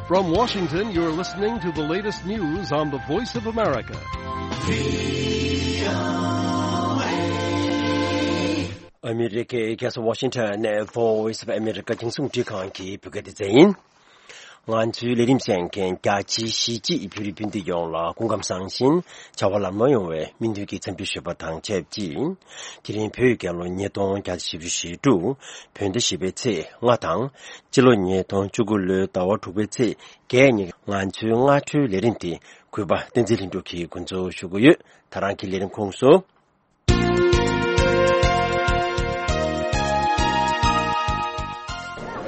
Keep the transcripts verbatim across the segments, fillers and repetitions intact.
From Washington, you're listening to the latest news on the Voice of America. ཨ་མི་རི་ཀའི་རྒྱལ་ས་ཝ་ཤིང་ཊོན་ནས་Voice of America་རྒྱང་སྲིང་རླུང་འཕྲིན་ཁང་གི་བོད་སྐད་སྡེ་ཚན་ཡིན། ང་ཚོའི་ལས་རིམ་གསན་མཁན་རྒྱ་ཆེའི་གཞིས་བྱེས་བོད་རིགས་སྤུན་ཟླ་ཡོངས་ལ་སྐུ་ཁམས་བཟང་ཞིང་བྱ་བ་ལམ་ལྷོང་ཡོང་བའི་སྨོན་འདུན་གྱི་འཚམས་འདྲི་ཞུས་པ་དང་ཆབས་ཅིག་དེ་རིང་བོད་རྒྱལ་ལོ་ཉིས་སྟོང་བརྒྱ་དང་བཞི་བཅུ་ཞེ་དྲུག་བོད་ཟླ་བཞི་པའི་ཚེས་ལྔ་དང་། སྤྱི་ལོ་ཉིས་སྟོང་བཅུ་དགུ་ལོའི་ཟླ་བ་དྲུག་པའི་ཚེས་བརྒྱད་ཉིན་ང་ཚོའི་སྔ་དྲོའི་ལས་རིམ་དེ་གུས་པ་བསྟན་འཛིན་ལྷུན་གྲུབ་ཀྱིས་འགོ་འཛུགས་ཞུ་གི་ཡོད། ད་རང་གི་ལས་རིམ་ཁོངས་སུ།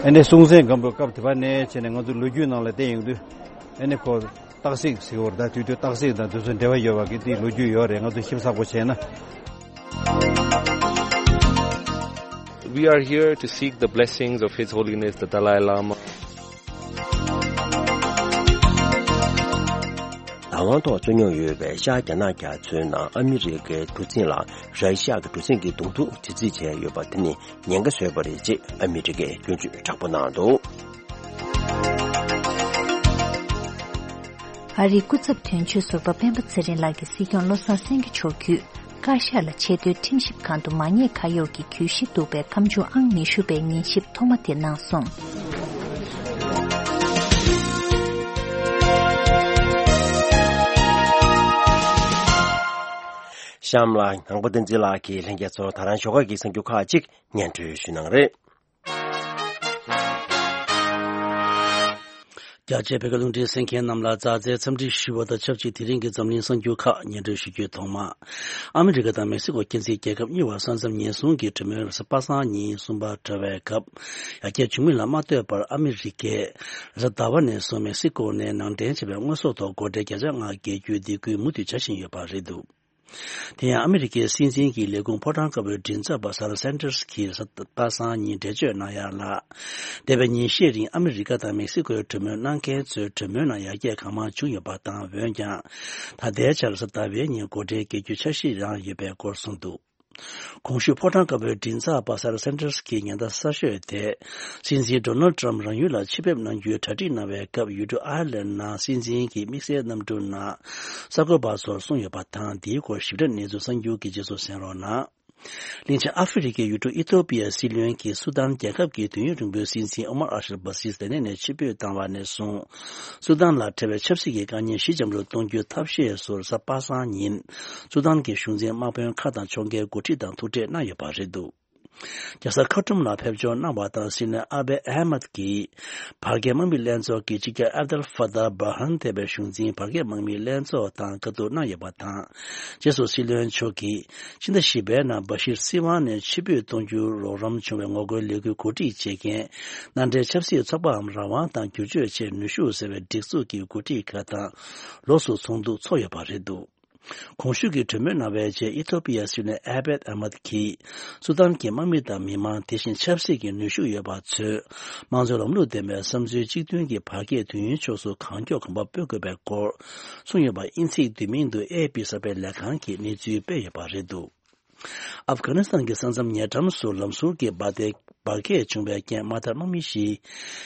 ཨ་ནི་སྲོང་བཙན་སྒམ་པོའི་སྐབས་དེ་བ་ནས་བྱས་ནས་ང་ཚོ་ལོ་རྒྱུས་ནང་ལ་བལྟས་ཡོང་དུས། ཨ་ནི་ཁོ་སྟག་གཟིག་ཟེར་བར་ད་དུས་དུས་སྟག་གཟིག་དང་དུས་ཚོད་འབྲེལ་བ་ཡོད་པ་གི་དེའི་ལོ་རྒྱུས་ཡོད་རེད། ང་ཚོ་ཞིབ་ཚགས་པོ་བྱས་ན། We are here to seek the blessings of His Holiness the Dalai Lama. བདག་དབང་ཐོག་རྩོད་རྙོག་ཡོད་པའི་ཤར་རྒྱ་ནག་རྒྱ་མཚོའི་ནང་ཨ་མི་རི་ཀའི་གྲུ་གཟིངས་ལ་ར་ཤི་ཡ་གི་གྲུ་གཟིངས་ཀྱི་གདོང་ཐུག་དྲི་རྩད་བྱས་ཡོད་པ་དེ་ནི་ཉེན་ཁ་བཟོས་པ་རེད་ཅེས་ཨ་མི་རི་ཀས་སྐྱོན་བརྗོད་དྲག་པོ་གནང་འདུག་ཨ་རིའི་སྐུ་ཚབ་དོན་གཅོད་ཟུར་པ་སྤེན་པ་ཚེ་རིང་ལགས་ཀྱིས་སྲིད་སྐྱོང་བློ་བཟང་སེང་གེ་མཆོག་བརྒྱུད། བཀའ་ཤག་ལ་ཆེས་མཐོའི་ཁྲིམས་ཞིབ་ཁང་དུ་མ་ཉེས་ཁ་གཡོགས་ཀྱི་གྱོད་གཞི་འདུག་པའི་ཁ་མཆུ་ཨང་ཉི་ཤུ་པའི་ཉན་ཞིབ་ཐོག་མ་དེ་གནང་སོང་། གཤམ་ལ་ནང་པ་བསྟན་འཛིན་ལགས་ཀྱིས་ལྷན་རྒྱས་ཚོར་ད་རང་ཞོགས་ཀ་གི་གསར་འགྱུར་ཁག་ཅིག་སྙན་སྒྲོན་ཞུ་གནང་རེད། རྒྱ་ཆེའི་བོད་སྐད་རླུང་འཕྲིན་གསན་མཁན་རྣམས་ལ་མཛའ་བརྩེའི་འཚམས་འདྲི་ཞུ་བ་དང་ཆབས་ཅིག་དེ་རིང་གི་འཛམ་གླིང་གསར་འགྱུར་ཁག་སྙན་སྒྲོན་ཞུ་རྒྱུའི་ཐོག་མ། ཨ་མི་རི་ཀ་དང་མེག་སི་ཀོ་མཁྱེན་བརྩེའི་རྒྱལ་ཁབ་གཉིས་བར་ས་མཚམས་ཉེན་སྲུང་གི་གྲོས་མོལ་རེས་གཟའ་པ་སངས་ཉིན་གསུམ་པར་གྲོལ་བའི་སྐབས། ཡར་རྒྱས་བྱུང་མིན་ལ་མ་ལྟོས་པར་ཨ་མི་རི་ཀས་རེས་གཟའ་ཟླ་བ་ནས་བཟུང་མེག་སི་ཀོ་ནས་ནང་འདྲེན་བྱས་པའི་དངོས་ཟོག་ཐོག་སྒོ་ཁྲལ་བརྒྱ་ཆ་ལྔ་བཀལ་རྒྱུའི་སྡིགས་སྐུལ་མུ་མཐུད་བྱ་བཞིན་ཡོད་པ་རེད་འདུག་དེ་ཡང་ཨ་མི་རི་ཀའི་སྲིད་འཛིན་གྱི་ལས་ཁུངས་ཕོ་བྲང་དཀར་པོའི་མགྲིན་ཚབ་པ་ས་ར་སན་ཏར་སི་གིས་གཟའ་པ་སངས་ཉིན་འགྲེལ་བརྗོད་གནང་ཡག་ལ། འདས་པའི་ཉིན་ཤས་རིང་ཨ་མི་རི་ཀ་དང་མེག་སི་ཀོའི་གྲོས་མོལ་གནང་མཁན་ཚོའི་གྲོས་མོལ་ནང་ཡར་རྒྱས་གང་མང་བྱུང་ཡོད་པ་དང་། འོན་ཀྱང་། ད་ལྟའི་ཆར་གཟའ་ཟླ་བའི་ཉིན་སྒོ་ཁྲལ་བཀལ་རྒྱུའི་འཆར་གཞི་རང་ཡོད་པའི་སྐོར་གསུངས་འདུག་གོང་ཞུས་ཕོ་བྲང་དཀར་པོའི་མགྲིན་ཚབ་པ་ས་ར་སན་ཏར་སི་གིས་ཉེན་བརྡ་གསར་ཤོས་དེ། སྲིད་འཛིན་ཌོ་ནལ་ཏྲམ་རང་ཡུལ་ལ་ཆེད་ཕེབས་གནང་རྒྱུའི་གྲ་སྒྲིག་གནང་བའི་སྐབས། ཡུལ་གྲུ་ཨའི་ལན་ནང་སྲིད་འཛིན་གྱི་དམིགས་བསལ་གནམ་གྲུ་ནང་གསར་འགོད་པ་ཚོར་གསུངས་ཡོད་པ་དང་། འདིའི་སྐོར་ཞིབ་ཕྲ་གནས་ཚུལ་གསར་འགྱུར་གྱི་རྗེས་སུ་གསན་རོགས་གནང་། གླིང་ཆེན་ཨ་ཧྥེ་རི་ཁའི་ཡུལ་གྲུ་ཨི་ཐོ་པི་ཡའི་སྲིད་བློན་གྱིས་སུ་དཱན་རྒྱལ་ཁབ་ཀྱི་དུས་ཡུན་རིང་པོའི་སྲིད་འཛིན་ཨོ་མར་ཨལ་ཤར་བྷ་སིར་ལྡེ་ནེ་ནས་ཕྱིར་འབུད་བཏང་བ་ནས་བཟུང་། སུ་དཱན་ལ་འཕྲད་པའི་ཆབ་སྲིད་ཀྱི་དཀའ་ངལ་ཞི་འཇམ་རུ་གཏོང་རྒྱུའི་ཐབས་ཤེས་ཚོར་གཟའ་པ་སངས་ཉིན་སུ་དཱན་གྱི་གཞུང་འཛིན་དམག་དཔོན་ཁག་དང་ཕྱོགས་འགལ་འགོ་ཁྲིད་དང་ཐུག་འཕྲད་གནང་ཡོད་པ་རེད་འདུག་རྒྱལ་ས་ཁར་ཊུམ་ལ་ཕེབས་འབྱོར་གནང་བ་དང་། སྲིད་བློན་ཨ་བྷེ་ཨ་མད་ཀྱིས་བར་བརྒལ་དམག་མི་ལྷན་ཚོགས་ཀྱི་སྤྱི་ཁྱབ་ཨབ་དལ་ཧྥ་ཏཱ་བར་ཧན་ཐེ་བའི་གཞུང་འཛིན་བར་བརྒལ་དམག་མི་ལྷན་ཚོགས་དང་བཀའ་བསྡུར་གནང་ཡོད་པ་དང་། རྗེས་སུ་སྲིད་བློན་མཆོག་གིས་ཕྱི་ཟླ་བཞི་པའི་ནང་བ་ཤིར་སྲིད་དབང་ནས་ཕྱིར་འབུད་གཏོང་རྒྱུར་རོགས་རམ་བྱུང་བའི་ངོ་རྒོལ་ལས་འགུལ་གོ་སྒྲིག་བྱེད་མཁན་མནའ་འབྲེལ་ཆབ་སྲིད་ཚོགས་པའམ་རང་དབང་དང་བསྒྱུར་བཅོས་ཆེད་ནུས་ཤུགས་ཟེར་བའི་སྒྲིག་འཛུགས་ཀྱི་འགོ་ཁྲིད་ཁག་དང་ལོགས་སུ་ཚོགས་འདུ་ཚོགས་ཡོད་པ་རེད་འདུག་གོང་ཞུས་ཀྱི་གྲོས་མོལ་གནང་བའི་རྗེས། ཨི་ཐོ་པི་ཡ་སྲིད་བློན་ཨ་བེད་ཨ་མད་ཀྱིས་སུ་དཱན་གྱི་དམག་མི་དང་མི་མང་། དེ་བཞིན་ཆབ་སྲིད་ཀྱི་ནུས་ཤུགས་ཡོད་པ་ཚོས་དམངས་གཙོའི་ལམ་ལུགས་ལྡན་པའི་བསམ་ཚུལ་གཅིག་མཐུན་གྱི་བར་བརྒལ་དུས་ཡུན་ཕྱོགས་སུ་གང་མགྱོགས་གོམ་པ་སྤོ་དགོས་པའི་སྐོར་གསུངས་ཡོད་པ་དབྱིན་ཚིག་བསྡུས་མིང་དུ་ཨེ་ཨེཕ་པི་གསར་པའི་ལས་ཁང་གིས་གནས་ཚུལ་སྤེལ་ཡོད་པ་རེད་འདུག་ཨབ་གྷ་ནི་སི་ཐན་གྱི་ས་མཚམས་ཉེ་འགྲམ་སུ་ལམ་ཟུར་གྱི་འབར་མདེལ་འབར་གས་བྱུང་བའི་རྐྱེན་དམག་དར་དམག་མི་བཞི་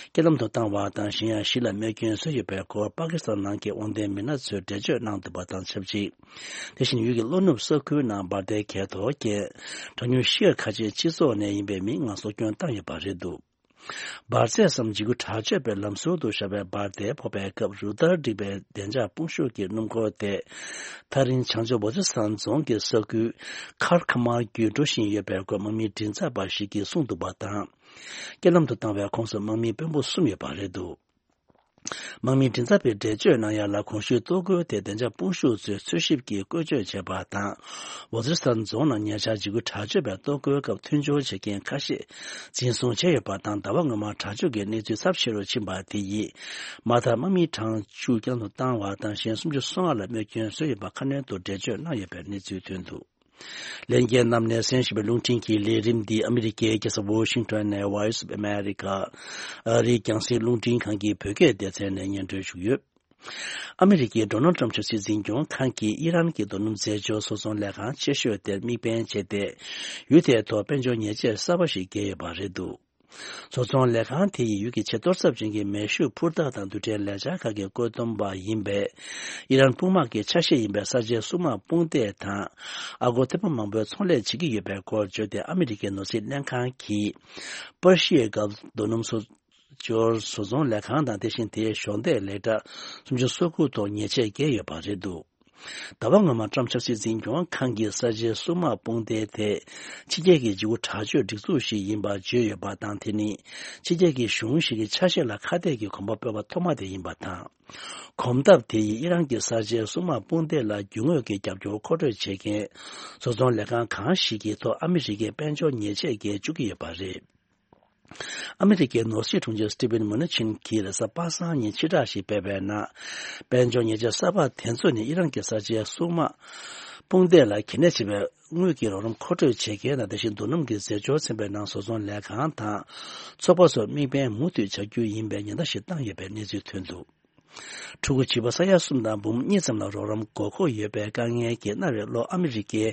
རྐྱེན་ལམ་དུ་བཏང་བ་དང་། གཞན་ཡང་བཞི་ལ་རྨས་སྐྱོན་བཟོས་ཡོད་པའི་སྐོར་པ་ཀི་སི་ཐན་ནང་གི་དབང་ལྡན་མི་སྣ་ཚོས་འགྲེལ་བརྗོད་གནང་འདུག་པ་དང་ཆབས་ཅིག་དེ་བཞིན་ཡུལ་གྱི་ལྷོ་ནུབ་ས་ཁུལ་ནང་འབར་མདེལ་གས་གཏོར་རྐྱེན་གྲངས་ཉུང་བཞི་ཁ་ཆེ་སྤྱི་ཚོགས་ནས་ཡིན་པའི་མི་ལྔ་སྲོག་སྐྱོན་བཏང་ཡོད་པ་རེད་འདུག་འབར་རྫས་སམ་འཇིགས་སྐུལ་དྲག་སྤྱོད་པའི་ལམ་ཟུར་དུ་བཞག་པའི་འབར་མདེལ་ཕོག་པའི་སྐབས། རུ་སྟར་བསྒྲིགས་པའི་བདེ་འཇགས་དཔུང་ཤུགས་ཀྱི་སྣུམ་འཁོར་དེ་ཐག་རིང་བྱང་ཕྱོགས་ཝ་ཛི་སི་ཐན་རྫོང་གི་ས་ཁུལ་ཁར་ཁ་མར་བརྒྱུད་འགྲོ་བཞིན་ཡོད་པའི་སྐོར་དམག་མིའི་མགྲིན་ཚབ་པ་ཞིག་གིས་གསུངས་འདུག་པ་དང་། རྐྱེན་ལམ་དུ་བཏང་བའི་ཁོངས་སུ་དམག་མི་དཔོན་པོ་གསུམ་ཡོད་པ་རེད་འདུག་དམག་མིའི་མགྲིན་ཚབ་པས་འགྲེལ་བརྗོད་གནང་ཡག་ལ། གོང་ཞུས་གཏོར་རྒོལ་དེ་བདེ་འཇགས་དཔུང་ཤུགས་ཚོས་འཚོལ་ཞིབ་ཀྱིས་བཀོལ་སྤྱོད་བྱས་པ་དང་། ཝ་ཛི་རི་སི་ཐན་རྫོང་ནང་ཉེ་ཆར་འཇིགས་སྐུལ་དྲག་སྤྱོད་པའི་གཏོར་རྒོལ་སྐབས་མཐུན་སྦྱོར་བྱེད་མཁན་ཁ་ཤས་འཛིན་བཟུང་བྱས་ཡོད་པ་དང་། ཟླ་བ་སྔོན་མར་དྲག་སྤྱོད་ཀྱི་གནས་ཚུལ་ཚབས་ཆེ་རུ་ཕྱིན་པ་དེ་ཡིས་དམག་དར་དམག་མི་གྲངས་བཅུ་རྐྱེན་ལམ་དུ་བཏང་བ་དང་། གཞན་སུམ་ཅུ་སོ་ལྔ་ལ་རྨས་སྐྱོན་བཟོས་ཡོད་པ་ཁ་སྣོན་དུ་འགྲེལ་བརྗོད་གནང་ཡོད་པའི་གནས་ཚུལ་ཐོན་འདུག་ལྷན་རྒྱས་རྣམས་ནས་གསན་བཞིན་པའི་རླུང་འཕྲིན་གྱི་ལས་རིམ་འདི་ཨ་མི་རི་ཀའི་རྒྱལ་ས་ཝོ་ཤིང་ཊོན་ནས་Voice of America ཨ་རིའི་རྒྱང་སྲིང་རླུང་འཕྲིན་ཁང་གི་བོད་སྐད་སྡེ་ཚན་ནས་སྙན་སྒྲོན་ཞུས་ཡོད། ཨ་མི་རི་ཀའི་ཌོ་ནལ་ཊམ་ཕྱོགས་སྲིད་འཛིན་སྐྱོང་ཁང་གིས་ཨི་རན་གྱི་རྡོ་སྣུམ་རྫས་སྦྱོར་བཟོ་ཚོང་ལས་ཁང་ཆེ་ཤོས་དེར་དམིགས་འབེན་བྱས་ཏེ། ཡུལ་དེའི་ཐོག་དཔལ་འབྱོར་ཉེས་ཆད་གསར་པ་ཞིག་བཀལ་ཡོད་པ་རེད་འདུག་བཟོ་ཚོང་ལས་ཁང་དེ་ཡིས་ཡུལ་གྱི་ཆེས་གཏོར་ཚབས་ཅན་གྱི་མེ་ཤུགས་འཕུར་མདའ་དང་རྡུལ་ཕྲན་ལས་འཆར་ཁག་གི་བཀོད་འདོམས་པ་ཡིན་པའི་ཨི་རན་དཔུང་དམག་གི་ཆ་ཤས་ཡིན་པའི་གསར་བརྗེའི་སྲུང་དམག་དཔུང་སྡེ་དང་། ཨ་སྒོར་ཐེར་འབུམ་མང་པོའི་ཚོང་ལས་བྱེད་ཀྱི་ཡོད་པའི་སྐོར་བརྗོད་དེ། ཨ་མི་རི་ཀའི་ནོར་སྲིད་ལྷན་ཁང་གིས་པར་ཤི་ཡའི་སྒལ་རྡོ་སྣུམ་བཟོ་སྦྱོར་བཟོ་ཚོང་ལས་ཁང་དང་། དེ་བཞིན་དེའི་གཞོགས་འདེགས་ལས་གྲྭ་སུམ་ཅུ་སོ་དགུ་ཐོག་ཉེས་ཆད་བཀལ་ཡོད་པ་རེད་འདུག་ཟླ་བ་སྔོན་མ་ཊམ་ཆབ་སྲིད་འཛིན་སྐྱོང་ཁང་གིས་གསར་བརྗེའི་སྲུང་དམག་དཔུང་སྡེ་དེ་ཕྱི་རྒྱལ་གྱི་འཇིགས་སྐུལ་དྲག་སྤྱོད་སྒྲིག་འཛུགས་ཤིག་ཡིན་པ་བརྗོད་ཡོད་པ་དང་། དེ་ནི་ཕྱི་རྒྱལ་གྱི་གཞུང་ཞིག་གི་ཆ་ཤས་ལ་ཁ་གཏད་ཀྱི་གོམ་པ་སྤོས་པ་ཐོག་མ་དེ་ཡིན་པ་དང་། གོམ་སྟབས་དེ་ཡིས་ཨི་རན་གྱི་གསར་བརྗེའི་སྲུང་དམག་དཔུང་སྡེ་ལ་རྒྱུ་དངོས་ཀྱི་རྒྱབ་སྐྱོར་མཁོ་སྤྲོད་བྱེད་མཁན་བཟོ་ཚོང་ལས་ཁང་གང་ཞིག་གི་ཐོག་ཨ་མི་རི་ཀས་དཔལ་འབྱོར་ཉེས་ཆད་བཀལ་བཅུག་གི་ཡོད་པ་རེད། ཨ་མི་རི་ཀའི་ནོར་སྲིད་དྲུང་ཆེ་སི་ཊི་ཝེན་མུ་ནི་ཆིན་གྱིས་རེས་གཟའ་པ་སངས་ཉིན་ཕྱིར་བསྒྲགས་ཤིག་སྤེལ་བའི་ནང་། དཔལ་འབྱོར་ཉེས་ཆད་གསར་པ་དེ་ཚོ་ནི་ཨི་རན་གྱི་གསར་བརྗེའི་སྲུང་དམག་དཔུང་སྡེ་ལ་གལ་གནད་ཆེ་བའི་དངུལ་གྱི་རོགས་རམ་མཁོ་སྤྲོད་བྱེད་མཁན་དང་། དེ་བཞིན་རྡོ་སྣུམ་གྱི་རྫས་སྦྱོར་ཚན་པའི་ནང་བཟོ་ཚོང་ལས་ཁང་དང་ཚོགས་པ་སོགས་དམིགས་འབེན་མུ་མཐུད་བྱ་རྒྱུ་ཡིན་པའི་ཉེན་བརྡ་ཞིག་བཏང་ཡོད་པའི་གནས་ཚུལ་ཐོན་འདུག་ཕྲུ་གུ་བྱིས་པ་ས་ཡ་གསུམ་དང་འབུམ་གཉིས་ཙམ་ལ་རོགས་རམ་དགོས་མཁོ་ཡོད་པའི་དཀའ་ངལ་གྱིས་གནའ་བོའི་ལྷོ་ཨ་མི་རི་ཀའི་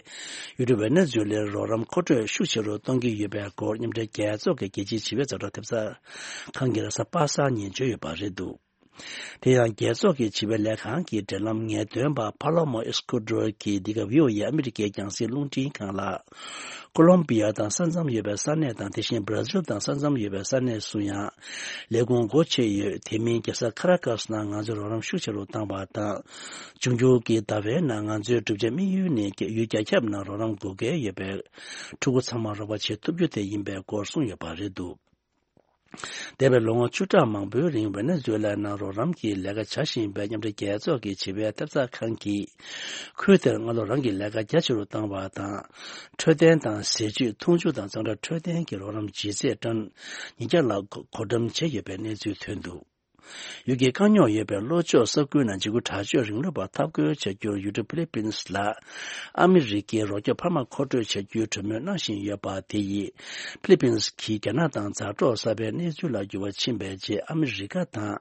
ཡུལ་གྲུ་ཝེ་ནེ་ཛུ་ལའི་རོགས་རམ་མཁོ་སྤྲོད་ཤུགས་ཆེ་རུ་གཏོང་གི་ཡོད་པའི་སྐོར་མཉམ་འབྲེལ་རྒྱལ་ཚོགས་ཀྱི་རྒྱལ་སྤྱིའི་བྱིས་པའི་ཛ་དྲག་ཐེབས་རྩ་ཁང་གིས་རེས་གཟའ་པ་སངས་ཉིན་བརྗོད་ཡོད་པ་རེད་འདུག་དེ་ཡང་རྒྱལ་ཚོགས་ཀྱི་བྱིས་པའི་ལས་ཁང་གི་འབྲེལ་ལམ་ངེས་སྟོན་པ་ཕ་ལོ་མོ་ཨེ་སི་ཀུ་ཌོར་གྱིས་འདི་ག་བྷི་ཨོ་ཨེ་ཨ་མི་རི་ཀའི་རྒྱང་སྲིང་རླུང་འཕྲིན་ཁང་ལ། ཀོ་ལོམ་བི་ཡ་དང་ས་མཚམས་ཡོད་པའི་ས་གནས་དང་། དེ་བཞིན་བྷ་ར་ཟིལ་དང་ས་མཚམས་ཡོད་པའི་ས་གནས་སུ་ཡང་ལས་ཁུངས་སྒོ་ཕྱེ་ཡོད། དེ་མིན་རྒྱལ་ས་ཁ་ར་ཀ་སི་ནང་ང་ཚོས་རོགས་རམ་ཤུགས་ཆེ་རུ་བཏང་བ་དང་། འབྱུང་འགྱུར་གྱི་ཟླ་བའི་ནང་ང་ཚོའི་གྲུབ་ཆ་དམིགས་ཡུལ་ནི་ཡུལ་རྒྱ་ཁྱབ་ནང་རོགས་རམ་དགོས་གལ་ཡོད་པའི་ཕྲུ་གུ་ཚང་མ་རོགས་པ་བྱེད་ཐུབ་རྒྱུ་དེ་ཡིན་པའི་སྐོར་གསུངས་ཡོད་པ་རེད་འདུག་འདས་པའི་ལོ་ངོ་བཅུ་ཕྲག་མང་པོའི་རིང་ཝེ་ནེ་ཛུ་ལའི་ནང་རོགས་རམ་གྱི་ལས་ཀ་བྱ་བཞིན་པའི་མཉམ་འབྲེལ་རྒྱལ་ཚོགས་ཀྱི་བྱིས་པའི་ཐེབས་རྩ་ཁང་གིས། ཁུལ་དེར་སྔ་ལོ་རང་གི་ལས་ཀ་རྒྱ་ཆེ་རུ་བཏང་བ་དང་། འཕྲོད་བསྟེན་དང་ཟས་བཅུད། འཐུང་ཆུ་དང་གཙང་སྦྲ། འཕྲོད་བསྟེན་གྱི་རོགས་རམ་ལྗིད་ཚད་ཊོན་ཉིས་བརྒྱ་ལ་བགོ་བགོ་བཀྲམ་བྱས་ཡོད་པའི་གནས་ཚུལ་ཐོན་འདུག་ཡུལ་གྱི་དཀའ་རྙོག་ཡོད་པའི་ལྷོ་ཕྱོགས་ས་ཁུལ་ནང་འཇིགས་སྐུལ་དྲག་སྤྱོད་རིང་ལུགས་པ་འཐབ་རྒོལ་བྱ་རྒྱུར་ཡུལ་གྲུ་ཕི་ལི་པིན་སི་ལ་ཨ་མི་རི་ཀའི་རོགས་སྐྱོབ་འཕར་མ་མཁོ་སྤྲོད་བྱ་རྒྱུའི་གྲོས་མོལ་གནང་བཞིན་ཡོད་པ་དེ་ཡིས། ཕི་ལི་པིན་སི་གིས་རྒྱ་ནག་དང་མཛའ་གྲོགས་གསར་པའི་གནས་ཚུལ་ལ་འགྱུར་བ་ཕྱིན་པའི་རྗེས། ཨ་མི་རི་ཀ་དང་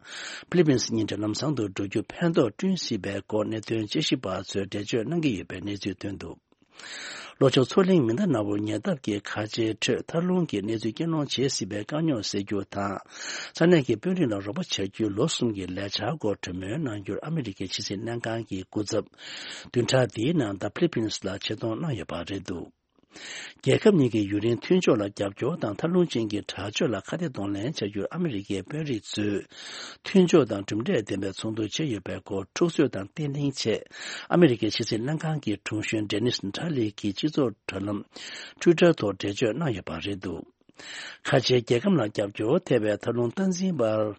ཕི་ལི་པིན་སི་གཉིས་འབྲེལ་ལམ་བཟང་དུ་འགྲོ་རྒྱུར་ཕན་ཐོགས་བསྐྲུན་སྲིད་པའི་སྐོར་གནད་དོན་དཔྱད་ཞིབ་པ་ཚོས་འགྲེལ་བརྗོད་གནང་གི་ཡོད་པའི་གནས་ཚུལ་ཐོན་འདུག་ལྷོ་ཕྱོགས་མཚོ་གླིང་མི་སྣ་ནག་པོའི་ཉེ་འདབས་ཀྱི་མཁའ་ཆེའི་ཁྲོད་ཐར་རླུང་གི་གནས་ཚུལ་རྐྱེན་སློང་བྱེད་སྲིད་པའི་དཀའ་རྙོག་སེལ་རྒྱུ་དང་། ས་གནས་ཀྱི་དཔོན་རིགས་ལ་རོགས་པ་བྱ་རྒྱུའི་ལོ་གསུམ་གྱི་ལས་འཆར་སྐོར་གྲོས་མོལ་གནང་རྒྱུར་ཨ་མི་རི་ཀའི་ཕྱི་སྲིད་ལྷན་ཁང་གི་སྐུ་ཚབ་བདུན་ཕྲག་འདིའི་ནང་ད་ཕི་ལི་པིན་སི་ལ་ཆེད་གཏོང་གནང་ཡོད་པ་རེད་འདུག་རྒྱལ་ཁབ་གཉིས་ཀྱི་ཡུན་རིང་མཐུན་ཕྱོགས་ལ་རྒྱབ་སྐྱོར་དང་། ཐར་རླུང་ཅན་གྱི་དྲག་སྤྱོད་ལ་ཁ་གཏད་གདོང་ལེན་བྱ་རྒྱུར་ཨ་མི་རི་ཀའི་དཔོན་རིགས་ཚོས་མཐུན་ཕྱོགས་དང་གྲུབ་འབྲས་ལྡན་པའི་ཚོགས་འདུ་བྱས་ཡོད་པའི་སྐོར་འཁྲུག་རྩོད་དང་བརྟན་ལྷིང་ཆེད་ཨ་མི་རི་ཀའི་ཕྱི་སྲིད་ལྷན་ཁང་གི་དྲུང་གཞོན་ཌེ་ནིས་ནི་ཊ་ལི་གིས་སྤྱི་ཚོགས་དྲ་ལམ་ཊུའི་ཊར་ཐོག་འགྲེལ་བརྗོད་གནང་ཡོད་པ་རེད་འདུག་ཁ་ཆེའི་རྒྱལ་ཁམས་ལ་རྒྱབ་སྐྱོར་ཐེབས་པའི་ཐར་རླུང་སྟངས་འཛིན་པར་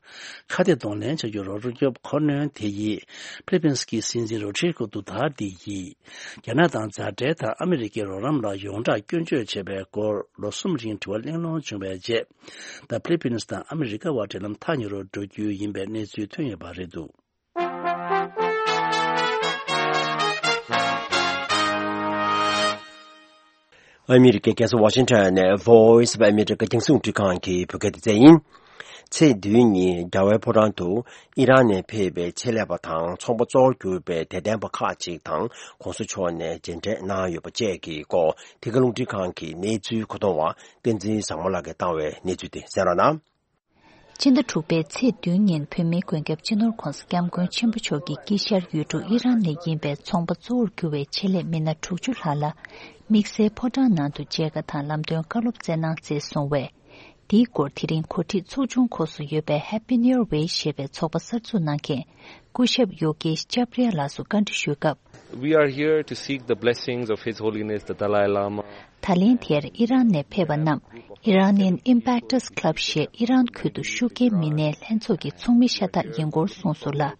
ཁ་གཏད་གདོང་ལེན་བྱ་རྒྱུར་རོགས་སྐྱོབ་ཁོ་ནོན་དེ་ཡིས་ཕི་ལི་པིན་སི་གི་སྲིད་འཛིན་རོ་ཌི་རི་ཀོ་ཌུ་ཐར་ཏེ་ཡིས། རྒྱ་ནག་དང་མཛའ་འབྲེལ་དང་ཨ་མི་རི་ཀའི་རོགས་རམ་ལ་ཡོངས་གྲགས་སྐྱོན་བརྗོད་བྱས་པའི་སྐོར་ལོ་གསུམ་རིང་དྲི་བ་གླེང་སློང་བྱུང་བའི་རྗེས། ད་ཕི་ལི་པིན་སི་དང་ཨ་མི་རི་ཀ་བར་འབྲེལ་ལམ་ཐག་ཉེ་རུ་འགྲོ་རྒྱུ་ཡིན་པའི་གནས་ཚུལ་ཐོན་ཡོད་པ་རེད་འདུག་ཨ་མི་རི་ཀའི་རྒྱལ་ས་ཝ་ཤིང་ཊོན་ནས་Voice of America རྒྱང་སྲིང་རླུང་འཕྲིན་ཁང་གི་བོད་སྐད་སྡེ་ཚན་ཡིན། ཚེས་བདུན་ཉིན་རྒྱལ་བའི་ཕོ་བྲང་དུ་ཨི་རན་ནས་ཕེབས་པའི་ཆེད་ལས་པ་དང་ཚོང་པ་གཙོ་བོར་གྱུར་པའི་དད་ལྡན་པ་ཁག་ཅིག་དང་གོང་ས་མཆོག་ནས་མཇལ་འཕྲད་གནང་ཡོད་པ་བཅས་ཀྱི་སྐོར་ཐད་ཀར་རླུང་འཕྲིན་ཁང་གི་གནས་ཚུལ་མཁོ་གཏོང་བ་བསྟན་འཛིན་བཟང་མོ་ལགས་ཀྱིས་བཏང་བའི་གནས་ཚུལ་དེ་གསན་རོགས་གནང་། ཕྱི་ཟླ་དྲུག་པའི་ཚེས་བདུན་ཉིན་བོད་མིའི་མགོན་སྐྱབས་སྤྱི་ནོར་༧གོང་ས་༧སྐྱབས་མགོན་ཆེན་པོ་མཆོག་གི་དཀྱིལ་ཤར་ཡུལ་གྲུ་ཨི་རན་ནས་ཡིན་པའི་ཚོང་པ་གཙོ་བོར་གྱུར་བའི་ཆེད་ལས་མི་སྣ་དྲུག་ཅུ་ལྷག་ལ་དམིགས་བསལ་ཕོ་བྲང་ནང་དུ་མཇལ་ཁ་དང་ལམ་སྟོན་བཀའ་སློབ་སྩལ་གནང་མཛད་སོང་བས། དེའི་སྐོར་དེ་རིང་གོ་སྒྲིག་ཚོགས་ཆུང་འཁོར་སུ་ཡོད་པའི་Happy New Year Way ཞེས་པའི་ཚོགས་པ་གསར་འཛུགས་གནང་མཁན་སྐུ་ཞབས་ཡོ་གེཤ་ཅབ་རི་ཡ་ལགས་སུ་བཀའ་འདྲི་ཞུས་སྐབས། We are here to seek the blessings of His Holiness the Dalai Lama. ད་ལན་དེར་ཨི་རན་ནས་ཕེབས་པ་རྣམས་Iranian Impactors Club ཞེས་ཨི་རན་ཁུལ་དུ་ཤུགས་རྐྱེན་མི་སྣའི་ལྷན་ཚོགས་ཀྱི་ཚོགས་མི་ཤ་སྟག་ཡིན་སྐོར་གསུངས་སོང་ལ།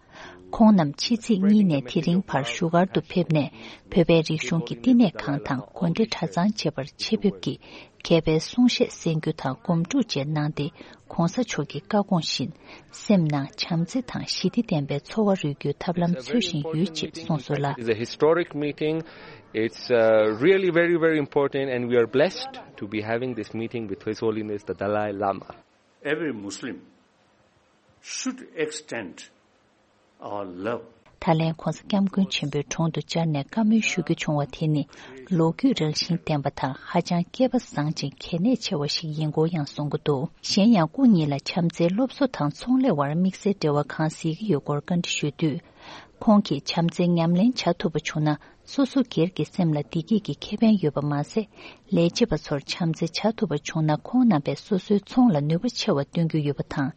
ཁོང་རྣམས་ཕྱི་ཚེས་གཉིས་ནས་དེ་རིང་བར་བཞུགས་སྒར་དུ་ཕེབས་ནས་བོད་པའི་རིག་གཞུང་གི་བསྟི་གནས་ཁང་དང་དགོན་སྡེ་གྲྭ་ཚང་བཅས་པར་ཆེད་ཕེབས་ཀྱིས་མཁས་པའི་གསུང་བཤད་གསན་རྒྱུ་དང་སྒོམ་སྒྲུབ་བཅས་གནང་སྟེ། ༸གོང་ས་མཆོག་གི་བཀའ་དགོངས་བཞིན་སེམས་ནང་བྱམས་བརྩེ་དང་ཞི་བདེ་ལྡན་པའི་འཚོ་བ་རོལ་རྒྱུའི་ཐབས་ལམ་འཚོལ་བཞིན་ཡོད་ཅེས་གསུངས་སོང་ལ། It's a historic meeting. It's uh, really very, very important, and we are blessed to be having this meeting with His Holiness the Dalai Lama. Every Muslim should extend our love. ད་ལན་༧གོང་ས་༧སྐྱབས་མགོན་ཆེན་པོའི་དྲུང་དུ་བཅར་ནས་བཀའ་མོལ་ཞུ་རྒྱུ་བྱུང་བ་དེ་ནི་ལོ་རྒྱུས་རང་བཞིན་ལྡན་པ་དང་ཧ་ཅང་སྐལ་པ་བཟང་ཅིང་གལ་གནད་ཆེ་བ་ཞིག་ཡིན་སྐོར་ཡང་གསུང་གི་འདུག་གཞན་ཡང་སྐུ་ཉིད་ལ་བྱམས་བརྩེའི་སློབ་གསོ་དང་ཚོང་ལས་བར་དམིགས་བསལ་འབྲེལ་བ་གང་གཟིགས་ཀྱི་ཡོད་སྐོར་བཀའ་འདྲི་ཞུས་དུས། ཁོང་གིས་བྱམས་བརྩེའི་ཉམས་ལེན་བྱ་ཐུབ་པ་བྱུང་ན། སོ་སོ་སྒེར་གྱི་སེམས་ལ་བདེ་སྐྱིད་ཀྱི་ཁེ་ཕན་ཡོད་པ་མ་ཟད། ལས་བྱེད་པ་ཚོར་བྱམས་བརྩེ་བྱ་ཐུབ་པ་བྱུང་ན། ཁོང་རྣམ་པས་སོ་སོའི་ཚོང་ལ་ནུས་པ་ཆེ་བ་སྟོན་རྒྱུ་ཡོད་པ་དང་།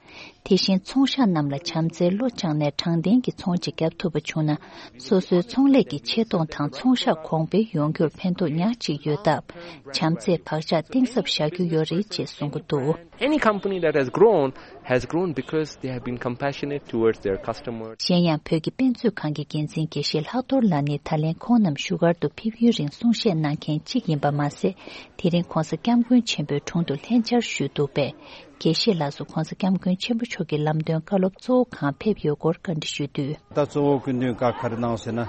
དེ་བཞིན་ཚོང་ཤག་རྣམས་ལ་བྱམས་བརྩེའི་བློ་བཅངས་ནས་དྲང་བདེན་གྱི་ཚོང་ཅིག་བརྒྱབ་ཐུབ་པ་བྱུང་ན། སོ་སོའི་ཚོང་ལས་ཀྱི་ཆེ་མཐོང་དང་ཚོང་ཤག་གོང་འཕེལ་ཡོང་རྒྱུར་ཕན་ཐོགས་ཉག་གཅིག་ཡོད་སྟབས། བྱམས་བརྩེས་བག་ཆགས་གཏིང་ཟབ་བཞག་རྒྱུ་ཡོད་རེད་ཅེས་གསུང་གི་འདུག Any company that has grown has grown because they have been compassionate towards their customers. གཞན་ཡང་བོད་ཀྱི་དཔེ་མཛོད་ཁང་གི་འགན་འཛིན་དགེ་བཤེས་ལྷག་རྡོར་ལགས་ནི་ད་ལན་ཁོང་རྣམས་བཞུགས་སྒར་དུ་ཕེབས་ཡུན་རིང་གསུང་བཤད་གནང་མཁན་གཅིག་ཡིན་པ་མ་ཟད། དེ་རིང་༧གོང་ས་༧སྐྱབས་མགོན་ཆེན་པོའི་དྲུང་དུ་ལྷན་བཅར་ཞུས་འདུག་པས། དགེ་བཤེས་ལགས་སུ་༧གོང་ས་༧སྐྱབས་མགོན་ཆེན་པོ་མཆོག་གི་ལམ་སྟོན་བཀའ་སློབ་གཙོ་བོ་གང་ཕེབས་ཡོད་སྐོར་བཀའ་འདྲི་ཞུས་དུས། ད་གཙོ་བོ་སྐུ་མདུན་བཀའ་ག་རེ་གནང་ཟེར་ན།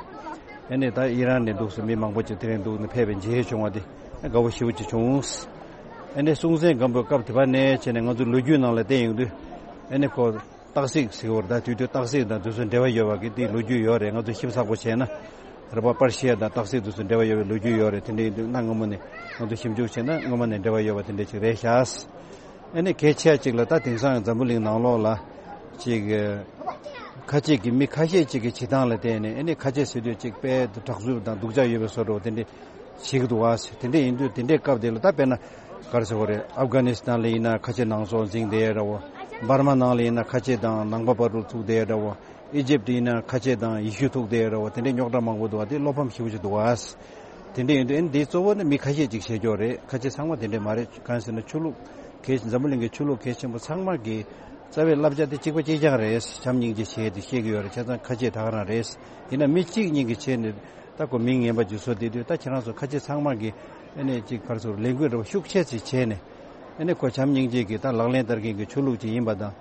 ཨ་ནི་ད་ཨི་རན་ནས་འདུག་སེ་མི་མང་པོ་ཅིག་དེ་རིང་འདུག་ནས་ཕེབས་པའི་མཇལ་བྱུང་བ་དེ་དགའ་བོ་ཞེ་པོ་ཅིག་བྱུང་། ཨ་ནི་སྲོང་བཙན་སྒམ་པོའི་སྐབས་དེ་བ་ནས་བྱས་ནས་ང་ཚོ་ལོ་རྒྱུས་ནང་ལ་བལྟས་ཡོང་དུས། ཨ་ནི་ཁོ་སྟག་གཟིག་ཟེར་བར་ད་དུས་དུས་སྟག་གཟིག་དང་དེ་ཚོ་འབྲེལ་བ་ཡོད་པ་གི་དེའི་ལོ་རྒྱུས་ཡོད་རེད། ང་ཚོ་ཞིབ་ཚགས་པོ་བྱས་ན། རེད་པ། པར་ཤི་ཡ་དང་སྟག་གཟིག་དེ་ཚོ་འབྲེལ་བ་ཡོད་པའི་ལོ་རྒྱུས་ཡོད་རེད། དེ་འདྲ་ཡིན་དུས་གནའ་སྔ་མོ་ནས་ང་ཚོ་ཞིབ་འཇུག་བྱས་ན་སྔོན་མ་ནས་འབྲེལ་བ་ཡོད་པ་དེ་འདྲ་ཅིག་རེད་ཤག་ཨ་ནི་གལ་ཆེ་ཅིག་ལ་ད་དེང་སང་འཛམ་བུ་གླིང་ནང་ལོགས་ལ་ཅིག་ཁ་ཆེ་གི་མི་ཁ་ཤས་ཅིག་གི་བྱེད་སྟངས་ལ་བལྟས་ནས། ཨ་ནི་ཁ་ཆེ་ཟེར་དུས་ཅིག་དཔེ་དྲག་རྩུབ་དང་སྡུག་ཅག་ཡོད་པའི་བཟོ་འདྲ་བོ་དེ་འདྲ་བྱེད་ཀྱི་འདུག་བ། དེ་འདྲ་ཡིན་དུས་དེ་འདྲའི་སྐབས་དེ་ལ་ད་དཔེར་ན་ག་རེ་ཟེར་དགོས་རེད། ཨབ་གྷ་ནི་སི་ཐན་ལ་ཡིན་ན་ཁ་ཆེ་ནང་སོག་འཛིང་བསྡད་ཡ་འདྲ་བོ། འབར་མ་ནང་ལ་ཡིན་ན་ཁ་ཆེ་དང་ནང་པ་བར་དུ་ཚུགས་བསྡད་ཡ་འདྲ་བོ། ཨི་ཇིབ་ཡིན་ན་ཁ་ཆེ་དང་ཡེ་ཤུ་ཐུག་བསྡད་ཡོད་རེད་བ། དེ་འདྲའི་རྙོག་དྲ་མང་པོ་འདུག་བ། དེ་བློ་ཕམ་ཞེ་པོ་ཅིག་འདུག་བ། དེ་འདྲ་ཡིན་དུས་ཨ་ནི་འདི་གཙོ་བོ་ནི་མི་ཁ་ཤས་ཅིག་བྱེད་ཀྱོག་རེད། ཁ་ཆེ་ཚང་མ་དེ་འདྲ་མ་རེད། གང་ཟེར་ན་ཆོས་ལུགས་གལ་འཛམ་བུ་གླིང་གི་ཆོས་ལུགས་གལ་ཆེན་པོ་ཚང་མ་གི་རྩ་བའི་བསླབ་བྱ་དེ་གཅིག་པ་གཅིག་རྐྱང་རེད། བྱམས་སྙིང་རྗེ་བྱེད་དེ་བཤད་ཀྱི་ཡོད་རེད། བྱས་ཙང་ཁ་ཆེ་ད་ག་རང་རེད། ཡིན་ན་མི་གཅིག་གཉིས་ཀྱི་ཆེད་ནས་ད་ཁོ་མིང་ངན་པ་ཅིག་བཟོ་བསྡད་དུས། ད་ཁྱེད་རང་ཚོ་ཁ་ཆེ་ཚང་མ་གི་ཨ་ནི་ཅིག་ཕར་ཚུར་ལས་འགུལ་འདྲ་བོ་ཤུགས་ཆེ་ཙིག་བྱས་ནས། ཨ་ནི་ཁོ་བྱམས་སྙིང་རྗེ་གི་ད་ལག་ལེན་བསྟར་མཁན་གྱི་ཆོས་ལུགས་ཅིག་ཡིན་པ་དང་།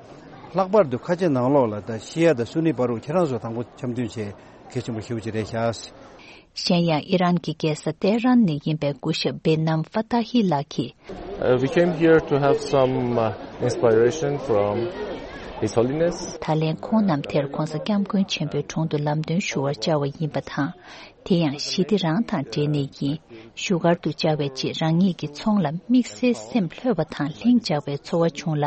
ལྷག་པར་དུ་ཁ་ཆེ་ནང་ལོགས་ལ་ད་ཤི་ཡ་དང་སུ་ནི་བར་དུ་ཁྱེད་རང་ཚོ་དང་པོ་འཆམ་མཐུན་བྱེད་གལ་ཆེན་པོ་ཞེ་པོ་ཅིག་རེད་ཤག་གཞན་ཡང་ཨི་རན་གྱི་རྒྱལ་ས་ཏེ་ཧྲན་ནས་ཡིན་པའི་སྐུ་ཞབས་བེ་ནམ་ཧྥ་ཏཱ་ཧི་ལགས་ཀྱིས། Uh, we came here to have some uh, inspiration from His Holiness. ད་ལན་ཁོང་རྣམས་དེར་༧གོང་ས་༧སྐྱབས་མགོན་ཆེན་པོའི་དྲུང་དུ་ལམ་སྟོན་ཞུ་བར་བཅར་བ་ཡིན་པ་དང་། དེ་ཡང་ཞི་བདེ་རང་དང་འབྲེལ་ནས་ཡིན། བཞུགས་སྒར་དུ་བཅར་བའི་རྗེས་རང་ཉིད་ཀྱི་ཚོང་ལ་དམིགས་བསལ་སེམས་ལྷོད་པ་དང་ལྷིང་འཇགས་པའི་ཚོར་བ་བྱུང་ལ།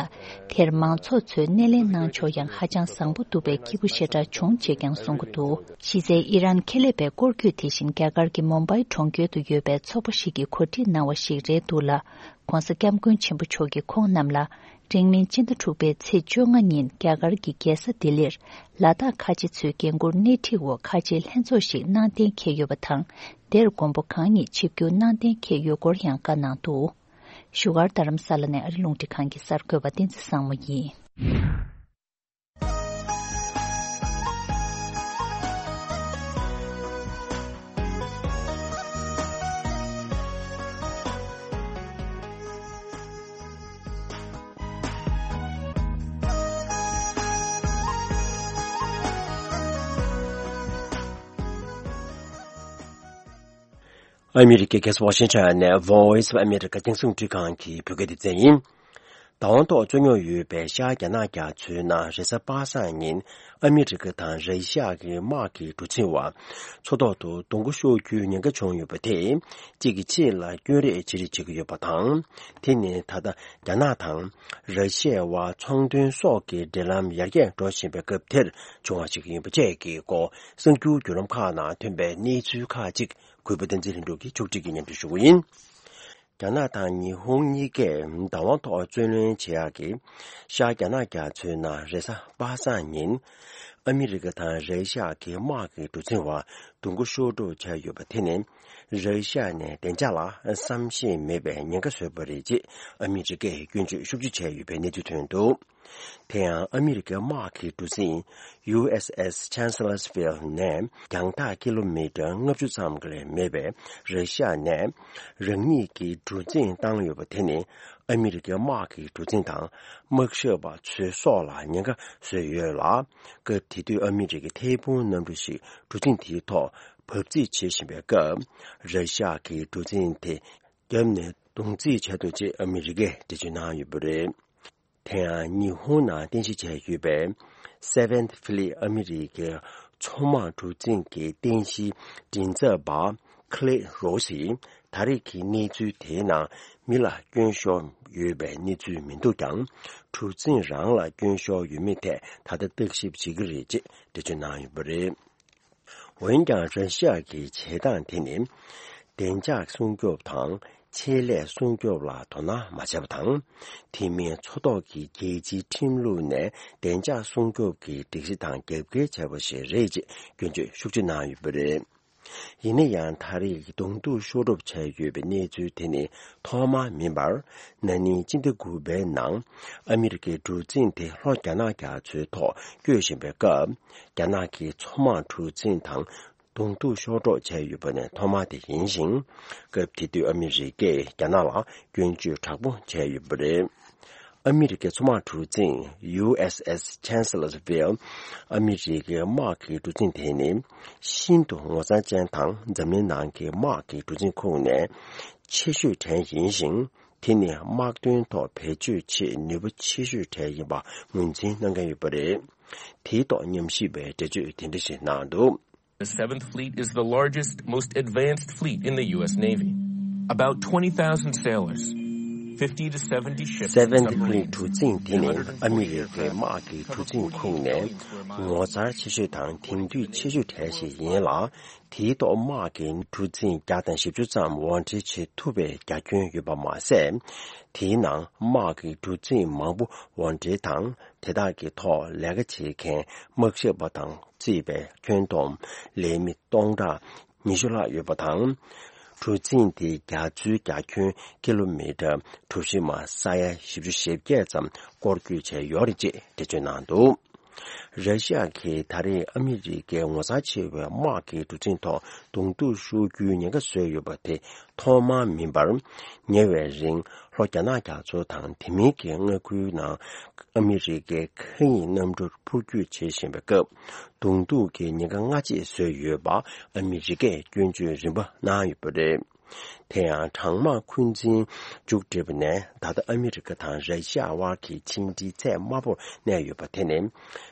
དེར་མང་ཚོགས་ཚོས་སྣེ་ལེན་གནང་ཕྱོགས་ཡང་ཧ་ཅང་བཟང་པོ་འདུག་པས་སྐྱིད་པོ་ཞེ་དྲག་བྱུང་ཅེས་ཀྱང་གསུང་གི་འདུག་གཞི་རྩའི་ཨི་རན་ཁེ་ལས་པའི་སྐོར་སྐྱོད་དེ་བཞིན་རྒྱ་གར་གྱི་མུམ་བྷའི་གྲོང་ཁྱེར་དུ་ཡོད་པའི་ཚོགས་པ་ཞིག་གིས་གོ་སྒྲིག་གནང་བ་ཞིག་རེད་འདུག་ལ། ༸གོང་ས་༸སྐྱབས་མགོན་ཆེན་པོ་མཆོག་གིས་ཁོང་རྣམས་ལ། འབྲིང་མིན་སྤྱི་ཟླ་དྲུག་པའི་ཚེས་བཅོ་ལྔ་ཉིན་རྒྱ་གར་གྱི་རྒྱལ་ས་ལྡི་ལིར་ལ་དྭགས་ཁ་ཆེ་ཚོའི་འགན་འཁུར་སྣེ་ཁྲིད་འོག་ཁ་ཆེའི་ལྷན་ཚོགས་ཤིག་གནང་གཏན་འཁེལ་ཡོད་པ་དང་། དེར་མགོན་པོ་གང་ཉིད་ཆིབས་བསྒྱུར་གནང་གཏན་འཁེལ་ཡོད་སྐོར་ཡང་བཀའ་གནང་འདུག་བཞུགས་སྒར་རྡ་རམ་ས་ལ་ནས་ཨ་རི་རླུང་འཕྲིན་ཁང་གི་གསར་འགོད་པ་བསྟན་འཛིན་བཟང་མོ་ཡིན། ཨ་མི་རི་ཀའི་རྒྱལ་ས་ཝ་ཤིང་ཊོན་ནས་Voice of America་རྒྱང་སྲིང་འཕྲིན་ཁང་གི་བོད་སྐད་སྡེ་ཚན་ཡིན། བདག་དབང་ཐོག་རྩོད་རྙོག་ཡོད་པའི་ཤར་རྒྱ་ནག་རྒྱ་མཚོའི་ནང་རེས་གཟའ་པ་སངས་ཉིན་ཨ་མི་རི་ཀ་དང་ར་ཤི་ཡ་གི་དམག་གི་གྲུ་གཟིངས་བར་མཚོ་ཐོག་ཏུ་རྡུང་རྡེག་ཤོར་རྒྱུའི་ཉེན་ཁ་བྱུང་ཡོད་པ་དེ་གཅིག་གིས་གཅིག་ལ་སྐྱོན་རེས་བྱེད་རེས་བྱེད་ཀྱི་ཡོད་པ་དང་། དེ་ནི་ད་ལྟ་རྒྱ་ནག་དང་ར་ཤི་ཡའི་དབར་ཚོང་དོན་སོགས་ཀྱི་འབྲེལ་ལམ་ཡར་རྒྱས་འགྲོ་བཞིན་པའི་སྐབས་དེར་བྱུང་བ་ཞིག་ཡིན་པ་བཅས་ཀྱི་སྐོར་གསར་འགྱུར་བརྒྱུད་ལམ་ཁག་ནང་ཐོན་པའི་གནས་ཚུལ་ཁག་ཅིག་གུས་པ་བསྟན་འཛིན་ལྷུན་གྲུབ་ཀྱིས་ཕྱོགས་སྒྲིག་གིས་སྙན་སྒྲོན་ཞུ་གི་ཡིན། རྒྱ་ནག་དང་ཉི་ཧོང་གཉིས་ཀས་བདག་དབང་ཐོག་རྩོད་ལེན་བྱེད་ཡག་གི་ཤར་རྒྱ་ནག་རྒྱ་མཚོའི་ནང་རེས་གཟའ་པ་སངས་ཉིན་ཨ་མི་རི་ཀ་དང་ར་ཤི་ཡ་གི་དམག་གི་གྲུ་གཟིངས་བར་རྡུང་རྡེག་ཤོར་འགྲོ་བྱས་ཡོད་པ་དེ་ནི་ར་ཤི་ཡ་ནས་བདེ་འཇགས་ལ་བསམ་ཤེས་མེད་པའི་ཉེན་ཁ་བཟོས་པ་རེད་ཅེས་ཨ་མི་རི་ཀས་སྐྱོན་བརྗོད་ཤུགས་ཆེ་བྱས་ཡོད་པའི་གནས་ཚུལ་ཐོན་འདུག་དེ་ཡང་ཨ་མི་རི་ཀའི་དམག་གི་གྲུ་གཟིངས་ཡུ་ཨེས་ཨེས་ཆན་སི་ལར་སི་ཕིལ་ནས་རྒྱང་ཐག་ཀི་ལོ་མི་ཊར་ལྔ་བཅུ་ཙམ་ལས་མེད་པའི་ར་ཤི་ཡ་ནས་རང་ཉིད་ཀྱི་གྲུ་གཟིངས་བཏང་ཡོད་པ་དེ་ནི་ཨ་མི་རི་ཀའི་དམག་གི་གྲུ་གཟིངས་དང་དམག་ཞབས་པ་ཚོའི་སྲོག་ལ་ཉེན་ཁ་བཟོས་ཡོད་ལ། སྐབས་དེ་དུས་ཨ་མི་རི་ཀའི་ཐད་འཕུར་གནམ་གྲུ་ཞིག་གྲུ་གཟིངས་དེའི་ཐོག་བབས་རྩིས་བྱེད་བཞིན་པའི་སྐབས། ར་ཤི་ཡ་གི་གྲུ་གཟིངས་དེ་བརྒྱབ་ནས་རྡུང་རྩིས་བྱས་འདུག་ཅེས་ཨ་མི་རི་ཀས་འགྲེལ་བརྗོད་གནང་ཡོད་པ་རེད། དེ་ཡང་ཉི་ཧོང་ནང་རྟེན་གཞི་བྱས་ཡོད་པའི་Seventh Fleet་ཨ་མི་རི་ཀའི་ མཚོ་དམག་གྲུ་གཟིངས་ཀྱི་རྟེན་གཞིའི་མགྲིན་ཚབ་པ་ཁི་ལེ་རོ་སིས་ད་རེས་ཀྱི་གནས་ཚུལ་དེའི་ནང་མི་ལ་སྐྱོན་ཤོར་ཡོད་པའི་གནས་ཚུལ་མི་འདུག་ཀྱང་། གྲུ་གཟིངས་རང་ལ་སྐྱོན་ཤོར་ཡོད་མེད་ཐད་ད་ལྟ་བརྟག་ཞིབ་བྱེད་ཀྱི་རེད་ཅེས་འགྲེལ་བརྗོད་གནང་ཡོད་པ་རེད། འོན་ཀྱང་ར་ཤི་ཡ་གི་བྱེད་སྟངས་དེ་ནི། བདེ་འཇགས་སྲུང་སྐྱོབ་དང་ཆེད་ལས་སྲུང་སྐྱོབ་ལ་དོ་སྣང་མ་བྱས་པ་དང་། དེ་མིན་མཚོ་ཐོག་གི་རྒྱལ་སྤྱིའི་ཁྲིམས་ལུགས་ནས་བདེ་འཇགས་སྲུང་སྐྱོབ་ཀྱི་སྒྲིག་གཞི་དང་རྒྱབ་འགལ་བྱས་པ་ཞིག་རེད་ཅེས་སྐྱོན་བརྗོད་ཤུགས་ཆེ་གནང་ཡོད་པ་རེད། ཡིན་ན་ཡང་ད་རེས་གདོང་ཐུག་ཤོར་གྲབས་བྱས་ཡོད་པའི་གནས་ཚུལ་དེ་ནི་ཐོག་མ་མིན་པར། ན་ནིང་སྤྱི་ཟླ་དགུ་པའི་ནང་ཨ་མི་རི་ཀའི་གྲུ་གཟིངས་དེ་ལྷོ་རྒྱ་ནག་རྒྱ་མཚོའི་ཐོག་སྐྱོད་བཞིན་པའི་སྐབས། རྒྱ་ནག་གི་མཚོ་དམག་གྲུ་གཟིངས་དང་གདོང་ཐུག་ཤོར་གྲབས་བྱས་ཡོད་པ་ནི་ཐོག་མ་དེ་ཡིན་ཞིང་། སྐབས་དེ་དུས་ཨ་མི་རི་ཀས་རྒྱ་ནག་ལ་སྐྱོན་བརྗོད་དྲག་པོ་བྱས་ཡོད་པ་རེད། ཨ་མི་རི་ཀའི་མཚོ་དམག་གྲུ་གཟིངས་ཡུ་ཨེས་ཨེས་Chancellorsville། ཨ་མི་རི་ཀའི་དམག་གི་གྲུ་གཟིངས་དེ་ནི་ཤིན་ཏུ་ངོ་མཚར་ཅན་དང་། འཛམ་གླིང་ནང་གི་དམག་གི་གྲུ་གཟིངས་ཁོངས་ནས་ཆེ་ཤོས་གྲས་ཡིན་ཞིང་། དེ་ནི་དམག་དོན་ཐོག་བེད་སྤྱོད་ཆེད་ནུས་པ་ཆེ་ཤོས་གྲས་ཡིན་པ་ངོས་འཛིན་གནང་མཁན་ཡོད་པ་རེད། དེའི་ཐོག་ཉམས་ཞིབ་པས་འགྲེལ་བརྗོད་དེ་འདྲ་ཞིག་གནང་འདུག། The Seventh Fleet is the largest, most advanced fleet in the U S Navy. About twenty thousand sailors, fifty to seventy ships in Seventh Fleet submarines. གྲུ་གཟིངས་དེ་ནི་ཨ་མི་རི་ཀའི་དམག་གི་གྲུ་གཟིངས་ཁོངས་ནས་ངོ་མཚར་ཆེ་ཤོས་དང་དེང་དུས་ཆེ་ཤོས་གྲས་ཤིག་ཡིན་ལ། དེའི་ཐོག་དམག་གི་གྲུ་གཟིངས་བརྒྱ་དང་བཞི་བཅུ་ཙམ་དབོར་འདྲེན་བྱེད་ཐུབ་པའི་རྒྱ་ཁྱོན་ཡོད་པ་མ་ཟད། དེའི་ནང་དམག་གི་གྲུ་གཟིངས་མང་པོ་དབོར་འདྲེན་དང་། དེ་དག་གི་ཐོག་ལས་ཀ་བྱེད་མཁན་དམག་ཞབས་པ་དང་བརྩིས་པའི་ཁྱོན་བསྡོམས་ལས་མི་སྟོང་ཕྲག་ཉི་ཤུ་ལྷག་ཡོད་པ་དང་། གྲུ་གཟིངས་དེའི་རྒྱ་མཚོའི་རྒྱ་ཁྱོན་ཀི་ལོ་མི་ཊར་གྲུ་བཞི་མ་ས་ཡ་བཞི་བཅུ་ཞེ་བརྒྱད་ཙམ་སྐོར་སྐྱོད་བྱས་ཡོད་རེད་ཅེས་འགྲེལ་བརྗོད་གནང་འདུག། ར་ཤི་ཡ་གིས་ད་རེས་ཨ་མི་རི་ཀའི་ངོ་མཚར་ཆེ་བའི་དམག་གི་གྲུ་གཟིངས་ཐོག་གདོང་ཐུག་ཤོར་རྒྱུའི་ཉེན་ཁ་བཟོས་ཡོད་པ་དེ་ཐོག་མ་མིན་པར། ཉེ་བའི་རིང་ལྷོ་རྒྱ་ནག་རྒྱ་མཚོ་དང་དེ་མིན་གྱི་མངའ་ཁུལ་ནང་ཨ་མི་རི་ཀའི་མཁའ་དབྱིངས་གནམ་གྲུར་འཕུར་སྐྱོད་བྱེད་བཞིན་པའི་སྐབས། གདོང་ཐུག་གི་ཉེན་ཁ་སྔ་རྗེས་བཟོས་ཡོད་པ་ཨ་མི་རི་ཀས་སྐྱོན་བརྗོད་རིམ་པ་གནང་ཡོད་པ་རེད། དེ་ཡང་གྲང་དམག་འཁོན་འཛིན་མཇུག་བསྒྲིལ་བ་ནས་ད་ལྟ་ཨ་མི་རི་ཀ་དང་ར་ཤི་ཡ་དབར་གྱི་ཕྱི་འབྲེལ་ཚད་དམའ་པོར་གནས་ཡོད་པ་དེ་ནི།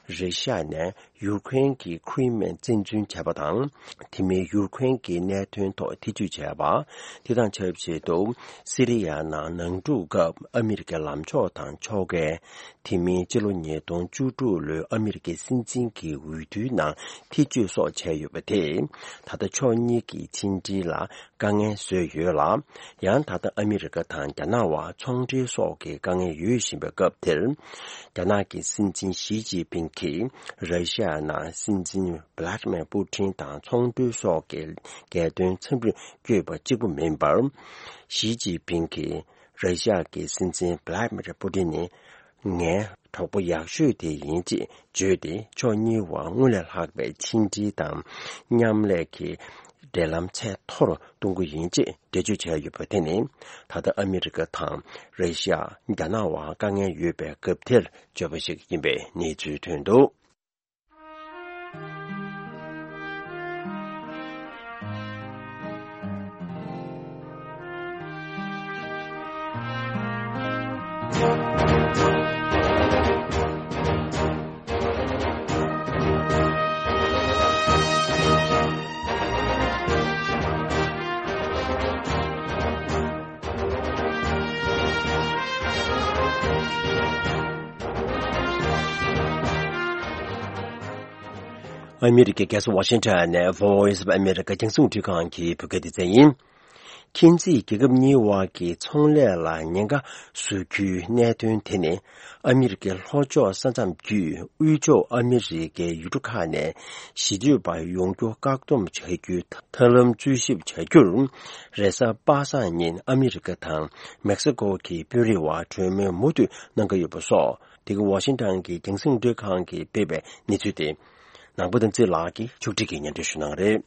ར་ཤི་ཡ་ནས་ཡུཀ་རེན་གྱི་ཁི་རི་མི་ཡ་བཙན་འཛུལ་བྱས་པ་དང་། དེ་མིན་ཡུཀ་རེན་གྱི་གནད་དོན་ཐོག་ཐེ་བྱུས་བྱས་པ། དེ་དང་ཆབས་ཅིག་ཏུ་སི་རི་ཡ་ནང་ནང་འཁྲུག་སྐབས་ཨ་མི་རི་ཀའི་ལམ་ཕྱོགས་དང་ཕྱོགས་འགལ། དེ་མིན་ཕྱི་ལོ་ཉིས་སྟོང་བཅུ་དྲུག་ལོའི་ཨ་མི་རི་ཀའི་སྲིད་འཛིན་གྱི་འོས་བསྡུའི་ནང་ཐེ་བྱུས་སོགས་བྱས་ཡོད་པ་དེས། ད་ལྟ་ཕྱོགས་གཉིས་ཀྱི་ཕྱི་འབྲེལ་ལ་དཀའ་ངལ་བཟོས་ཡོད་ལ། ཡང་ད་ལྟ་ཨ་མི་རི་ཀ་དང་རྒྱ་ནག་དབར་ཚོང་འབྲེལ་སོགས་ཀྱི་དཀའ་ངལ་ཡོད་བཞིན་པའི་སྐབས་དེར། རྒྱ་ནག་གི་སྲིད་འཛིན་ཞི་ཅིན་ཕིང་གིས་ར་ཤི་ཡ་ནང་སྲིད་འཛིན་བྷི་ལ་ཏི་མེར་པུ་ཏིན་དང་ཚོང་འབྲེལ་སོགས་ཀྱི་རྒྱལ་དོན་འཚམས་འདྲིར་བསྐྱོད་པ་གཅིག་པུ་མིན་པར། ཞི་ཅིན་ཕིང་གིས་ར་ཤི་ཡ་གི་སྲིད་འཛིན་བྷི་ལ་ཏི་མེར་པུ་ཏིན་ནི། ངའི་གྲོགས་པོ་ཡག་ཤོས་དེ་ཡིན་ཅེས་བརྗོད་དེ། ཕྱོགས་གཉིས་བར་སྔར་ལས་ལྷག་པའི་ཕྱི་འབྲེལ་དང་མཉམ་ལས་ཀྱི་འབྲེལ་ལམ་ཚད་མཐོ་རུ་གཏོང་གི་ཡིན་ཅེས་འགྲེལ་བརྗོད་བྱས་ཡོད་པ་དེ་ནི། ད་ལྟ་ཨ་མི་རི་ཀ་དང་ར་ཤི་ཡ། རྒྱ་ནག་དབར་དཀའ་ངལ་ཡོད་པའི་སྐབས་དེར་བརྗོད་པ་ཞིག་ཡིན་པའི་གནས་ཚུལ་ཐོན་འདུག། ཨ་མི་རི་ཀའི་རྒྱལ་ས་ཝ་ཤིང་ཊོན་ནས་Voice of America རྒྱང་སྲིང་རླུང་འཕྲིན་ཁང་གི་བོད་སྐད་སྡེ་ཚན་ཡིན། མཁྱེན་བརྩེའི་རྒྱལ་ཁབ་གཉིས་དབར་གྱི་ཚོང་ལས་ལ་ཉེན་ཁ་བཟོ་རྒྱུའི་གནད་དོན་དེ་ནི། ཨ་མི་རི་ཀའི་ལྷོ་ཕྱོགས་ས་མཚམས་བརྒྱུད་དབུས་ཕྱོགས་ཨ་མི་རི་ཀའི་ཡུལ་གྲུ་ཁག་ནས་གཞིས་སྡོད་པ་ཡོང་རྒྱུ་བཀག་སྡོམ་བྱ་རྒྱུའི་ཐབས་ལམ་འཚོལ་ཞིབ་བྱ་རྒྱུར། རེས་གཟའ་པ་སངས་ཉིན་ཨ་མི་རི་ཀ་དང་མེག་སི་ཀོ་གི་དཔོན་རིགས་དབར་གྲོས་མོལ་མུ་མཐུད་གནང་གི་ཡོད་པ་སོགས། འདི་ག་ཝ་ཤིང་ཊོན་གྱི་རྒྱང་སྲིང་རླུང་འཕྲིན་ཁང་གིས་སྤེལ་བའི་གནས་ཚུལ་ཏེ། ནང་པ་དམ་ཚིག་ལགས་ཀྱིས་ཕྱོགས་སྒྲིག་གིས་སྙན་སྒྲོན་ཞུ་གནང་རེད།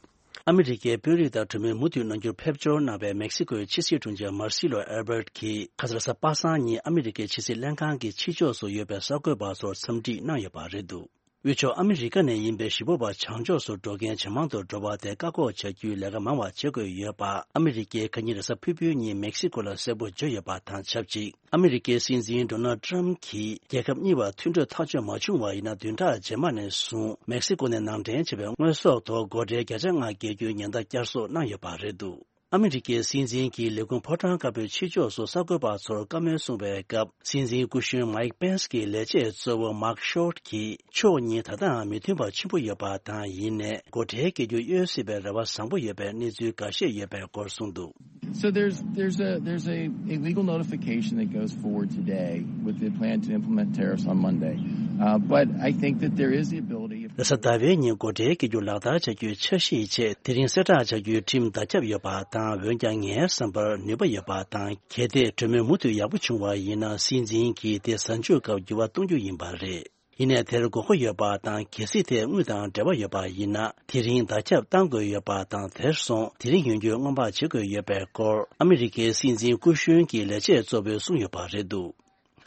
ཨ་མི་རི་ཀའི་དཔོན་རིགས་དང་གྲོས་མོལ་མུ་མཐུད་གནང་རྒྱུར་ཕེབས་འབྱོར་གནང་བའི་མེག་སི་ཀོའི་ཕྱི་སྲིད་དྲུང་ཆེ་མར་སི་ལོ་ཨེལ་བྷར་ཊི་གིས་ཁ་སང་རེས་གཟའ་པ་སངས་ཉིན་ཨ་མི་རི་ཀའི་ཕྱི་སྲིད་ལྷན་ཁང་གི་ཕྱི་ཕྱོགས་སུ་ཡོད་པའི་གསར་འགོད་པ་ཚོར་འཚམས་འདྲི་གནང་ཡོད་པ་རེད་འདུག། དབུས་ཕྱོགས་ཨ་མི་རི་ཀ་ནས་ཡིན་པའི་གཞིས་སྤོ་བ་བྱང་ཕྱོགས་སུ་འགྲོ་མཁན་ཇེ་མང་དུ་འགྲོ་བ་དེ་བཀག་འགོག་བྱ་རྒྱུའི་ལས་ཀ་མང་བ་བྱེད་དགོས་ཡོད་པ། ཨ་མི་རི་ཀས་ཁ་ཉིན་རེས་གཟའ་ཕུར་བུའི་ཉིན་མེག་སི་ཀོ་ལ་གསལ་པོ་བརྗོད་ཡོད་པ་དང་ཆབས་ཅིག་ཨ་མི་རི་ཀའི་སྲིད་འཛིན་ཌོ་ནལ་ཊམ་གྱིས་རྒྱལ་ཁབ་གཉིས་བར་མཐུན་གྲོས་ཐག་གཅོད་མ་བྱུང་བ་ཡིན་ན། བདུན་ཕྲག་རྗེས་མ་ནས་བཟུང་མེག་སི་ཀོ་ནས་ནང་འདྲེན་བྱས་པའི་དངོས་ཟོག་ཐོག་སྒོ་ཁྲལ་བརྒྱ་ཆ་ལྔ་བཀལ་རྒྱུའི་ཉེན་བརྡ་བསྐྱར་གསོ་གནང་ཡོད་པ་རེད་འདུག་ཨ་མི་རི་ཀའི་སྲིད་འཛིན་གྱིས་ལས་ཁུངས་ཕོ་བྲང་དཀར་པོའི་ཕྱི་ཕྱོགས་སུ་གསར་འགོད་པ་ཚོར་བཀའ་མོལ་གསུངས་པའི་སྐབས། སྲིད་འཛིན་སྐུ་གཞོན་མའིག་པེན་སི་གི་ལས་བྱེད་གཙོ་བོ་མཱག་ཤོར་གྱིས་ཕྱོགས་གཉིས་ད་ལྟའང་མི་མཐུན་པ་ཆེན་པོ་ཡོད་པ་དང་། ཡིན་ནའི་སྒོ་ཁྲལ་སྐྱེལ་རྒྱུ་གཡོལ་སྲིད་པའི་རེ་བ་བཟང་པོ་ཡོད་པའི་གནས་ཚུལ་འགའ་ཤས་ཡོད་པའི་སྐོར་གསུངས་འདུག So there's there's a there's a, a legal notification that goes forward today with the plan to implement tariffs on Monday. Uh, but I think that there is the ability if རེས་གཟའ་ཟླ་བའི་ཉིན་སྒོ་ཁྲལ་སྐྱེལ་རྒྱུ་ལག་བསྟར་བྱ་རྒྱུའི་འཆར་གཞིའི་ཆེད། དེ་རིང་གསལ་བསྒྲགས་བྱ་རྒྱུའི་ཁྲིམས་བརྡ་ཁྱབ་ཡོད་པ་དང་། འོན་ཀྱང་ངའི་བསམ་པར་ནུས་པ་ཡོད་པ་དང་། གལ་ཏེ་གྲོས་མོལ་མུ་མཐུད་ཡག་པོ་བྱུང་བ་ཡིན་ན། སྲིད་འཛིན་གྱིས་དེ་གཟའ་མཇུག་སྐབས་འགྱུར་བ་གཏོང་རྒྱུ་ཡིན་པ་རེད། ཡིན་ནའི་དེར་དགོས་མཁོ་ཡོད་པ་དང་། གལ་སྲིད་དེ་དངུལ་དང་འབྲེལ་བ་ཡོད་པ་ཡིན་ན། དེ་རིང་བརྡ་ཁྱབ་བཏང་དགོས་ཡོད་པ་དང་། དེར་སོང་དེ་རིང་ཡོང་རྒྱུའི་སྔོན་དཔག་བྱེད་དགོས་ཡོད་པའི་སྐོར་ཨ་མི་རི་ཀའི་སྲིད་འཛིན་སྐུ་གཞོན་གྱི་ལས་བྱེད་གཙོ་བོས་གསུངས་ཡོད་པ་རེད་འདུག་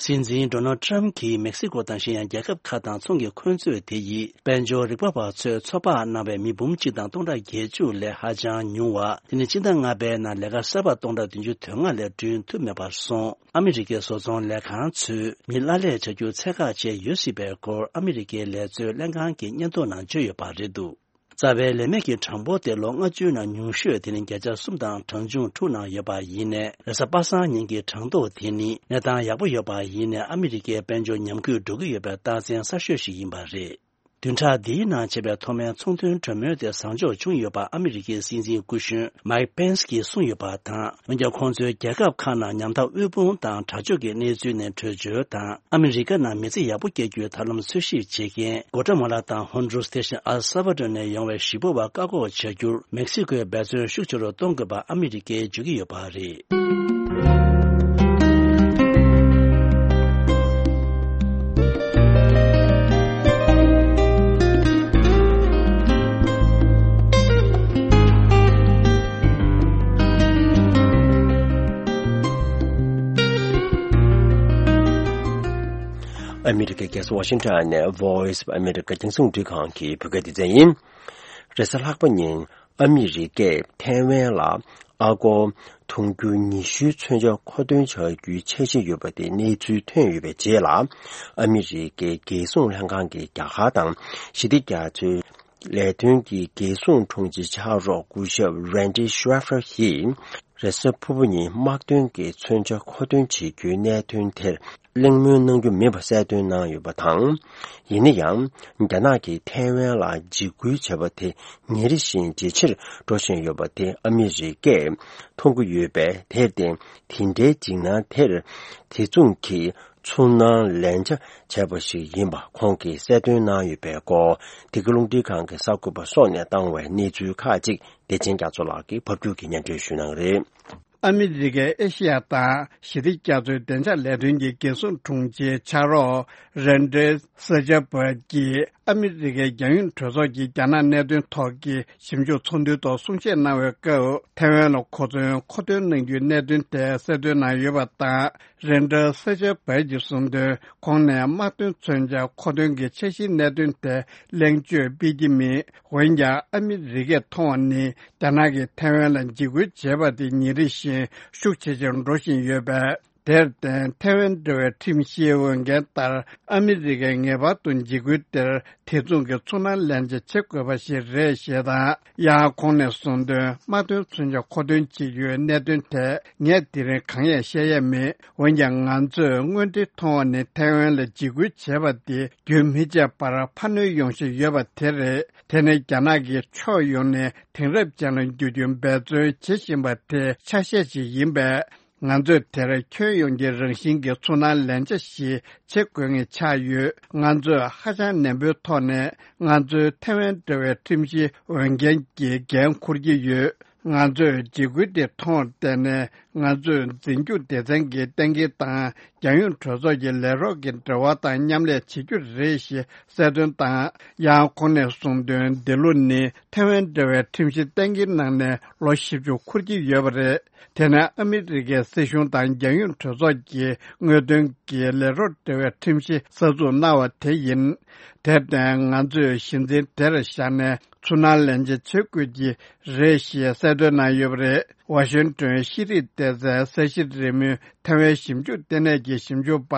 སྲིད་འཛིན་ཌོ་ནལ་ཊམ་གྱིས་མེག་སི་ཀོ་དང་གཞན་ཡང་རྒྱལ་ཁབ་ཁག་དང་ཚོང་གི་འཁོན་རྩོད་དེ་ཡིས་དཔལ་འབྱོར་རིག་པ་བ་ཚོས་ཚོད་དཔག་གནང་བའི་མི་འབུམ་གཅིག་དང་སྟོང་ཕྲག་བརྒྱད་ཅུ་ལས་ཧ་ཅང་ཉུང་བ། དེ་ནི་སྤྱི་ཟླ་ལྔ་པའི་ནང་ལས་ཀ་གསར་པ་སྟོང་ཕྲག་བདུན་ཅུ་དོན་ལྔ་ལས་བསྐྲུན་ཐུབ་མེད་པར་སོང་། ཨ་མི་རི་ཀའི་བཟོ་ཚོང་ལས་ཁང་ཚོས་མི་གླ་ལས་བྱ་རྒྱུ་ཚད་བཀག་བྱས་ཡོད་སྲིད་པའི་སྐོར་ཨ་མི་རི་ཀའི་ལས་བཟོའི་ལྷན་ཁང་གི་སྙན་ཐོ་ནང་བརྗོད་ཡོད་པ་རེད་འདུག་རྩ་བའི་ལས་མེད་ཀྱི་གྲངས་འབོར་དེ་ལོ་ལྔ་བཅུའི་ནང་ཉུང་ཤོས་དེ་ནི་བརྒྱ་ཆ་གསུམ་དང་གྲངས་ཆུང་དྲུག་ནང་ཡོད་པ་ཡིན་ནའི། རེས་གཟའ་པ་སངས་ཉིན་གྱི་གྲངས་ཐོ་དེ་ནི་གནས་སྟངས་ཡག་པོ་ཡོད་པ་ཡིན་ནའི། ཨ་མི་རི་ཀའི་དཔལ་འབྱོར་ཉམས་རྒུད་འགྲོ་གི་ཡོད་པའི་རྟགས་མཚན་གསར་ཤོས་ཤིག་ཡིན་པ་རེད། བདུན་ཕྲག་འདིའི་ནང་བྱས་པའི་ཐོག་མའི་ཚོང་དོན་གྲོས་མོལ་དེ་བཟང་ཕྱོགས་བྱུང་ཡོད་པ་ཨ་མི་རི་ཀའི་སྲིད་འཛིན་སྐུ་གཞོན་མའིག་པེན་སི་གིས་གསུངས་ཡོད་པ་དང་། འོན་ཀྱང་ཁོང་ཚོའི་རྒྱལ་ཁབ་ཁག་ནང་ཉམ་ཐག་དབུལ་ཕོངས་དང་དྲག་སྤྱོད་ཀྱི་གནས་ཚུལ་ནས་བྲོས་བྱོལ་དང་། ཨ་མི་རི་ཀ་ནང་མི་ཚེ་ཡག་པོ་སྐྱེལ་རྒྱུའི་ཐབས་ལམ་འཚོལ་ཞིབ་བྱེད་མཁན་གོ་ཊ་མ་ལ་དང་ཧོན་ཌུ་རུས་དེ་བཞིན་ཨལ་ས་བ་ཌོར་ནས་ཡོང་བའི་གཞིས་སྤོ་བ་བཀག་འགོག་བྱ་རྒྱུར་མེག་སི་ཀོས་འབད་བརྩོན་ཤུགས་ཆེ་རུ་གཏོང་དགོས་པ་ཨ་མི་རི་ཀས་བརྗོད་ཀྱི་ཡོད་པ་རེད། ཨ་མི་རི་ཀའི་རྒྱལ་ས་ཝ་ཤིང་ཊོན་ནས་Voice of America རྒྱང་སྲིང་རླུང་འཕྲིན་ཁང་གི་བོད་སྐད་སྡེ་ཚན་ཡིན། རེས་གཟའ་ལྷག་པ་ཉིན་ཨ་མི་རི་ཀས་ཐའེ་ཝན་ལ་ཨ་སྒོར་ཐོང་རྒྱུ་ཉི་ཤུའི་མཚོན་ཆ་མཁོ་འདོན་བྱ་རྒྱུའི་འཆར་གཞི་ཡོད་པ་དེ་གནས་ཚུལ་ཐོན་ཡོད་པའི་རྗེས་ལ། ཨ་མི་རི་ཀའི་རྒྱལ་སྲུང་ལྷན་ཁང་གི་རྒྱ་གར་དང་ཞི་བདེ་རྒྱ་མཚོའི་ལས་དོན་གྱི་རྒྱལ་སྲུང་དྲུང་ཆེ་ཕྱག་རོགས་སྐུ་ཞབས་Randy Scheffer ཡིས་རེས་གཟའ་ཕུར་བུ་ཉིན་དམག་དོན་གྱི་མཚོན་ཆ་མཁོ་འདོན་བྱེད་རྒྱུའི་གནད་དོན་དེར་གླེང་མོལ་གནང་རྒྱུ་མིན་པ་གསལ་སྟོན་གནང་ཡོད་པ་དང་། ཡིན་ན་ཡང་། རྒྱ་ནག་གིས་ཐའེ་ཝན་ལ་འཇིགས་སྐུལ་བྱས་པ་དེ་ཉིན་རེ་བཞིན་ཇེ་ཆེར་འགྲོ་བཞིན་ཡོད་པ་དེ་ཨ་མི་རི་ཀས་མཐོང་གི་ཡོད་པས། དེར་བརྟེན་དེ་འདྲའི་འཇིགས་སྣང་དེར་དེ་མཚུངས་ཀྱི་ཚུར་སྣང་ལན་ཆ་བྱས་པ་ཞིག་ཡིན་པ་ཁོང་གིས་གསལ་སྟོན་གནང་ཡོད་པའི་སྐོར། འདི་ག་རླུང་འཕྲིན་ཁང་གི་གསར་འགོད་པ་སོགས་ནས་བཏང་བའི་གནས་ཚུལ་ཁག་ཅིག་བདེ་ཆེན་རྒྱ་མཚོ་ལགས་ཀྱིས་ཕབ་སྒྱུར་གྱིས་སྙན་སྒྲོན་ཞུ་གནང་གི་རེད། ཨ་མི་རི་ཀའི་ཨེ་ཤི་ཡ་དང་ཞི་བདེ་རྒྱ་མཚོའི་བདེ་འཇགས་ལས་དོན་གྱི་རྒྱལ་སྲུང་དྲུང་ཆེའི་ཕྱག་རོགས་རན་ཏྲེ་ས་ཅཱ་བྷར་གྱིས་ཨ་མི་རི་ཀའི་རྒྱལ་ཡོངས་གྲོས་ཚོགས་ཀྱི་རྒྱ་ནག་གནད་དོན་ཐོག་གི་ཞིབ་འཇུག་ཚོགས་འདུའི་ཐོག་གསུང་བཤད་གནང་བའི་སྐབས། ཐའེ་ཝན་ལ་གོ་མཚོན་མཁོ་འདོན་གནང་རྒྱུའི་གནད་དོན་དེ་གསལ་སྟོན་གནང་ཡོད་པ་དང་། རན་ཏྲེ་ས་ཅཱ་བྷར་གྱིས་གསུངས་དོན། ཁོང་ནས་དམག་དོན་མཚོན་ཆ་མཁོ་འདོན་གྱི་འཆར་གཞིའི་གནད་དོན་དེ་གླེང་བརྗོད་སྤེལ་གྱི་མེད། འོན་ཀྱང་ཨ་མི་རི་ཀས་མཐོང་བ་ནི། རྒྱ་ནག་གིས་ཐའེ་ཝན་ལ་འཇིགས་སྐུལ་བྱས་པ་དེ་ཉིན་རེ་བཞིན་ཤུགས་ཇེ་ཆེར་འགྲོ་བཞིན་ཡོད་པས། དེར་བརྟེན་ཐའེ་ཝན་འབྲེལ་བའི་ཁྲིམས་བཞིའི་འོས་འགན་ལྟར་ཨ་མི་རི་ཀས་ངེས་པར་དུ་འཇིགས་སྐུལ་དེར་དེ་མཚུངས་ཀྱི་ཚུར་སྣང་ལན་ཆ་བྱེད་དགོས་པ་ཞིག་རེད་ཞེས་དང་། ཡང་ཁོང་ནས་གསུངས་དོན། དམག་དོན་མཚོན་ཆ་མཁོ་འདོན་བྱེད་རྒྱུའི་གནད་དོན་ཐད་ངས་དེ་རིང་གང་ཡང་བཤད་ཡས་མེད། འོན་ཀྱང་ང་ཚོས་དངོས་འབྲེལ་མཐོང་བ་ནི་ཐའེ་ཝན་ལ་འཇིགས་སྐུལ་བྱས་པ་དེ་རྒྱུན་མི་ཆད་པར་འཕར་སྣོན་ཡོང་བཞིན་ཡོད་པ་དེ་རེད། དེ་ནི་རྒྱ་ནག་གིས་ཕྱོགས་ཡོངས་ནས་དེང་རབས་ཅན་ལ་འགྱུར་རྒྱུའི་འབད་བརྩོན་བྱེད་བཞིན་པ་དེ་ཆ་ཤས་ཤིག་ཡིན་པས། ང་ཚོས་དེར་ཁྱོན་ཡོངས་ཀྱི་རང་བཞིན་གྱི་ཚུར་སྣང་ལན་ཆ་ཞིག་བྱེད་དགོས་ངེས་ཆགས་ཡོད། ང་ཚོས་ཧ་ཅང་ནན་པོའི་ཐོག་ནས་ང་ཚོའི་ཐའེ་ཝན་འབྲེལ་བའི་ཁྲིམས་གཞིའི་འོས་འགན་གྱི་འགན་འཁུར་གྱི་ཡོད། ང་ཚོས་འཇིགས་སྐུལ་དེ་མཐོང་བར་བརྟེན་ནས་ ང་ཚོས་འཛིན་སྐྱོང་སྡེ་ཚན་གྱི་གཏན་འཁེལ་དང་། རྒྱལ་ཡོངས་གྲོས་ཚོགས་ཀྱི་ལས་རོགས་ཀྱི་འབྲེལ་བ་དང་མཉམ་ལས་བྱེད་རྒྱུ་རེད་ཞེས་གསལ་སྟོན་དང་། ཡང་ཁོང་ནས་གསུངས་དོན། འདི་ལོ་ནི་ཐའེ་ཝན་འབྲེལ་བའི་ཁྲིམས་གཞི་གཏན་འཁེལ་གནང་ནས་ལོ་བཞི་བཅུ་འཁོར་གྱི་ཡོད་པ་རེད། དེ་ནི་ཨ་མི་རི་ཀའི་སྲིད་གཞུང་དང་རྒྱལ་ཡོངས་གྲོས་ཚོགས་ཀྱི་དངོས་དོན་གྱི་ལས་རོགས་འབྲེལ་བའི་ཁྲིམས་གཞི་གསར་འཛུགས་གནང་བ་དེ་ཡིན། དེར་བརྟེན་ང་ཚོས་གཞི་འཛིན་དེར་བཞག་ནས་ཚུར་སྣང་ལེན་བྱེད་བྱེད་དགོས་ཀྱི་རེད་ཞེས་གསལ་སྟོན་གནང་ཡོད་པ་རེད། ཝ་ཤིང་ཏོན་ཤེས་རིག་སྡེ་ཚན་གསལ་བཤད་རེས་མོས་ཐའེ་ཝན་ཞིབ་འཇུག་ལྟེ་གནས་ཀྱི་ཞིབ་འཇུག་པ་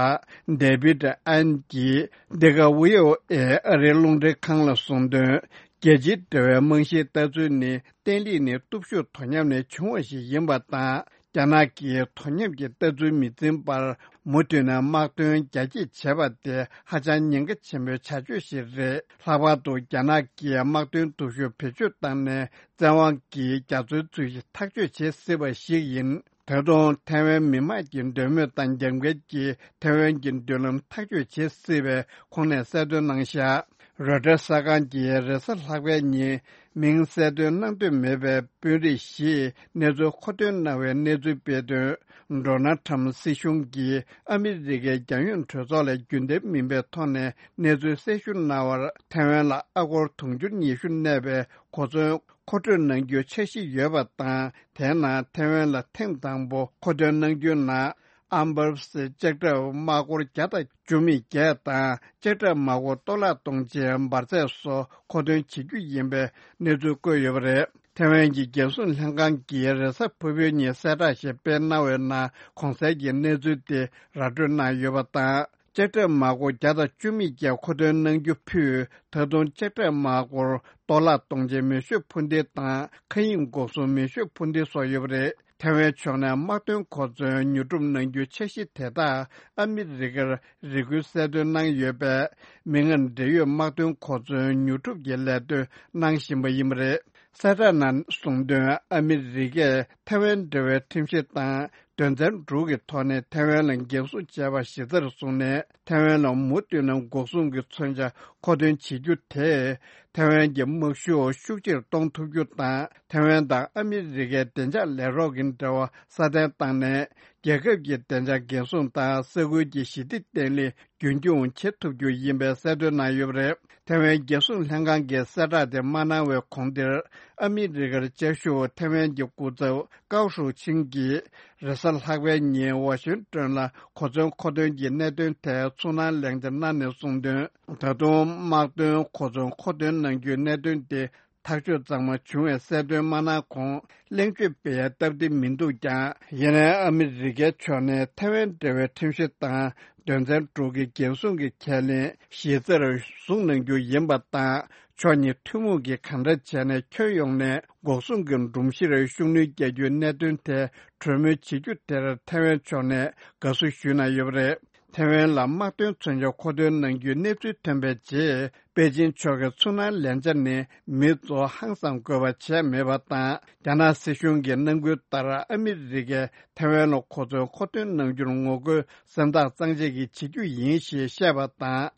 ཌེ་བིད་ཨན་གྱིས་འདི་ག་ཝི་ཨོ་ཨེ་ཨ་རིའི་རླུང་འཕྲིན་ཁང་ལ་གསུངས་དོན། རྒྱལ་སྤྱིའི་འབྲེལ་བའི་རྨང་གཞིའི་ལྟ་ཚུལ་ནི་བརྟན་ལྷིང་ནི་སྟོབས་ཤུགས་དོ་མཉམ་ནས་བྱུང་བ་ཞིག་ཡིན་པ་དང་། རྒྱ་ནག་གིས་དོ་མཉམ་གྱི་ལྟ་ཚུལ་མི་འཛིན་པར་མུ་མཐུད་ནས་དམག་དོན་རྒྱ་སྐྱེད་བྱས་པ་དེ་ཧ་ཅང་ཉེན་ཁ་ཆེན་པོའི་བྱ་སྤྱོད་ཞིག་རེད། ལྷག་པར་དུ་རྒྱ་ནག་གིས་དམག་དོན་སྟོབས་ཤུགས་བེད་སྤྱོད་བཏང་ནས་བཙན་དབང་གིས་རྒྱ་མཚོའི་མཚོན་བྱེད་ཐག་གཅོད་བྱེད་སྲིད་པ་ཞིག་ཡིན། ད་དུང་ཐའེ་ཝན་མི་དམངས་ཀྱི་འདོད་མོས་དང་རྒྱབ་འགལ་གྱིས་ཐའེ་ཝན་གྱི་མདུན་ལམ་ཐག་གཅོད་བྱེད་སྲིད་པའི་ཁོང་ནས་གསལ་སྟོན་གནང་བཞག་རོའི་ཊར་གསར་ཁང་གིས་རེས་གཟའ་ལྷག་པའི་ཉིན་མིང་གསལ་སྟོན་གནང་འདོད་མེད་པའི་དཔོན་རིགས་ཤིག་གནས་ཚུལ་མཁོ་འདོན་གནང་བའི་གནས་ཚུལ་སྤེལ་དོན། ཌོ་ནལ་ཁྲམ་སྲིད་གཞུང་གིས་ཨ་མི་རི་ཀའི་རྒྱལ་ཡོངས་གྲོས་ཚོགས་ལ་རྒྱུན་ལྡན་མིན་པའི་ཐོག་ནས་གནས་ཚུལ་གསལ་ཞུ་གནང་བར། ཐའེ་ཝན་ལ་ཨ་སྒོར་དུང་ཕྱུར་ཉི་ཤུ་གནས་པའི་གོ་མཚོན་མཁོ་སྤྲོད་གནང་རྒྱུའི་འཆར་གཞི་ཡོད་པ་དང་། དེའི་ནང་ཐའེ་ཝན་ལ་ཐེངས་དང་པོ་མཁོ་འདོན་གནང་རྒྱུའི་ནང་། ཨམ་བར་སི་ལྕགས་ཁྲབ་དམག་སྒོར་བརྒྱ་དང་བཅུ་མེད་བརྒྱད་དང་། ལྕགས་ཁྲབ་དམག་སྒོར་གཏོར་བརླག་གཏོང་ཆེད་འབར་རྫས་སོགས་མཁོ་འདོན་བྱེད་རྒྱུ་ཡིན་པའི་གནས་ཚུལ་བཀོད་ཡོད་པ་རེད། ཐའེ་ཝན་གྱི་རྒྱལ་སྲུང་ལྷན་ཁང་གིས་རེས་གཟའ་ཕུར་བུའི་ཉིན་གསལ་བསྒྲགས་ཤིག་སྤེལ་གནང་བའི་ནང་། གོང་གསལ་གྱི་གནས་ཚུལ་དེ་ར་སྤྲོད་གནང་ཡོད་པ་དང་། ལྕགས་ཁྲབ་དམག་སྒོར་བརྒྱ་དང་བཅུ་མེད་བརྒྱད་མཁོ་འདོན་གནང་རྒྱུ་ཕུད། ད་དུང་ལྕགས་ཁྲབ་དམག་སྒོར་གཏོར་བརླག་གཏོང་ཆེད་མེ་ཤུགས་འཕུར་མདེལ་དང་། མཁའ་དབྱིངས་འགོག་སྲུང་མེ་ཤུགས་འཕུར་མདེལ་སོགས་ཡོད་པ་རེད། ཐའེ་ཝན་ཕྱོགས་ནས་དམག་དོན་གོ་མཚོན་ཉོ་སྒྲུབ་གནང་རྒྱུའི་འཆར་གཞི་དེ་དག་ཨ་མི་རི་ཀར་རེ་སྐུལ་གསལ་སྟོན་གནང་ཡོད་པས། མིག་སྔར་འབྲེལ་ཡོད་དམག་དོན་གོ་མཚོན་ཉོ་སྒྲུབ་ཀྱི་ལས་དོན་གནང་བཞིན་པ་ཡིན་པ་རེད། གསལ་བསྒྲགས་ནང་གསུངས་དོན། ཨ་མི་རི་ཀས་ཐའེ་ཝན་འབྲེལ་བའི་ཁྲིམས་གཞི་དང་དོན་ཚན་དྲུག་གི་ཐོག་ནས་ཐའེ་ཝན་ལ་འགན་སྲུང་བྱས་པ་གཞི་རྩར་བཟུང་ནས། ཐའེ་ཝན་ལ་མུ་མཐུད་ནས་འགོག་སྲུང་གི་མཚོན་ཆ་མཁོ་འདོན་བྱེད་རྒྱུ་དེས། ཐའེ་ཝན་གྱི་དམག་ཤུགས་ཤུགས་ཆེར་གཏོང་ཐུབ་རྒྱུ་དང་། ཐའེ་ཝན་དང་ཨ་མི་རི་ཀའི་བདེ་འཇགས་ལས་རོགས་ཀྱི་འབྲེལ་བ་སྲ་བརྟན་བཏང་ནས། རྒྱལ་ཁབ་ཀྱི་བདེ་འཇགས་འགན་སྲུང་དང་། ས་ཁུལ་གྱི་ཞི་བདེ་བརྟན་ལྷིང་རྒྱུན་འཁྱོངས་བྱེད་ཐུབ་རྒྱུ་ཡིན་པའི་གསལ་སྟོན་གནང་ཡོད་པ་རེད། ཐའེ་ཝན་རྒྱལ་སྲུང་ལྷན་ཁང་གིས་གསལ་བསྒྲགས་དེ་མ་གནང་བའི་གོང་དེར། ཨ་མི་རི་ཀར་བཅའ་བཞུགས་ཐའེ་ཝན་གྱི་སྐུ་ཚབ་ཀའོ་ཧྲུའུ་ཆིང་གིས། རེས་གཟའ་ལྷག་པའི་ཉིན་ཝ་ཤིང་ཏོན་ལ་གོ་མཚོན་མཁོ་འདོན་གྱི་གནད་དོན་ཐད་ཚུར་སྣང་ལན་འདེབས་གནང་ནས་གསུངས་དོན། ད་དུང་དམག་དོན་གོ་མཚོན་མཁོ་འདོན་གནང་རྒྱུའི་གནད་དོན་དེ་ཐག་གཅོད་གཙང་མ་བྱུང་བའི་གསལ་སྟོན་མ་གནང་གོང་། གླེང་བརྗོད་སྤེལ་ཡ་སྟབས་བདེ་མི་འདུག་ཀྱང་། ཡིན་ནའི་ཨ་མི་རི་ཀའི་ཕྱོགས་ནས་ཐའེ་ཝན་འབྲེལ་བའི་ཁྲིམས་གཞི་དང་དོན་ཚན་དྲུག་གི་འགན་སྲུང་གི་ཁས་ལེན་གཞི་རྩར་བཟུང་གནང་རྒྱུ་ཡིན་པ་དང་། ཕྱོགས་གཉིས་ཐུན་མོང་གིས་གང་འདྲ་བྱས་ནས་ཁྱོན་ཡོངས་ནས་འགོག་སྲུང་གི་སྒྲོམ་གཞིར་ཤུགས་སྣོན་རྒྱག་རྒྱུའི་གནད་དོན་ཐད་གྲོས་མོལ་བྱེད་རྒྱུ་དེར་ཐའེ་ཝན་ཕྱོགས་ནས་དགའ་བསུ་ཞུས་གནང་ཡོད་པ་རེད། ཐའེ་ཝན་ལ་དམག་དོན་མཚོན་ཆ་མཁོ་འདོན་གནང་རྒྱུའི་གནས་ཚུལ་ཐོན་པའི་རྗེས། པེ་ཅིན་ཕྱོགས་ཀྱི་ཚུར་སྣང་ལན་འཇགས་ནི་མི་ཚོ་ཧང་སང་དགོས་པ་བྱས་མེད་པ་དང་། རྒྱ་ནག་སྲིད་གཞུང་གི་གནང་སྐུལ་ལྟར་ཨ་མི་རི་ཀས་ཐའེ་ཝན་ལ་གོ་མཚོན་མཁོ་འདོན་གནང་རྒྱུར་ངོ་རྒོལ་སེམས་ཐག་གཙང་བཅད་ཀྱིས་བྱེད་རྒྱུ་ཡིན་ཞེས་བཤད་པ་དང་།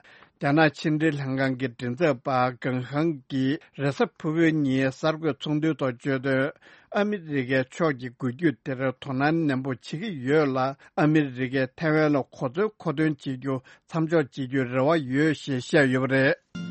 རྒྱ་ནག་ཕྱི་འབྲེལ་ལྷན་ཁང་གི་མགྲིན་ཚབ་པ་ཀང་ཧང་གིས་རེས་གཟའ་ཕུར་བུའི་ཉིན་གསར་འགོད་ཚོགས་འདུའི་ཐོག་བརྗོད་དོན། ཨ་མི་རི་ཀའི་ཕྱོགས་ཀྱིས་འགུལ་སྐྱོད་དེར་དོ་སྣང་ནན་པོ་བྱེད་ཀྱི་ཡོད་ལ། ཨ་མི་རི་ཀས་ཐའེ་ཝན་ལ་གོ་མཚོན་མཁོ་འདོན་བྱེད་རྒྱུ་མཚམས་འཇོག་བྱེད་རྒྱུའི་རེ་བ་ཡོད་ཞེས་བཤད་ཡོད་པ་རེད།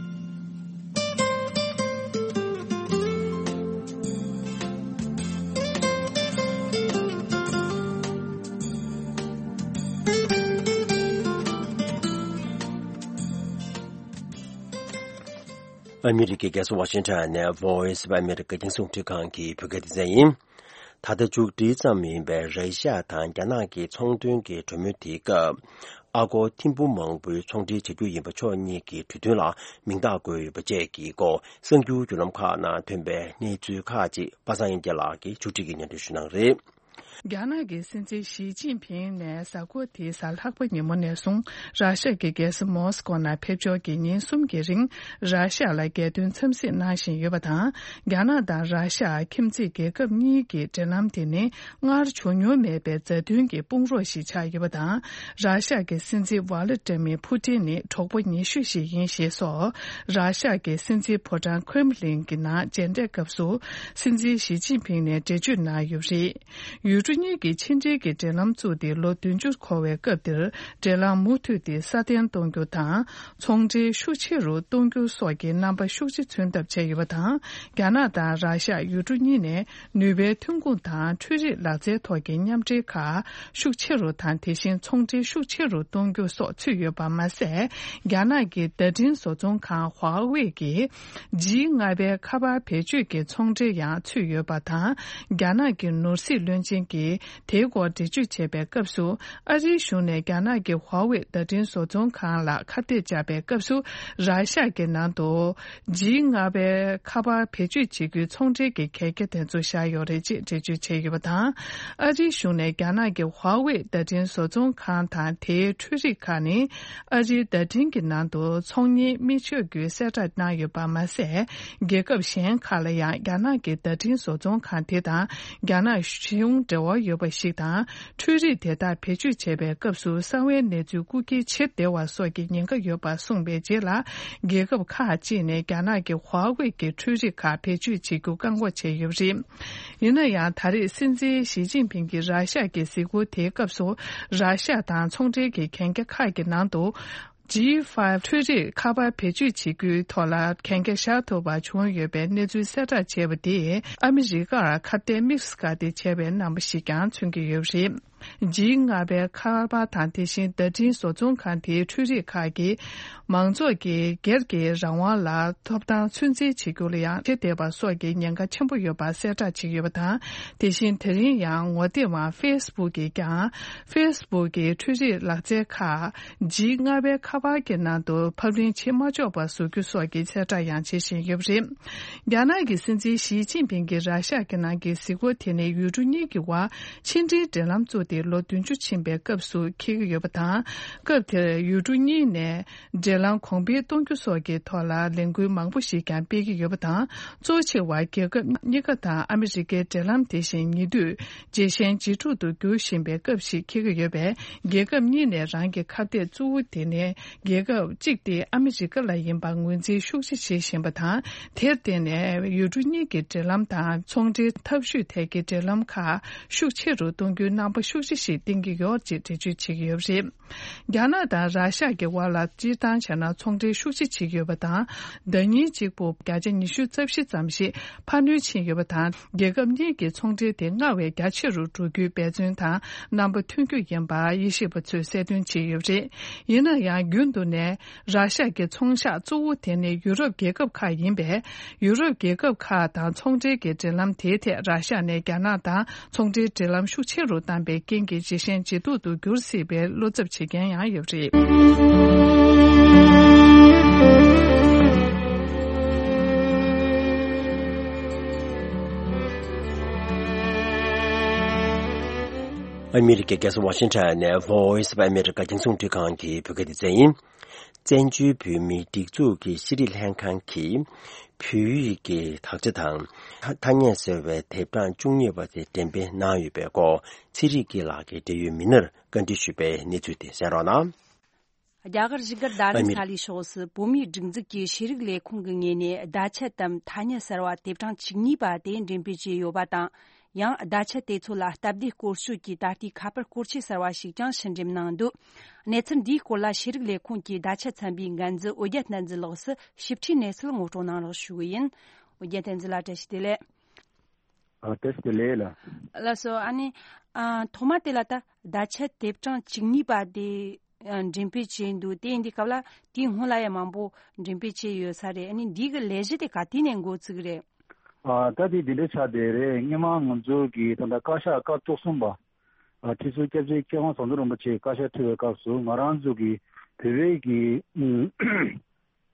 ཨ་མི་རི་ཀའི་རྒྱལ་ས་ཝ་ཤིང་ཊོན་ནས་Voice of America་རྒྱང་སྲིང་རླུང་འཕྲིན་ཁང་གི་བོད་སྐད་སྡེ་ཚན་ཡིན། ད་ལྟ་མཇུག་སྒྲིལ་ཙམ་ཡིན་པའི་ར་ཤི་ཡ་དང་རྒྱ་ནག་གི་ཚོང་དོན་གྱི་གྲོས་མོལ་དེའི་སྐབས། ཨ་སྒོར་ཐེར་འབུམ་མང་པོའི་ཚོང་འབྲེལ་བྱ་རྒྱུ་ཡིན་པ་ཕྱོགས་གཉིས་ཀྱི་གྲོས་མཐུན་ལ་མིང་རྟགས་བཀོད་ཡོད་པ་བཅས་ཀྱི་སྐོར་གསར་འགྱུར་བརྒྱུད་ལམ་ཁག་ནང་ཐོན་པའི་གནས་ཚུལ་ཁག་ཅིག་པ་སངས་དབྱངས་སྐྱིད་ལགས་ཀྱིས་མཇུག་སྒྲིལ་གྱིས་སྙན་སྒྲོན་ཞུ་གནང་རེད། རྒྱ་ནག་གི་སྲིད་འཛིན་ཞི་ཅིན་ཕིང་ནས་གཟའ་འཁོར་འདིའི་གཟའ་ལྷག་པ་ཉིན་མོ་ནས་བཟུང་ར་ཤ་ཡ་གི་རྒྱལ་ས་མོ་སི་ཀོ་ནང་ཕེབས་འབྱོར་གྱིས་ཉིན་གསུམ་གྱི་རིང་ར་ཤ་ཡ་ལ་རྒྱལ་དོན་འཚམས་གཟིགས་གནང་བཞིན་ཡོད་པ་དང་། རྒྱ་ནག་དང་ར་ཤ་ཡ་ཁྱིམ་མཚེས་རྒྱལ་ཁབ་གཉིས་ཀྱི་འབྲེལ་ལམ་དེ་ནི་སྔར་བྱུང་མྱོང་མེད་པའི་མཛའ་མཐུན་གྱི་དཔུང་རོགས་ཤིག་ཆགས་ཡོད་པ་དང་། ར་ཤ་ཡ་གི་སྲིད་འཛིན་ཝ་ལ་ཏྲ་མི་ཕུ་ཏིན་ནི་གྲོགས་པོ་ཉེ་ཤོས་ཤིག་ཡིན་ཞེས་སོགས། ར་ཤ་ཡ་གི་སྲིད་འཛིན་ཕོ་བྲང་ཁྲེམ་ལིན་གྱི་ནང་མཇལ་འཕྲད་སྐབས་སུ་སྲིད་འཛིན་ཞི་ཅིན་ཕིང་ནས་འགྲེལ་བརྗོད་གནང་ཡོད་པ་རེད། ཡུ་ ཀྲུང་གཉིས་ཀྱི་ཕྱི་འབྲེལ་གྱི་འབྲེལ་ལམ་བཙུགས་ཏེ་ལོ་བདུན་ཅུ་འཁོར་བའི་སྐབས་འདིར། འབྲེལ་ལམ་མུ་མཐུད་དེ་སྲ་བརྟན་གཏོང་རྒྱུ་དང་། ཚོང་འབྲེལ་ཤུགས་ཆེ་རུ་གཏོང་རྒྱུ་སོགས་ཀྱི་རྣམ་པ་ཤུགས་ཆེ་མཚོན་ཐབས་བྱས་ཡོད་པ་དང་། རྒྱ་ནག་དང་ར་ཤ། ཡུལ་གྲུ་གཉིས་ནས་ནུས་པའི་ཐོན་ཁུངས་དང་འཕྲུལ་རིག་ལག་རྩལ་ཐོག་གི་མཉམ་འབྲེལ་ཁག་ཤུགས་ཆེ་རུ་དང་། དེ་བཞིན་ཚོང་འབྲེལ་ཤུགས་ཆེ་རུ་གཏོང་རྒྱུ་སོགས་ཚུད་ཡོད་པ་མ་ཟད། རྒྱ་ནག་གི་བརྡ་འཕྲིན་བཟོ་ཚོང་ཁང་ཧྭ་ཝེ་གིས། ཇི་ལྔ་པའི་ཁ་པར་བེད་སྤྱོད་ཀྱི་ཚོང་འབྲེལ་ཡང་ཚུད་ཡོད་པ་དང་། རྒྱ་ནག་གི་ནོར་སྲིད་བློན་ཆེན་གྱིས་དེའི་སྐོར་འགྲེལ་བརྗོད་བྱས་པའི་སྐབས་སུ། ཨ་རིའི་གཞུང་ནས་རྒྱ་ནག་གི་ཧྭ་ཝེ་བརྡ་འཕྲིན་བཟོ་ཚོང་ཁང་ལ་ཁ་གཏད་བཅག་པའི་སྐབས་སུ། ར་ཤ་གི་ནང་དུ་ཇི་ལྔ་པའི་ཁ་པར་བེད་སྤྱོད་བྱེད་རྒྱུའི་ཚོང་འབྲེལ་གྱི་གལ་ཆེ་དེ་ཚོ་བཞག་ཡོད་རེད་ཅེས་འགྲེལ་བརྗོད་བྱས་ཡོད་པ་དང་། ཨ་རིའི་གཞུང་ནས་རྒྱ་ནག་གི་ཧྭ་ཝེ་བརྡ་འཕྲིན་བཟོ་ཚོང་ཁང་དང་དེའི་འཕྲུལ་རིག་ཁག་ནི། ཨ་རིའི་བརྡ་འཕྲིན་གྱི་ནང་དུ་ཚོང་གཉེར་མི་ཆོག་རྒྱུའི་གསལ་བསྒྲགས་གནང་ཡོད་པ་མ་ཟད། རྒྱལ་ཁབ་གཞན་ཁག་ལ་ཡང་རྒྱ་ནག་གི་བརྡ་འཕྲིན་བཟོ་ཚོང་ཁང་དེ་དང་རྒྱ་ནག་གཞུང་འབྲེལ་བ་ཡོད་པ་ཞིག་དང་། འཕྲུལ་རིག་དེ་དག་བེད་སྤྱོད་བྱས་པའི་སྐབས་སུ་གསང་བའི་གནས་ཚུལ་རྐུ་འཁྱེར་བྱེད་བདེ་བ་སོགས་ཀྱི་ཉེན་ཁ་ཡོད་པ་གསུངས་པའི་རྗེས་ལ། རྒྱལ་ཁབ་ཁག་ཅིག་ནས་རྒྱ་ནག་གི་ཧྭ་ཝེ་གྱི་འཕྲུལ་རིག་ཁག་བེད་སྤྱོད་བྱེད་རྒྱུ་བཀག་འགོག་བྱས་ཡོད་པ་རེད། ཡིན་ན་ཡང་། ད་རེས་སྲིད་འཛིན་ཞི་ཅིན་ཕིང་གིས་ར་ཤ་གི་གཟིགས་སྐོར་དེའི་སྐབས་སུ། ར་ཤ་དང་ཚོང་འབྲེལ་གྱི་གན་རྒྱ་ཁག་གི་ནང་དུ། ཇི་ཕའི་ཝི་འཕྲུལ་རིག་ཁ་པར་བེད་སྤྱོད་བྱེད་རྒྱུའི་ཐོག་ལ་གན་རྒྱ་བཞག་ཐུབ་པ་བྱུང་ཡོད་པའི་གནས་ཚུལ་གསལ་བསྒྲགས་བྱས་པ་དེས། ཨ་མི་རི་ཀར་ཁ་གཏད་དམིགས་བཀར་ཏེ་བྱས་པའི་རྣམ་པ་ཞིག་ཀྱང་མཚོན་གྱི་ཡོད་པ་རེད། ཇི་ལྔ་པའི་ཁ་པར་དང་། དེ་བཞིན་བརྡ་འཕྲིན་བཟོ་ཚོང་ཁང་དེའི་འཕྲུལ་རིག་ཁག་གིས། མང་ཚོགས་ཀྱི་སྒེར་གྱི་རང་དབང་ལ་ཐོབ་ཐང་ཚོད་འཛིན་བྱེད་རྒྱུ་ལ་ཡང་ཁྱབ་བརྡལ་བ་སོགས་ཀྱི་ཉེན་ཁ་ཆེན་པོ་ཡོད་པ་གསལ་བསྒྲགས་བྱས་ཡོད་པ་དང་། དེ་བཞིན་དེ་རིང་ཡང་ངོ་དེབ་དབང་ཧྥེ་སི་བུག་གིས་ཀྱང་། ཧྥེ་སི་བུག་གི་འཕྲུལ་རིག་ལག་རྩལ་ཁག་ཇི་ལྔ་པའི་ཁ་པར་གྱི་ནང་དུ་ཕབ་ལེན་བྱེད་མ་ཆོག་པ་བཟོ་རྒྱུ་སོགས་ཀྱི་གསལ་བསྒྲགས་ཡང་བྱེད་བཞིན་ཡོད་པ་རེད། རྒྱ་ནག་གི་སྲིད་འཛིན་ཞི་ཅིན་ཕིང་གིས་ར་ཤ་གི་ནང་གི་གཟིགས་སྐོར་དེ་ནི་ཡུལ་གྲུ་གཉིས་ཀྱི་དབར་ཕྱི་འབྲེལ་འབྲེལ་ལམ་བཙུགས་ཏེ་ལོ་བདུན་ཅུ་ཕྱིན་པའི་སྐབས་སུ་འཁེལ་གྱི་ཡོད་པ་དང་། སྐབས་དེར་ཡུལ་གྲུ་གཉིས་ནས་འབྲེལ་ལམ་གོང་འཕེལ་གཏོང་རྒྱུ་སོགས་ཀྱི་ཐོག་ལ་ལས་འགུལ་མང་པོ་ཞིག་ཀྱང་སྤེལ་གྱི་ཡོད་པ་དང་། གཙོ་ཆེ་བ་རྒྱལ་ཁབ་གཉིས་ཀ་དང་ཨ་མི་རི་ཀའི་འབྲེལ་ལམ་དེ་བཞིན་ཉེ་དུས་ཇེ་ཞན་ཇེ་སྡུག་ཏུ་འགྱུར་བཞིན་པའི་སྐབས་ཤིག་འཁེལ་གྱི་ཡོད་པས། རྒྱལ་ཁབ་གཉིས་ནས་རང་གི་ཁ་གཏད་གཙོ་བོ་དེ་ནི་རྒྱལ་ཁབ་གཅིག་སྟེ་ཨ་མི་རི་ཀ་ལ་ཡིན་པར་ངོས་འཛིན་ཤུགས་ཆེ་བྱེད་བཞིན་པ་དང་། དེར་བརྟེན་ནས་ཡུལ་གྲུ་གཉིས་ཀྱི་འབྲེལ་ལམ་དང་ཚོང་འབྲེལ་འཐབ་ཇུས་ཐད་ཀྱི་འབྲེལ་ལམ་ཁག་ཤུགས་ཆེ་རུ་གཏོང་རྒྱུའི་རྣམ་པ་ཤུགས་ཆེ་ཞིག་བསྟན་གྱི་ཡོད་ཅེས་འགྲེལ་བརྗོད་བྱེད་ཀྱི་ཡོད་པ་རེད། རྒྱ་ནག་དང་ར་ཤ་གི་དབར་ལ་སྤྱིར་བཏང་བྱས་ན་ཚོང་འབྲེལ་ཤུགས་ཆེ་བྱེད་ཀྱི་ཡོད་པ་དང་། ཟླ་ཉིན་གཅིག་པུ་བརྒྱ་ཆ་ཉི་ཤུ་རྩ་བཞི་ཙམ་ཞིག་འཕར་སྣོན་ཕྱིན་ཡོད་པ་དང་། རྒྱལ་ཁབ་གཉིས་ཀྱི་ཚོང་འབྲེལ་དེ་སྔར་བས་རྒྱ་ཆེ་རུ་འགྲོ་རྒྱུའི་འབད་བརྩོན་དང་རྣམ་པ་ཐོན་རྒྱུ་ཡིན་པ་དབྱེ་ཞིབ་པ་ཚོས་གསལ་སྟོན་བྱས་ཡོད་པ་རེད། ཡིན་ན་ཡང་། རྒྱུན་དུ་ནས་ར་ཤ་གི་ཚོང་ཤག་གཙོ་བོ་དེ་ནི་ཡུ་རོབ་རྒྱལ་ཁབ་ཁག་ཡིན་པས། ཡུ་རོབ་རྒྱལ་ཁབ་ཁག་དང་ཚོང་འབྲེལ་གྱི་འབྲེལ་ལམ་དེའི་ཐད་ར་ཤ་ནས་རྒྱ་ནག་དང་ཚོང་འབྲེལ་འབྲེལ་ལམ་ཤུགས་ཆེ་རུ་བཏང་པའི་རྐྱེན་གྱིས་ཇེ་ཞན་ཇེ་སྡུག་ཏུ་འགྱུར་སྲིད་པའི་བློ་འཚབ་བྱེད་མཁན་ཡང་ཡོད་པ་རེད། ཨ་མི་རི་ཀའི་རྒྱལ་ས་ཝ་ཤིང་ཊོན་ནས་Voice of America རྒྱང་སྲིང་རླུང་འཕྲིན་ཁང་གི་བོད་སྐད་སྡེ་ཚན་ཡིན། བཙན་བྱོལ་བོད་མིའི་སྒྲིག་འཛུགས་ཀྱི་ཤེས་རིག་ལྷན་ཁང་གིས་བོད་ཡིག་གི་དག་ཆ་དང་། ཐ་སྙད་ཟེར་བའི་དེབ་གྲངས་བཅུ་གཉིས་པ་དེ་འགྲེམས་སྤེལ་གནང་ཡོད་པའི་སྐོར་ཚེ་རིང་སྐྱིད་ལགས་ཀྱིས་འབྲེལ་ཡོད་མི་སྣར་བཀའ་འདྲི་ཞུས་པའི་གནས་ཚུལ་དེ་གསན་རོགས་གནང་། རྒྱ་གར་བཞུགས་སྒར་རྡ་རམ་ས་ལའི་ཕྱོགས་སུ་བོད་མིའི་སྒྲིག་འཛུགས་ཀྱི་ཤེས་རིག་ལས་ཁུངས་ཀྱི་ངོས་ནས་བརྡ་ཆད་དམ་ཐ་སྙད་གསར་བ་དེབ་གྲངས་བཅུ་གཉིས་པ་དེ་འགྲེམས་སྤེལ་བྱས་ཡོད་པ་དང་། ཡང་བརྡ་ཆད་དེ་ཚོ་ལ་སྟབས་བདེ་སྐོར་སྐྱོད་ཀྱི་ད་ལྟའི་ཁ་པར་སྐོར་ཆས་གསར་བ་ཞིག་ཀྱང་ཕྱིར་འགྲེམས་གནང་འདུག་གནས་ཚུལ་འདིའི་སྐོར་ལ་ཤེས་རིག་ལས་ཁུངས་ཀྱི་བརྡ་ཆད་ཚན་པའི་འགན་འཛིན་ཨོ་རྒྱན་བསྟན་འཛིན་ལགས་སུ་ཞིབ་ཕྲའི་གནས་ཚུལ་ངོ་སྤྲོད་གནང་རོགས་ཞུ་གི་ཡིན། ཨོ་རྒྱན་བསྟན་འཛིན་ལགས་བཀྲ་ཤིས་བདེ་ལེགས། ཨ། བཀྲ་ཤིས་བདེ་ལེགས་ལགས། ལགས་སོ། ཨ་ནི། ཨ། ཐོག་མ་དེ་ལ་ད་བརྡ་ཆད་དེབ་གྲངས་བཅུ་གཉིས་པ་དེ། ཨ། འགྲེམས་སྤེལ་བྱས་འདུག་དེ་ཡིན་དུས་སྐབས་ལ་དེའི་སྔོན་ལ་ཡང་མང་པོ་འགྲེམས་སྤེལ་བྱས་ཡོད་ས་རེད། ཨ་ནི་འདི་གི་ལས་གཞི་དེ་ག་དུས་ནས་འགོ་བཙུགས་རེད། ཨ། ད་དེ་འདི་འདྲ་ཆགས་བསྡད་རེད། སྔོན་མ་ང་ཚོ་གི་ད་ལྟ་བཀའ་ཤག་སྐབས་བཅུ་གསུམ་པ། ཨ། ཁྲི་ཟུར་སྐྱབས་རྗེ་མཁས་དབང་ཟམ་གདོང་རིན་པོ་ཆེ་བཀའ་ཤག་ཁྲི་བའི་སྐབས་སུ་ང་རང་ཚོ་གི་བོད་པའི་གི། ཨུམ།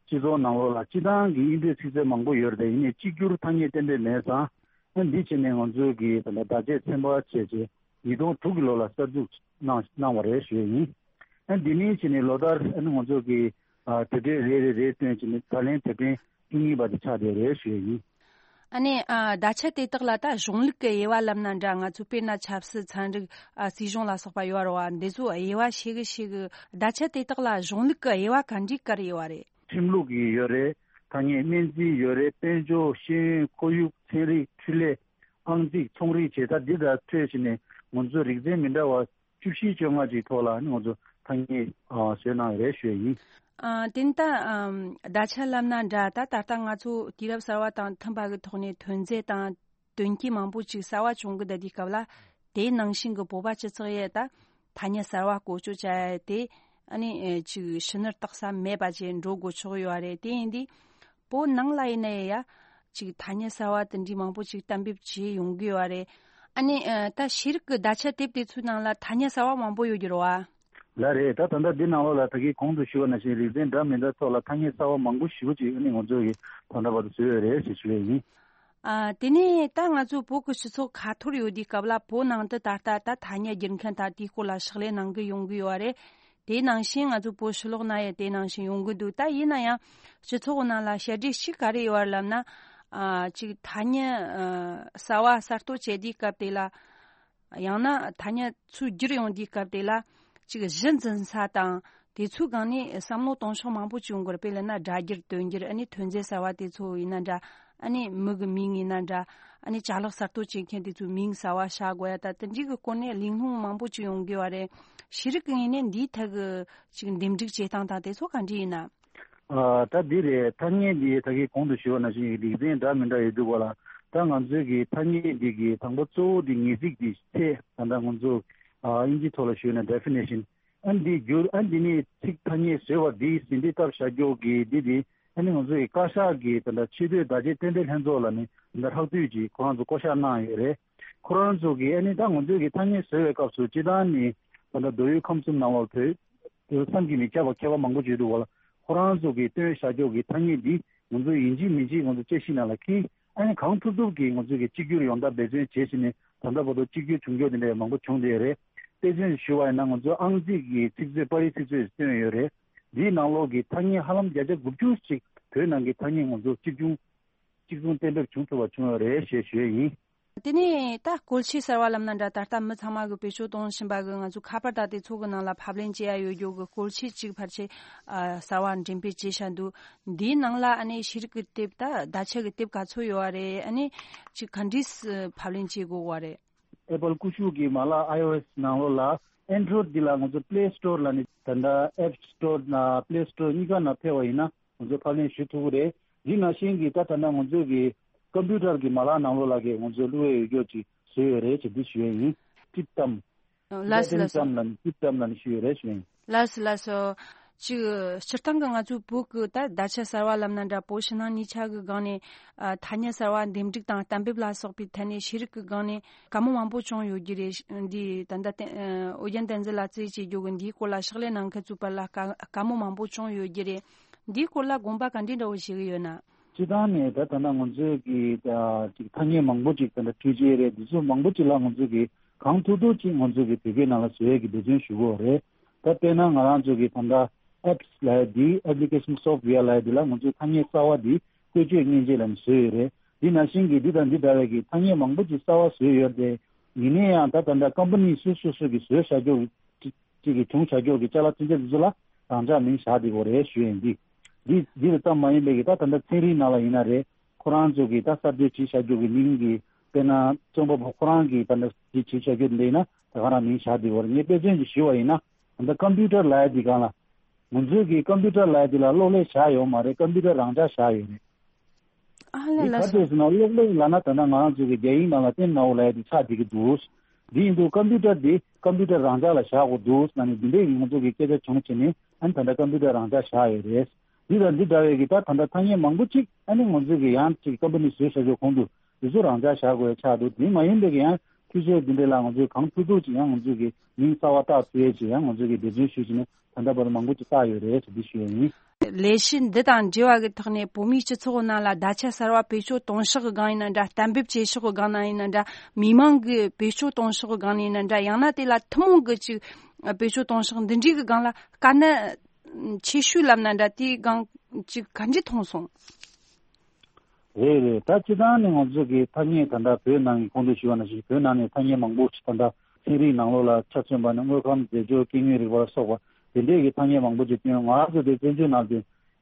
སྤྱི་ཚོགས་ནང་ལོགས་ལ་སྤྱི་བཏང་གི་དབྱིན་ཇིའི་ཚིག་མཛོད་མང་པོ་ཡོད་རེད། ཡིན་ནའི་གཅིག་གྱུར་ཐ་སྙད་གཏན་འབེབས་མེད་ཙང་། ཨ། འདི་བྱས་ནས་ང་ཚོའི་གི་ད་ལྟ་བརྡ་ཆད་ཚན་པ་བྱས་རྗེས་ཉིས་སྟོང་དྲུག་གི་ལོ་ལ་གསར་འཛུགས་གནང་གནང་བ་རེད་ཞུ་ཡས་ཡིན། ཨ། འདི་ནས་བྱས་ནས་ལོ་ལྟར་ཨ་ནི་ང་ཚོ་གི། ཨ། དེབ་ཕྲེང་རེ་རེ་རེ་བཏོན་བྱས་ནས་ད་ལན་དེབ་ཕྲེང་བཅུ་གཉིས་པ་དེ་ཆགས་བསྡད་རེད་ཞུ་ཡས་ཡིན། ཨ་ནི། ཨ། བརྡ་ཆད་དེ་དག་ལ་ད་གཞུང་ལུགས་ཀྱི་དབྱེ་བ་ལབ་ན་འདྲ། ང་ཚོ་དཔེར་ན་ཆབ་སྲིད། ཚན་རིག། ཨ། སྲིད་གཞུང་ལ་སོགས་པ་ཡོད་རེད་བ། འདི་ཚོ་དབྱེ་བ་ཕྱེ་གི་ཕྱེ་གི། བརྡ་ཆད་དེ་དག་ལ་གཞུང་ལུགས་ཀྱི་དབྱེ་བ་ག་འདྲའི་བཀར་ཡོད་པ་རེད། ཁྲིམས་ལུགས་ཀྱི་ཡོད་རེད། ཐ་སྙད་སྨན་རྩིས་ཡོད་རེད། དཔལ་འབྱོར། ཤེས་ཡོན། ཁོར་ཡུག། ཚན་རིག། འཕྲུལ་ལས། ཨང་རྩིས། ཚོང་རིག་བྱས། ད་འདི་དག་འཕྲོས་བྱས་ནས་ ང་ཚོ་རིག་ཚན་མི་འདྲ་བ་བཅུ་བཞི་བཅོ་ལྔ་ཅིག་ཐོག་ལ་ནི་ང་ཚོ་ཐ་སྙད་ཨ་བཟོས་གནང་ཡོད་རེད་ཞུ་ཡ་ཡིན། ཨ་དེ་ནི་ད་ཨམ་བརྡ་ཆད་ལབ་ན་འདྲ། ད་ད་ལྟ་ང་ཚོ་དུས་རབས་གསར་བ་དང་མཐུན་པ་གི་ཐོག་ནས་ཐོན་རྫས་དང་དོན་རྐྱེན་མང་པོ་ཅིག་གསར་བ་བྱུང་གི་བསྡད་དུས་སྐབས་ལ། དེའི་ནང་བཞིན་གི་བོད་པ་སྤྱི་ཚོགས་ཡས་ད་ཐ་སྙད་གསར་བ་བཀོལ་སྤྱོད་བྱ་ཡ་དེ་ཨ་ནི་ཨེ་ཅིག་ཕྱི་ནུར་བཏགས་ས་མེད་པ་ཅིག་འགྲོ་དགོས་ཆོག་ཡོད་རེད། དེ་ཡིན་དུས་བོད་ནང་ལ་ཡིན་ན་ཡ་ཅིག་ཐ་སྙད་གསར་བ་དེ་འདྲའི་མང་པོ་ཅིག་གཏན་འབེབས་བྱས་ཡོང་གི་ཡོད་རེད། ཨ་ནི་ཨ་ད་ཤེས་རིག་གི་བརྡ་ཆད་དེབ་དེ་ཚོའི་ནང་ལ་ཐ་སྙད་གསར་བ་མང་པོ་ཡོད་ཀྱི་རེད་བ། ལགས་རེད། ད་ད་ལྟ་འདི་ནང་ལོགས་ལ་ད་གིན་གོང་དུ་ཞུས་པ་ནང་བཞིན་རིག་ཚན་འདྲ་མི་འདྲ་ཐོག་ལ་ཐ་སྙད་གསར་བ་མང་པོ་ཞེ་པོ་ཅིག་ཨ་ནི་ང་ཚོ་གིས་ད་ལྟ་བར་དུ་བཟོས་ཡོད་རེད་ཞེས་ཞུ་ཡས་ཡིན། ཨ་དེ་ནས་ད་ང་ཚོ་བོད་ཀྱི་སྤྱི་ཚོགས་ཁ་ཐོར་ཡོད་དུས་སྐབས་ལ་བོད་ནང་དུ་ད་ལྟ་ད་ཐ་སྙད་སྒྱུར་མཁན་དང་དེའི་སྐོར་ལ་ཕྱག་ལས་གནང་གི་ཡོང་གི་ཡོད་རེད། དེའི་ནང་བཞིན་ང་ཚོ་བོད་ཕྱི་ལོགས་ན་ཡང་དེ་ནང་བཞིན་ཡོང་གི་འདུག་ད་ཡིན་ན་ཡང་སྤྱི་ཚོགས་ནང་ལ་བཤད་སྒྲོས་གཅིག་ག་རེ་ཡོད་རེད་ལབ་ན། ཨ་གཅིག་ཐ་སྙད་ཨ་གསར་བ་གསར་གཏོད་བྱེད་དུས་སྐབས་དེ་ལ། ཡང་ན་ཐ་སྙད་ཚུར་བསྒྱུར་ཡོང་དུས་སྐབས་དེ་ལ་ཅིག་གཞི་འཛིན་ས་དང་དེ་ཚོའི་སྒང་ནས་བསམ་བློ་གཏོང་ཕྱོགས་མང་པོ་ཅིག་ཡོང་གི་རེད། དཔེ་ལབ་ན་སྒྲ་བསྒྱུར་དོན་བསྒྱུར་ཨ་ནི་ཐོན་རྫས་གསར་བ་དེ་ཚོ་ཡིན་ན་འདྲ། ཨ་ནི་མི་གི་མིང་ཡིན་ན་འདྲ། ཨ་ནི་ཅ་ལག་གསར་གཏོད་བྱེད་མཁན་དེ་ཚོའི་མིང་གསར་བ་བཞག་དགོས་ཡ་ད་དེ་འདྲའི་གི་སྐོར་ནས་གླེང་སློང་མང་པོ་ཅིག་ཡོང་གི་ཡོད་རེད། ཤེས་རིག་གི་ངོས་ནས་འདིའི་ཐད་གི་ཅིག་འདེམས་སྒྲིག་བྱེད་སྟངས་དང་དེ་ཚོ་ག་འདྲ་ཡིན་ན། ཨ་ད་འདི་རེད། ཐ་སྙད་འདི་ད་གིན་གོང་དུ་ཞུས་པ་ནང་བཞིན་རིག་ཚན་འདྲ་མི་འདྲ་ཡོད་འདུག་ག་ལ། ད་ང་ཚོའི་གི་ཐ་སྙད་འདི་གི་དང་པོ་གཙོ་བོ་འདི་ངེས་ཚིག་འདི་ཚད་ད་ལྟ་ང་ཚོ་ཨ་དབྱིན་ཇིའི་ཐོག་ལ་ཞུས་ན་ཌེ་ཕི་ནེ་ཤན། ཨ་འདི་བསྒྱུར་ཨ་འདི་ནི་ཚིག་ཐ་སྙད་བཟོས་པ་འདི་ཟིན་བྲིས་བཏབ་བཞག་རྒྱུ་གི་འདི་འདི་ཨ་ནི་ང་ཚོ་གི་བཀའ་ཤག་གི་ད་ལྟ་ཆེས་མཐོའི་བརྡ་ཆད་རྟེན་འབྲེལ་ལྷན་ཚོགས་ལ་ནི་ད་ལྟ་ལྷག་བསྡུས་ཀྱིས་ཁོ་རང་ཚོ་བསྐོ་བཞག་གནང་ཡོད་རེད། ཁོ་རང་ཚོ་གི་ཨ་ནི་ད་ང་ཚོའི་གི་ཐ་སྙད་བཟོས་པའི་སྐབས་སུ་སྤྱིར་བཏང་ནི་ད་ལྟ་མདོ་དབུས་ཁམས་གསུམ་ནང་ལོགས་བོད་དུ་བསམ་གྱིས་མི་ཁྱབ་པ་མཁས་པ་མང་པོ་བརྗོད་འདུག་ག་ལ། ཁོ་རང་ཚོ་གིས་བཏོན་བཞག་རྒྱུ་གི་ཐ་སྙད་འདི་ང་ཚོ་ཡིན་གཅིག་མིན་གཅིག་ང་ཚོ་དཔྱད་གཞི་ནང་ལ་འཁྱེར། ཨ་ནི་གང་ཐུབ་ཐུབ་ཀྱིས་ང་ཚོ་གིས་གཅིག་གྱུར་ཡོང་ཐབས་འབད་བརྩོན་བྱེད་བཞིན་ནས་ད་ལྟ་བར་དུ་གཅིག་གྱུར་བྱུང་རྒྱུ་དེ་འདྲ་མང་པོ་བྱུང་བསྡད་ཡོད་རེད། དཔེ་མཚོན་ཞུ་བ་ཡིན་ན་ང་ཚོ་ཨང་རྩིས་ཀྱི་ཚིག་མཛོད་པར་རིས་ཚིག་མཛོད་བཏོན་ཡོད་རེད། འདིའི་ནང་ལོགས་ཀྱི་ཐ་སྙད་ཧ་ལམ་བརྒྱ་ཆ་དགུ་བཅུ་ཞིག་བོད་ནང་གི་ཐ་སྙད་ང་ཚོ་གཅིག་མཚུངས་གཅིག་མཚུངས་གཏན་འབེབས་བྱུང་ཐུབ་པ་བྱུང་ཡོད་རེད་ཞེས་ཞུ་ཡས་ཡིན། དེ་ནས་ད་བཀོལ་ཆས་གསར་བ་ལབ་ན་འདྲ། ད་ལྟ་མི་ཚང་མ་གིས་བེད་སྤྱོད་གཏོང་བཞིན་པ་གི་ང་ཚོ་ཁ་པར་དང་དེ་ཚོ་གི་ནང་ལ་ཕབ་ལེན་བྱེད་ཡ་ཡོད་རྒྱུ་གི་བཀོལ་ཆས་གཅིག་ཕལ་ཆེར་ཨ་གསར་བ་འགྲེམས་སྤེལ་བྱས་བཞག་འདུག་འདིའི་ནང་ལ་ཨ་ནི་ཤེས་རིག་གི་དེབ་ད་བརྡ་ཆད་གི་དེབ་ག་ཚོད་ཡོད་བ་རེད། ཨ་ནི་ཅིག་ག་འདྲས་ཕབ་ལེན་བྱེད་དགོས་བ་རེད། ཨེ་པལ་ཀུ་ཤུ་གི་མ་ལག་ཨའི་ཨོ་ཨེས་ནང་ལོགས་ལ་ཨེན་ཌོ་རོ་ཡིཌ་འདི་ལ་ང་ཚོ་པླེ་སི་ཊོར་ལ་ནི་ད་ལྟ་ཨེབ་སི་ཊོར་ན་པླེ་སི་ཊོར་གཉིས་ཀ་ནང་ཕེབས་པ་ཡིན་ན་ང་ཚོ་ཕབ་ལེན་ཞུ་ཐུབ་ཀྱི་རེད། འདི་ནང་བཞིན་གྱི་ད་ད་ལྟ་ང་ཚོའི་གི་ཀམ་པུ་ཊར་གྱི་མ་ལག་ནང་ལོགས་ལ་གི་ང་ཚོ་བླུགས་ཡས་ཡོད་རྒྱུ་ཅིག་བཟོས་ཡོད་རེད་ཅེས་འདི་ཞུ་ཡས་ཡིན། ཊིབ་ཏམ། ལགས་སོ་ལགས་སོ། ཊིབ་ཏམ་ལ་ནི་ཊིབ་ཏམ་ལ་ནི་ཞུ་ཡོད་རེད་ཞུ་ཡས་ཡིན། ལགས་སོ་ལགས་སོ། ཅིག་སྤྱིར་བཏང་གི་ང་ཚོའི་བོད་ཀྱི་ད་བརྡ་ཆད་གསར་བ་ལབ་ན་འདྲ། བོད་ཕྱི་ནང་གཉིས་ཆ་གི་སྒང་ནས་ཨ་ཐ་སྙད་གསར་བ་འདེམས་སྒྲིག་དང་གཏན་འབེབས་ལ་སོགས་པའི་ཐད་ནས་ཤེས་རིག་གི་སྒང་ནས་བཀའ་མོལ་མང་པོ་བྱུང་ཡོད་ཀྱི་རེད། འདི་ད་ལྟ་བསྟན་ཨོ་རྒྱན་བསྟན་འཛིན་ལགས་རྩིས་བྱེད་རྒྱུ་གི་འདིའི་སྐོར་ལ་ཕྱག་ལས་གནང་མཁན་ཚོའི་བར་ལ་བཀའ་བཀའ་མོལ་མང་པོ་བྱུང་ཡོད་ཀྱི་རེད། འདིའི་སྐོར་ལ་དགོངས་པ་ག་འདྲའི་འདྲ་བོ་བཞེས་ཀྱི་ཡོད་ན། སྤྱིར་བཏང་ནས་ད་ད་ལྟ་ང་ཚོས་ཀྱི་ད་ཅིག་ཐ་སྙད་མང་པོ་ཅིག་ད་ལྟ་འཕྲུལ་ཆས་རེད། འདི་ཚོ་མང་པོ་ཅིག་ལ་ང་ཚོས་ཀྱི་གང་ཐུབ་ཐུབ་ཅིག་ང་ཚོས་ཀྱི་བོད་སྐད་ནང་ལ་བཟོ་ཡས་ཀྱི་འབད་བརྩོན་ཞུ་གི་ཡོད་རེད། ད་དཔེར་ན་ང་རང་ཚོ་གི་ད་ལྟ་ཨེབ་སི་ལབ་ཡ་འདི་ཨེབ་ལི་ཀེ་ཤན་སོབ་ཝེར་ལབ་ཡ་འདི་ལ་ང་ཚོས་ཐ་སྙད་གསར་བ་འདི་བཀོལ་སྤྱོད་མཉེན་ཆས་ལབ་ནས་བཟོས་ཡོད་རེད། འདི་ནང་བཞིན་གྱི་འདི་དང་འདི་འདྲ་བའི་གི་ཐ་སྙད་མང་པོ་ཅིག་གསར་བ་བཟོས་ཡོད་རེད། ཡིན་ན་ཡང་ད་ད་ལྟ་ཀམ་པ་ནི་སོ་སོ་སོ་གི་བཟོས་བཞག་རྒྱུ་གཅིག་གཅིག་གི་བྱུང་བཞག་རྒྱུ་གི་ཅ་ལག་ཚན་ཆ་འདི་ཚོ་ལ་རང་འཇགས་མིང་བཞག་བསྡད་ཡོད་རེད་ཞུ་ཡིན། འདི་འདི་འདི་ལ་ཙམ་མ་ཡིན་པའི་གི་ད་ད་ལྟ་ཚན་རིག་ནང་ལ་ཡིན་ན་རེད། ཁོ་རང་ཚོ་གི་ད་གསར་གཏོད་བྱས་བཞག་རྒྱུ་གི་མིང་གི་དཔེར་ན་རྩོམ་པ་པོ་ཁོ་རང་གིས་ད་ལྟ་འདི་བྱས་བཞག་རྒྱུ་འདི་ཡིན་ན་ད་ག་རང་མིང་བཞག་བསྡད་ཡོད་རེད། ངས་དཔེ་མཚོན་ཅིག་ཞུ་བ་ཡིན་ན། ད་ལྟ་ཀམ་པུ་ཊར་ལབ་ཡ་འདི་སྒང་ལ་ང་ཚོའི་གི་ཀམ་པུ་ཊར་ལབ་ཡ་འདི་ལ་གློག་ཀླད་བཞག་ཡོད་མ་རེད། ཀམ་པུ་ཊར་རང་འཇགས་བཞག་ཡོད་རེད། ཨ་ལས། འདི་ལགས་ག་སོ། རེད་ཟེར་ན་གློག་ཀླད་ལབ་ན་ད་ལྟ་ང་རང་ཚོ་གི་རྒྱ་ཡིག་ནང་ལ་ཏེན་ནའོ་ལབ་ཡ་འདི་ཆགས་བསྡད་ཀྱི་འདུག་འདི་ཡིན་དུས་ཀམ་པུ་ཊར་འདི་ཀམ་པུ་ཊར་རང་འཇགས་ལ་བཞག་དགོས་འདུག་ཟེར་ནས་འདི་འདྲའི་ང་ཚོ་གི་སྐད་ཆ་བྱུང་བྱས་ནས་ཨ་ནི་ད་ལྟ་ཀམ་པུ་ཊར་རང་འཇགས་བཞག་ཡོད་རེད། འདི་དང་འདི་འདྲ་བའི་གི་ད་ད་ལྟ་ཐ་སྙད་མང་པོ་ཅིག་ཨ་ནི་ང་ཚོ་གི་ཡང་ཅིག་ཀམ་པ་ནི་བཟོས་བཞག་རྒྱུ་གོང་དུ་འདི་ཚོ་རང་འཇགས་བཞག་དགོས་ཡ་ཆགས་འདུག་དེ་མ་ཡིན་པའི་གི་ཡང་འཕྲུལ་ཆས་འདི་འདྲ་ལ་ང་ཚོས་གང་ཐུབ་ཐུབ་ཅིག་ཡང་ང་ཚོ་གི་མིང་གསར་བ་བཏགས་ཐུབ་ཡ་ཅིག་ཡང་ང་ཚོ་གི་འབད་བརྩོན་ཞུས་བྱས་ནས་ད་ལྟ་བར་དུ་མང་པོ་ཅིག་བཏགས་ཡོད་རེད་ཅེས་འདི་ཞུ་ཡ་ཡིན། ལས་གཞི་འདི་དང་འབྲེལ་བ་གི་ཐོག་ནས་བོད་མིའི་སྤྱི་ཚོགས་ནང་ལ་བརྡ་ཆད་གསར་བ་བེད་སྤྱོད་གཏོང་ཕྱོགས་ཀྱི་སྒང་ཡིན་ན་འདྲ། གཏན་འབེབས་བྱེད་ཕྱོགས་ཀྱི་སྒང་ནང་ཡིན་ན་འདྲ། མི་མང་གིས་བེད་སྤྱོད་གཏོང་ཕྱོགས་ཀྱི་སྒང་ནང་ཡིན་ན་འདྲ། ཡང་ན་དེ་ལ་ཐུན་མོང་གི་ཅིག་བེད་སྤྱོད་གཏོང་ཕྱོགས་འདི་འདྲའི་གི་སྒང་ལ་དཀའ་གནད་ཆེ་ཤོས་ལབ་ན་འདྲ། དེའི་སྒང་ཅིག་ག་འདྲ་མཐོང་སོང་། རེད་རེད། ད་སྤྱིར་བཏང་ནས་ང་ཚོ་གི་ཐ་སྙད་ད་ལྟ་བོད་ནང་གི་གོང་དུ་ཞུས་པ་ནང་བཞིན་བོད་ནང་ནས་ཐ་སྙད་མང་པོ་ཞིག་ད་ལྟ་ཚན་རིག་ནང་ལོགས་ལ་ཆ་མཚོན་པ་ནི་དངོས་ཁམས་རྫས་སྦྱོར་སྐྱེ་དངོས་རིག་པ་ལ་སོགས་པ་དེ་འདྲས་ཀྱི་ཐ་སྙད་མང་པོ་ཅིག་བཏོན། ང་རང་ཚོ་དེ་བཙན་བྱོལ་ནང་དུ་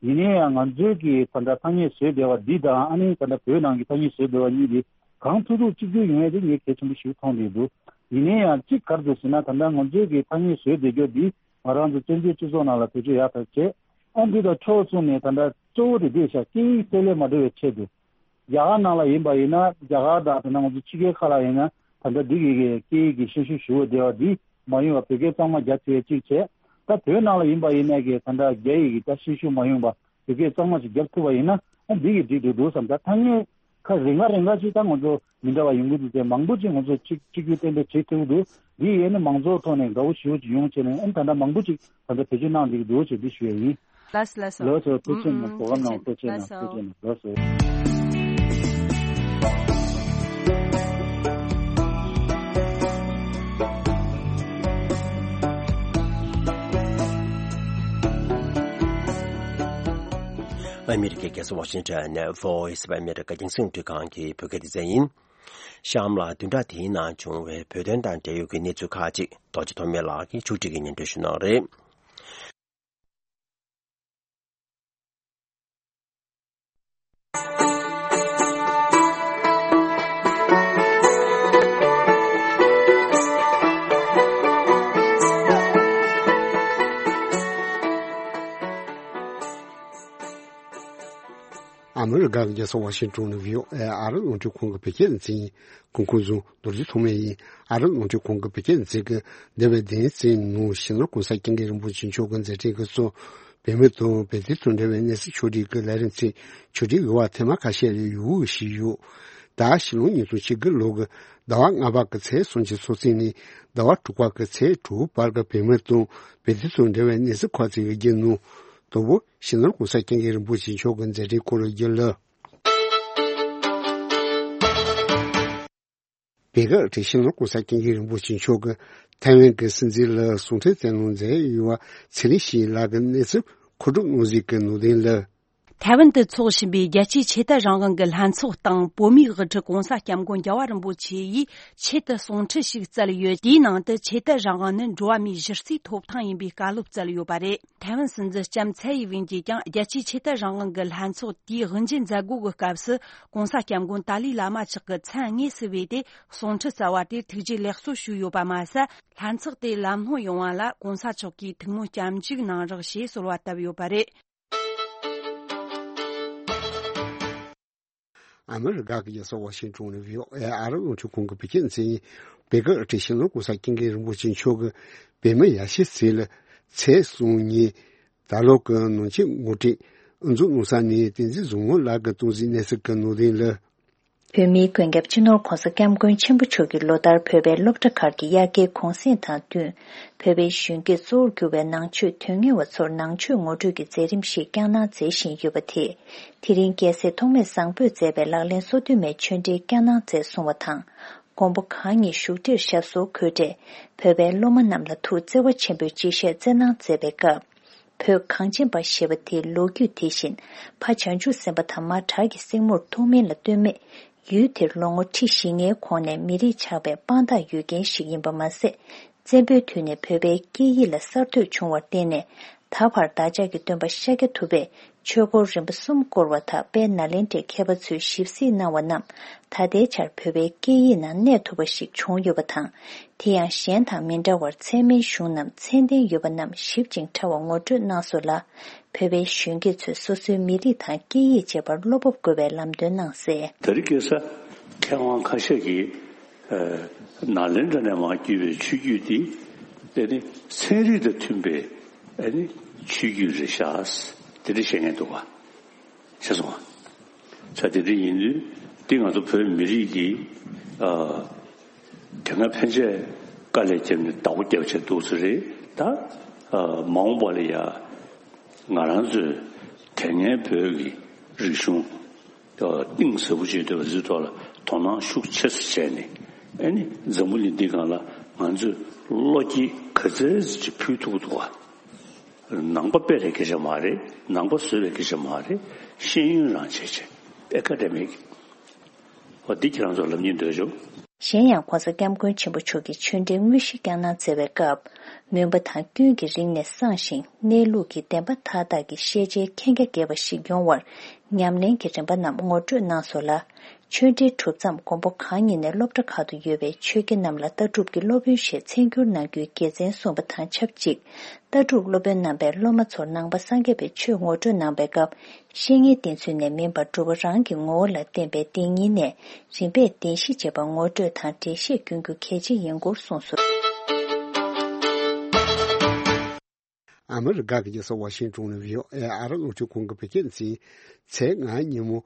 ཡིན་ནའི་ཡང་ང་ཚོའི་གི་ད་ལྟ་ཐ་སྙད་བཟོས་བསྡད་པ་འདི་དང་ཨ་ནི་ད་ལྟ་བོད་ནང་གི་ཐ་སྙད་བཟོས་བསྡད་པ་གཉིས་དེ་གང་ཐུབ་ཐུབ་གཅིག་གྱུར་ཡོང་ཡ་དེ་ངས་གལ་ཆེན་པོ་ཞིག་མཐོང་བསྡད་འདུག་ཡིན་ན་ཡང་གཅིག་ག་རེ་འདུག་ཟེར་ན། ད་ལྟ་ང་ཚོའི་གི་ཐ་སྙད་བཟོས་བསྡད་རྒྱུ་འདི་ང་རང་ཚོ་བཙན་བྱོལ་སྤྱི་ཚོགས་ནང་ལ་བེད་སྤྱོད་ཡག་ཐག་བྱས། ཨ་འདི་དང་ཕྱོགས་མཚུངས་ནས་ད་ལྟ་གཙོ་བོ་དེ་འདི་ཤག་སྐད་ཡིག་གསལ་ལེ་མ་འགྲོ་བའི་ཆེད་དུ། རྒྱ་གར་ནང་ལ་ཡིན་པ་ཡིན་ན། རྒྱ་གར་དང་ད་ལྟ་ང་ཚོ་ཕྱི་རྒྱལ་ཁག་ལ་ཡིན་ན། ད་ལྟ་འདི་གི་གི་སྐད་ཡིག་གི་ཤན་ཤུགས་ཞུ་བ་བདེ་བ་འདི་མ་ཡོང་བ། བོད་སྐད་གཙང་མ་རྒྱ་ཆེ་བའི་གཅིག་བྱས། ད་བོད་ནང་ལ་ཡིན་པ་ཡིན་ན་གི་ད་ལྟ་རྒྱ་ཡིག་གི་ད་ཤན་ཤུགས་མ་ཡོང་བ། བོད་སྐད་གཙང་མ་ཞིག་རྒྱབ་ཐུབ་པ་ཡིན་ན། ཨ་འདི་གི་འགྲིག་འགྲོ་འདུག་བསམ། ད་ཐ་སྙད་ཁ་རེ་ལྔ་རེ་ལྔ་ཅིག་ད་ང་ཚོ་མི་འདྲ་བ་ཡོང་གི་འདུག་སྟེ། མང་པོ་ཅིག་ང་ཚོ་གཅིག་གཅིག་གྱུར་ཏན་ཏན་བྱེད་ཐུབ་ཀྱི་འདུག་འདི་ཡིན་ན་མང་ཚོགས་ཐོག་ནས་དགའ་བོ་ཞེ་པོ་ཅིག་ཡོང་བྱས་ནས། ཨ་ད་ལྟ་མང་པོ་ཅིག་ད་ལྟ་བེད་སྤྱོད་གནང་བསྡད་ཀྱི་འདུག་ཅེས་འདི་ཞུ་ཡ་ཡིན། ལགས་སོ་ལགས་སོ། ལགས་སོ། ཐུགས་རྗེ་གནང་། ཨུམ་ཨུམ། གོ་སྐབས་གནང་བ་ཐུགས་རྗེ་གནང་། ལགས་སོ། ཐུགས་རྗེ་གནང་། ལགས་སོ། ཨ་མི་རི་ཀའི་རྒྱལ་ས་ཝ་ཤིང་ཊོན་ནས་Voice of America རྒྱང་སྲིང་རླུང་འཕྲིན་ཁང་གི་བོད་སྐད་སྡེ་ཚན་ཡིན། གཤམ་ལ་བདུན་ཕྲག་འདིའི་ནང་བྱུང་བའི་བོད་དོན་དང་འབྲེལ་ཡོད་ཀྱི་གནས་ཚུལ་ཁག་ཅིག་རྡོ་རྗེ་ཐོགས་མེད་ལགས་ཀྱིས་ཕྱོགས་སྒྲིག་གིས་སྙན་སྒྲོན་ཞུ་གནང་རེད། ཨ་མི་རི་ཀ་གི་རྒྱལ་ས་ཝ་ཤིང་ཊོན་ནས་བྷི་ཨོ་ཨེ་ཨ་རི་རླུང་འཕྲིན་ཁང་གི་བོད་སྐད་སྡེ་ཚན་ཡིན། གོང་འཁོད་བཟུང་རྡོ་རྗེ་ཐོགས་མེད་ཡིན། ཨ་རི་རླུང་འཕྲིན་ཁང་གི་བོད་སྐད་སྡེ་ཚན་གྱིས་འདས་པའི་བདུན་ཕྲག་ནང་ཕྱི་ནང་གོང་ས་སྐྱབས་མགོན་རིན་པོ་ཆེ་མཆོག་གི་མཛད་འཕྲིན་གྱི་ཚོགས་བོད་མི་དང་བོད་དོན་དང་འབྲེལ་བའི་གནས་ཚུལ་ཕྱོགས་སྒྲིག་གི་ལས་རིམ་ཚོའི་ཕྱོགས་སྒྲིག་ཡོད་པ་ཐེངས་མ་ཁ་ཤས་ལ་ཡོད་ཞུས་ཡོད། ད་ཕྱི་ལོ་ཉིས་སྟོང་ཉི་ཤུ་རྩ་དགུ་ལོ་གི་ཟླ་བ་ལྔ་པ་གི་ཚེས་སུམ་ཅུ་སོ་གཅིག་ནས་ཟླ་བ་དྲུག་པ་གི་ཚེས་དྲུག་བར་གྱི་བོད་མི་དང་བོད་དོན་དང་འབྲེལ་བའི་གནས་ཚུལ་ཁག་ཅིག་གི་བརྒྱུད་ནང་དང་པོ་ཕྱི་ནང་གོང་ས་སྐྱབས་མགོན་རིན་པོ་ཆེ་མཆོག་གི་མཛད་འཕྲིན་སྐོར་ལ་བརྒྱུད་ལ། བོད་སྐད་སྡེ་ཚན་ཕྱི་ནང་གོང་ས་སྐྱབས་མགོན་རིན་པོ་ཆེ་མཆོག་གིས་ཐའེ་ཝན་གྱི་སྲིད་འཛིན་ལ་གསུང་འཕྲིན་བསྩལ་གནང་མཛད་ཡོད་པ་ཚེ་རིང་ཞིང་ལགས་ཀྱིས་གནས་ཚུལ་མཁོ་སྒྲུབ་གནང་གཟིགས་ཀྱི་ནང་དོན་ལ། ཐའེ་ཝན་དུ་འཚོགས་བཞིན་པའི་རྒྱལ་སྤྱིའི་ཆོས་དད་རང་དབང་གི་ལྷན་ཚོགས་སྟེང་བོད་མིའི་དབུ་ཁྲིད་གོང་ས་སྐྱབས་མགོན་རྒྱལ་བ་རིན་པོ་ཆེ་ཡིས་ཆེད་དུ་གསུང་འཕྲིན་ཞིག་བསྩལ་ཡོད། དེའི་ནང་དུ་ཆོས་དད་རང་དབང་ནི་འགྲོ་བ་མིའི་གཞི་རྩའི་ཐོབ་ཐང་ཡིན་པའི་བཀའ་སློབ་བསྩལ་ཡོད་པ་རེད། ཐའེ་ཝན་སྲིད་འཛིན་ལྕམ་ཚའེ་ཡི་ཝེན་གྱིས་ཀྱང་རྒྱལ་སྤྱིའི་ཆོས་དད་རང་དབང་གི་ལྷན་ཚོགས་དེའི་དབུ་འབྱེད་མཛད་སྒོ་གི་སྐབས་སུ་གོང་ས་སྐྱབས་མགོན་ཏཱ་ལའི་བླ་མ་མཆོག་གི་མཚན་དངོས་སུ་བོས་ཏེ་གསུང་འཕྲིན་བསྩལ་བ་དེར་ཐུགས་རྗེ་ལེགས་གསོ་ཞུས་ཡོད་པ་མ་ཟད། ལྷན་ཚོགས་དེ་ལམ་ལྷོང་ཡོང་བ་ལ་གོང་ས་མཆོག་གིས་ཐུགས་སྨོན་སྐྱབས་འཇུག་གནང་རོགས་ཞེས་གསོལ་བ་བཏབ་ཡོད་པ་རེད། ཨ་མི་རི་ཀ་གི་རྒྱལ་ས་ཝ་ཤིང་ཊོན་ནས་བྷི་ཨོ་ཨེ་ཨ་རི་རླུང་འཕྲིན་ཁང་གི་བོད་སྐད་སྡེ་ཚན་ཡིན། བོད་སྐད་སྡེ་ཚན་ཕྱི་ནང་གོང་ས་སྐྱབས་མགོན་རིན་པོ་ཆེ་མཆོག་གིས་བོད་མི་ཡར་ཞུའི་ཚུལ་ལ་ཚེས་གསུམ་ཉིན་ད་ལོ་གི་ནང་ཆེན་ངོ་སྤྲོད་དབུ་འཛུགས་གནང་ས་ནས་བསྟན་འཛིན་བཟང་མོ་ལགས་ཀྱིས་གཏོང་གཟིགས་གནང་གཟིགས་ཀྱི་ནང་དོན་ལ། བོད་མིའི་མགོན་སྐྱབས་སྤྱི་ནོར་༸གོང་ས་༸སྐྱབས་མགོན་ཆེན་པོ་མཆོག་གིས་ལོ་ལྟར་བོད་པའི་སློབ་གྲྭ་ཁག་གི་དབྱར་ཁའི་གུང་སེང་དང་བསྟུན། བོད་པའི་གཞོན་སྐྱེས་གཙོ་བོར་གྱུར་པའི་ནང་ཆོས་དོན་གཉེར་བ་ཚོར་ནང་ཆོས་ངོ་སྤྲོད་ཀྱི་མཛད་རིམ་ཞིག་བསྐྱངས་གནང་མཛད་བཞིན་ཡོད་པ་དེས། དེ་རིང་རྒྱལ་སྲས་ཐོགས་མེད་བཟང་པོས་མཛད་པའི་ལག་ལེན་སོ་བདུན་མའི་ཆོས་འབྲེལ་བསྐྱངས་གནང་མཛད་སོང་བ་དང་། མགོན་པོ་གང་ཉིད་བཞུགས་ཁྲིར་ཞབས་སོར་འཁོད་འཕྲལ། བོད་པའི་སློབ་མ་རྣམས་ལ་ཐུགས་བརྩེ་བ་ཆེན་པོས་སྤྱི་བཤད་སྩལ་གནང་མཛད་པའི་སྐབས། བོད་གངས་ཅན་པ་ཞེས་པ་དེའི་ལོ་རྒྱུས་དེ་བཞིན་ཕ་བྱང་ཆུབ་སེམས་དཔའ་དང་མ་བྲག་གི་སྲིང་མོར་ཐུགས་སྨོན་ལ་བཏོན་མེད། ཡུལ་དེར་ལོ་ངོ་ཁྲི་བཞི་ལྔའི་གོང་ནས་མི་རིགས་ཆགས་པའི་དཔང་རྟགས་ཡོད་མཁན་ཞིག་ཡིན་པ་མ་ཟད། བཙན་པོའི་དུས་ནས་བོད་པའི་སྐད་ཡིག་ལ་གསར་གཏོད་བྱུང་བར་བརྟེན་ནས། ད་བར་བདག་ཅག་གི་སྟོན་པ་ཤཱཀྱ་ཐུབ་པས་ཆོས་འཁོར་རིམ་པ་གསུམ་བསྐོར་བ་དག་དཔལ་ནཱ་ལེནྡྲའི་མཁས་པ་ཚོས་ཞིབ་གཟིགས་གནང་བ་རྣམས་ད་ལྟའི་ཆར་བོད་པའི་སྐད་ཡིག་ནང་གནས་ཐུབ་པ་ཞིག་བྱུང་ཡོད་པ་དང་། དེ་ཡང་གཞན་དང་མི་འདྲ་བར་ཚད་མའི་གཞུང་རྣམས་ཚད་ལྡན་ཡོད་པ་རྣམས་ཞིབ་ཅིང་ཕྲ་བ་ངོ་སྤྲོད་གནང་སོང་ལ། བོད་པའི་གཞོན་སྐྱེས་ཚོས་སོ་སོའི་མི་རིགས་དང་སྐད་ཡིག་བཅས་པར་བློ་སྤོབས་དགོས་པའི་ལམ་སྟོན་གནང་གསལ། དེ་རིང་ཁ་སང་མཁས་དབང་ཁ་ཤས་ཀྱིས་ནཱ་ལེནྡྲ་ནས་མར་བརྒྱུད་པའི་ཆོས་བརྒྱུད་འདི་དེ་ནི་ཚན་རིག་དང་མཐུན་པའི་ཨ་ནི་ཆོས་བརྒྱུད་རེད་ཤག་དེ་འདྲ་བཤད་མཁན་འདུག་ག་ཤེས་སོང་ང་། ས་དེ་འདྲ་ཡིན་དུས་འདི་ང་ཚོ་བོད་མི་རིགས་ཀྱི་ཨ། དེ་སྔ་ཕན་ཆད་དཀའ་ལས་བརྒྱབ་ནས་བདག་པོ་རྒྱབ་བྱས་འདུག་ས་རེད་ད། ཨ། མ་འོངས་པ་ལ་ཡ་ང་རང་ཚོས་དེ་སྔའི་བོད་ཀྱི་རིག་གཞུང་གཏིང་ཟབ་པོ་བྱེད་ཐུབ་པ་ཟེར་ཐོག་ལ་དོ་སྣང་ཤུགས་ཆེ་ཙམ་བྱས་ནས། ཨ་ནི་འཛམ་བུ་གླིང་འདི་སྒང་ལ་ང་ཚོས་བློ་སྐྱེད་ག་ཚད་ཅིག་ཕུལ་ཐུབ་ཀྱི་འདུག་ག་ནང་པ་སྤེལ་བའི་སྐད་ཆ་མ་རེད། ནང་པ་བཟོ་བའི་སྐད་ཆ་མ་རེད། ཤེས་ཡོན་རང་བྱས་བྱས་ཨེ་ཀ་ཌེ་མིག་འོ་འདི་ཁྱེད་རང་ཚོར་ལབ་སྙིང་འདོད་བྱུང་། གཞན་ཡང་༸གོང་ས་༸སྐྱབས་མགོན་ཆེན་པོ་མཆོག་གིས་ཆོས་འབྲེལ་དངོས་གཞི་བསྐྱངས་གནང་མཛད་པའི་སྐབས། མུན་པ་དང་སྐྱོན་གྱི་རིང་ནས་སངས་ཤིང་གནས་ལུགས་ཀྱི་བདེན་པ་མཐའ་དག་གི་ཤེས་བྱའི་མཁྱེན་རྒྱ་རྒྱས་པ་ཞིག་ཡོང་བར་ ཉམས་ལེན་གྱི་རིམ་པ་རྣམས་ངོ་སྤྲོད་གནང་སོང་ལ། ཆོས་འབྲེལ་གྲུབ་མཚམས་མགོན་པོ་གང་ཉིད་ནས་སློབ་གྲྭ་ཁག་ཏུ་ཡོད་པའི་ཆོས་དགེ་རྣམས་ལ་ལྟ་གྲུབ་ཀྱི་སློབ་དཔོན་ཞེས་མཚན་བསྒྱུར་གནང་རྒྱུའི་དགེ་མཚན་གསུངས་པ་དང་ཆབས་ཅིག་ལྟ་གྲུབ་སློབ་དཔོན་རྣམ་པས་སློབ་མ་ཚོར་ནང་པ་སངས་རྒྱས་པའི་ཆོས་ངོ་སྤྲོད་གནང་པའི་སྐབས། བཤེས་གཉེན་བསྟེན་ཚུལ་ནས་མིན་པར་སྒྲུབ་པ་རང་གི་ངོ་བོ་ལ་བརྟེན་པའི་བདེན་གཉིས་ནས་རིམ་པས་བདེན་བཞི་ཅེས་པ་ངོ་སྤྲོད་དང་འགྲེལ་བཤད་བསྐྱོན་རྒྱུ་གལ་ཆེ་ཡིན་སྐོར་གསུངས་སོང་། ཨ་མི་རི་ཀ་གི་རྒྱལ་ས་ཝ་ཤིང་ཏོན་ནས་བྷི་ཨོ་ཨེ་ཨ་རི་རླུང་འཕྲིན་ཁང་གི་བོད་སྐད་སྡེ་ཚན་ཚེས་ལྔ་ཉིན་མོ།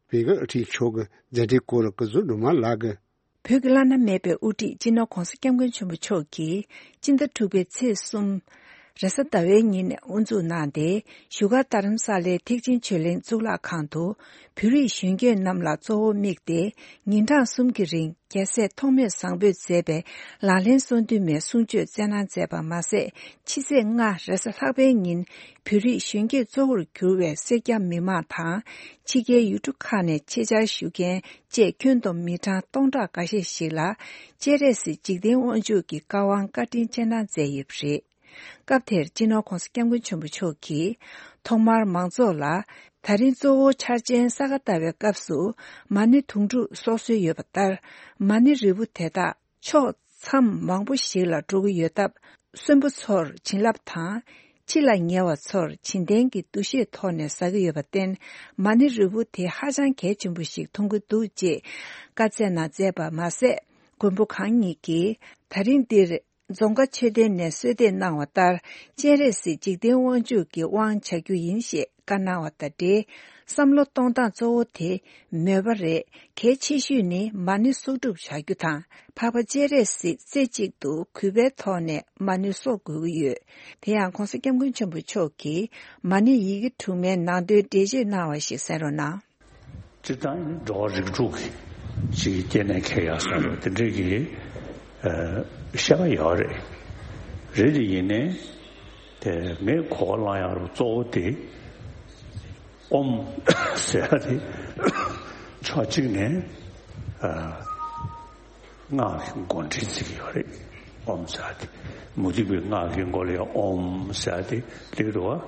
བོད་དགའ་ཨ་ཁྲིད་མཆོག་གི་མཛད་འཕྲིན་སྐོར་ལ་སྐུ་ཚབ་སྒྲོལ་མ་ལགས་ཀྱིས། བོད་ཀྱི་བླ་ན་མེད་པའི་དབུ་ཁྲིད་སྤྱི་ནོར་༧གོང་ས་༧སྐྱབས་མགོན་ཆེན་པོ་མཆོག་གིས་སྤྱི་ཟླ་དྲུག་པའི་ཚེས་གསུམ། རེས་གཟའ་ཟླ་བའི་ཉིན་ནས་དབུ་འཛུགས་གནང་སྟེ། བཞུགས་སྒར་རྡ་རམ་ས་ལའི་ཐེག་ཆེན་ཆོས་གླིང་གཙུག་ལག་ཁང་དུ། བོད་རིགས་གཞོན་སྐྱེས་རྣམས་ལ་གཙོ་བོ་དམིགས་ཏེ། ཉིན་གྲངས་གསུམ་གྱི་རིང་རྒྱལ་སྲས་ཐོགས་མེད་བཟང་པོས་མཛད་པའི་ལག་ལེན་གསུང་འདུན་མའི་གསུང་ཆོས་སྩལ་གནང་མཛད་པ་མ་ཟད། ཕྱི་ཚེས་ལྔ་རེས་གཟའ་ལྷག་པའི་ཉིན་བོད་རིགས་གཞོན་སྐྱེས་གཙོ་བོར་གྱུར་བའི་སེར་སྐྱ་མི་མང་དང་། ཕྱི་རྒྱལ་ཡུལ་གྲུ་ཁག་ནས་ཆེད་བཅར་ཞུ་མཁན་བཅས་ཁྱོན་བསྡོམས་མི་གྲངས་སྟོང་ཕྲག་འགའ་ཤས་ཤིག་ལ་སྤྱན་རས་གཟིགས་འཇིག་རྟེན་དབང་ཕྱུག་གི་བཀའ་དབང་བཀའ་དྲིན་སྤྱན་དྲངས་མཛད་ཡོད་པ་རེད། སྐབས་དེར་སྤྱི་ནོར་༧གོང་ས་༧སྐྱབས་མགོན་ཆེན་པོ་མཆོག་གིས་ཐོག་མར་མང་ཚོགས་ལ། ད་རིང་གཙོ་བོ་འཆར་ཅན་ས་ག་ཟླ་བའི་སྐབས་སུ་མ་ཎི་དུང་སྒྲུག་སྲོག་སྲོལ་ཡོད་པ་ལྟར། མ་ཎི་རིལ་བུ་དེ་དག་ཕྱོགས་མཚམས་མང་པོ་ཞིག་ལ་འགྲོ་གི་ཡོད་སྟབས། གསོན་པོ་ཚོར་བྱིན་རླབས་དང་། འཆི་ལ་ཉེ་བ་ཚོར་བྱིན་ལྡན་གྱི་འདུ་ཤེས་ཐོག་ནས་ཟ་གི་ཡོད་པར་བརྟེན། མ་ཎི་རིལ་བུ་དེ་ཧ་ཅང་གལ་ཆེན་པོ་ཞིག་མཐོང་གི་འདུག་ཅེས་བཀའ་སྩལ་གནང་མཛད་པ་མ་ཟད། མགོན་པོ་གང་ཉིད་ཀྱིས་ད་རིང་འདིར། རྫོང་དགའ་མཆོད་རྟེན་ནས་གསོལ་འདེབས་གནང་བ་ལྟར། སྤྱན་རས་གཟིགས་འཇིག་རྟེན་དབང་ཕྱུག་གི་དབང་བྱ་རྒྱུ་ཡིན་ཞེས་བཀའ་གནང་བ་དང་འབྲེལ། བསམ་བློ་གཏོང་སྟངས་གཙོ་བོ་དེ་མོས་པ་རེད། གལ་ཆེ་ཤོས་ནི་མ་ཎི་གསོག་སྒྲུབ་བྱ་རྒྱུ་དང་། འཕགས་པ་སྤྱན་རས་གཟིགས་རྩེ་གཅིག་ཏུ་གུས་པའི་ཐོག་ནས་མ་ཎི་གསོག་དགོས་ཀྱི་ཡོད། དེ་ཡང་༧གོང་ས་༧སྐྱབས་མགོན་ཆེན་པོ་མཆོག་གིས་མ་ཎི་ཡི་གེ་དྲུག་མའི་ནང་དོན་འགྲེལ་བརྗོད་གནང་བ་ཞིག་གསན་རོགས་གནང་། སྤྱིར་བཏང་ནི་འགྲོ་བ་རིགས་དྲུག་གི་ཅིག་སྐྱེ་གནས་ཁེལ་ཡག་བཟོ་འདྲ་དེ་འདྲའི་གི་ཨ་བཤད་པ་ཡོད་རེད། རེད་དེ་ཡིན་ནའི་དེ་ངས་གོ་བ་བླངས་ཡག་རུ་གཙོ་བོ་དེ་ཨོམ་ཟེར་ཡག་དེ་ཕྱོགས་གཅིག་ནས་ཨ། སྔགས་ཀྱི་མགོ་འདྲེན་བྱེད་ཀྱི་ཡོད་རེད། ཨོམ་ཟེར་ཏེ། མུ་སྟེགས་པའི་སྔགས་ཀྱི་མགོ་ལ་ཡང་ཨོམ་ཟེར་ཏེ་སླེབས་འདུག་བ།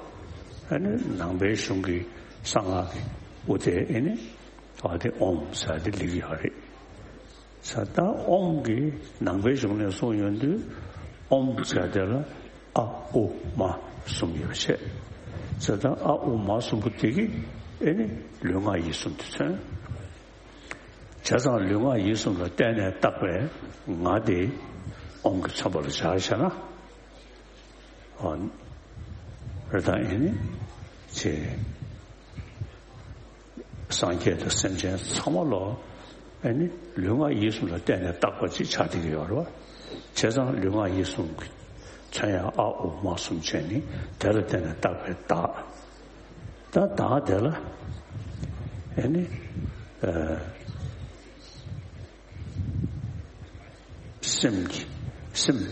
ཨ་ནི་ནང་པའི་གཞུང་གི་གསང་སྔགས་ཀྱི་དབུ་དེ་ཨེ་ནི་བ་དེ་ཨོམ་ཟེར་ཏེ་སླེབས་ཀྱི་ཡོད་རེད། ས་ད་ཨོམ་གྱི་ནང་པའི་གཞུང་ནས་གསུངས་ཡོང་དུས་ཨོམ་ཟེར་དེ་ལ་ཨ་ཨུ་མ་གསུམ་ཡོད་པ་བྱས། ས་ད་ཨ་ཨུ་མ་གསུམ་པོ་དེ་གི་ཨེ་ནི་ལུས་ངག་ཡིད་གསུམ་དེ་མཚོན། བྱས་ཙང་ལུས་ངག་ཡིད་གསུམ་ལ་བརྟེན་ནས་བཏགས་པའི་ངག་དེ་ཨོཾ་གྱིས་མཚོན་པ་ལ་སྦྱར་བྱས་ན། ཨོ། རེད་ད་ཨེ་ནི། ཅེས། སངས་རྒྱས་དང་སེམས་ཅན་ཚང་མ་ལོ། ཨེ་ནི་ལུས་ངག་ཡིད་གསུམ་ལ་བརྟེན་ནས་བཏགས་པ་ཅིག་ཆགས་བསྡད་ཀྱི་ཡོད་རེད་བ། བྱས་ཙང་ལུས་ངག་ཡིད་གསུམ་གྱི་མཚོན་ཡང་ཨ་ཨོ་མ་གསུམ་བྱས་ནི་དེ་ལ་བརྟེན་ནས་བཏགས་པའི་བདག་ད་བདག་དེ་ལ་ཨེ་ནི་ཨ་སེམས་ཀྱི་སེམས་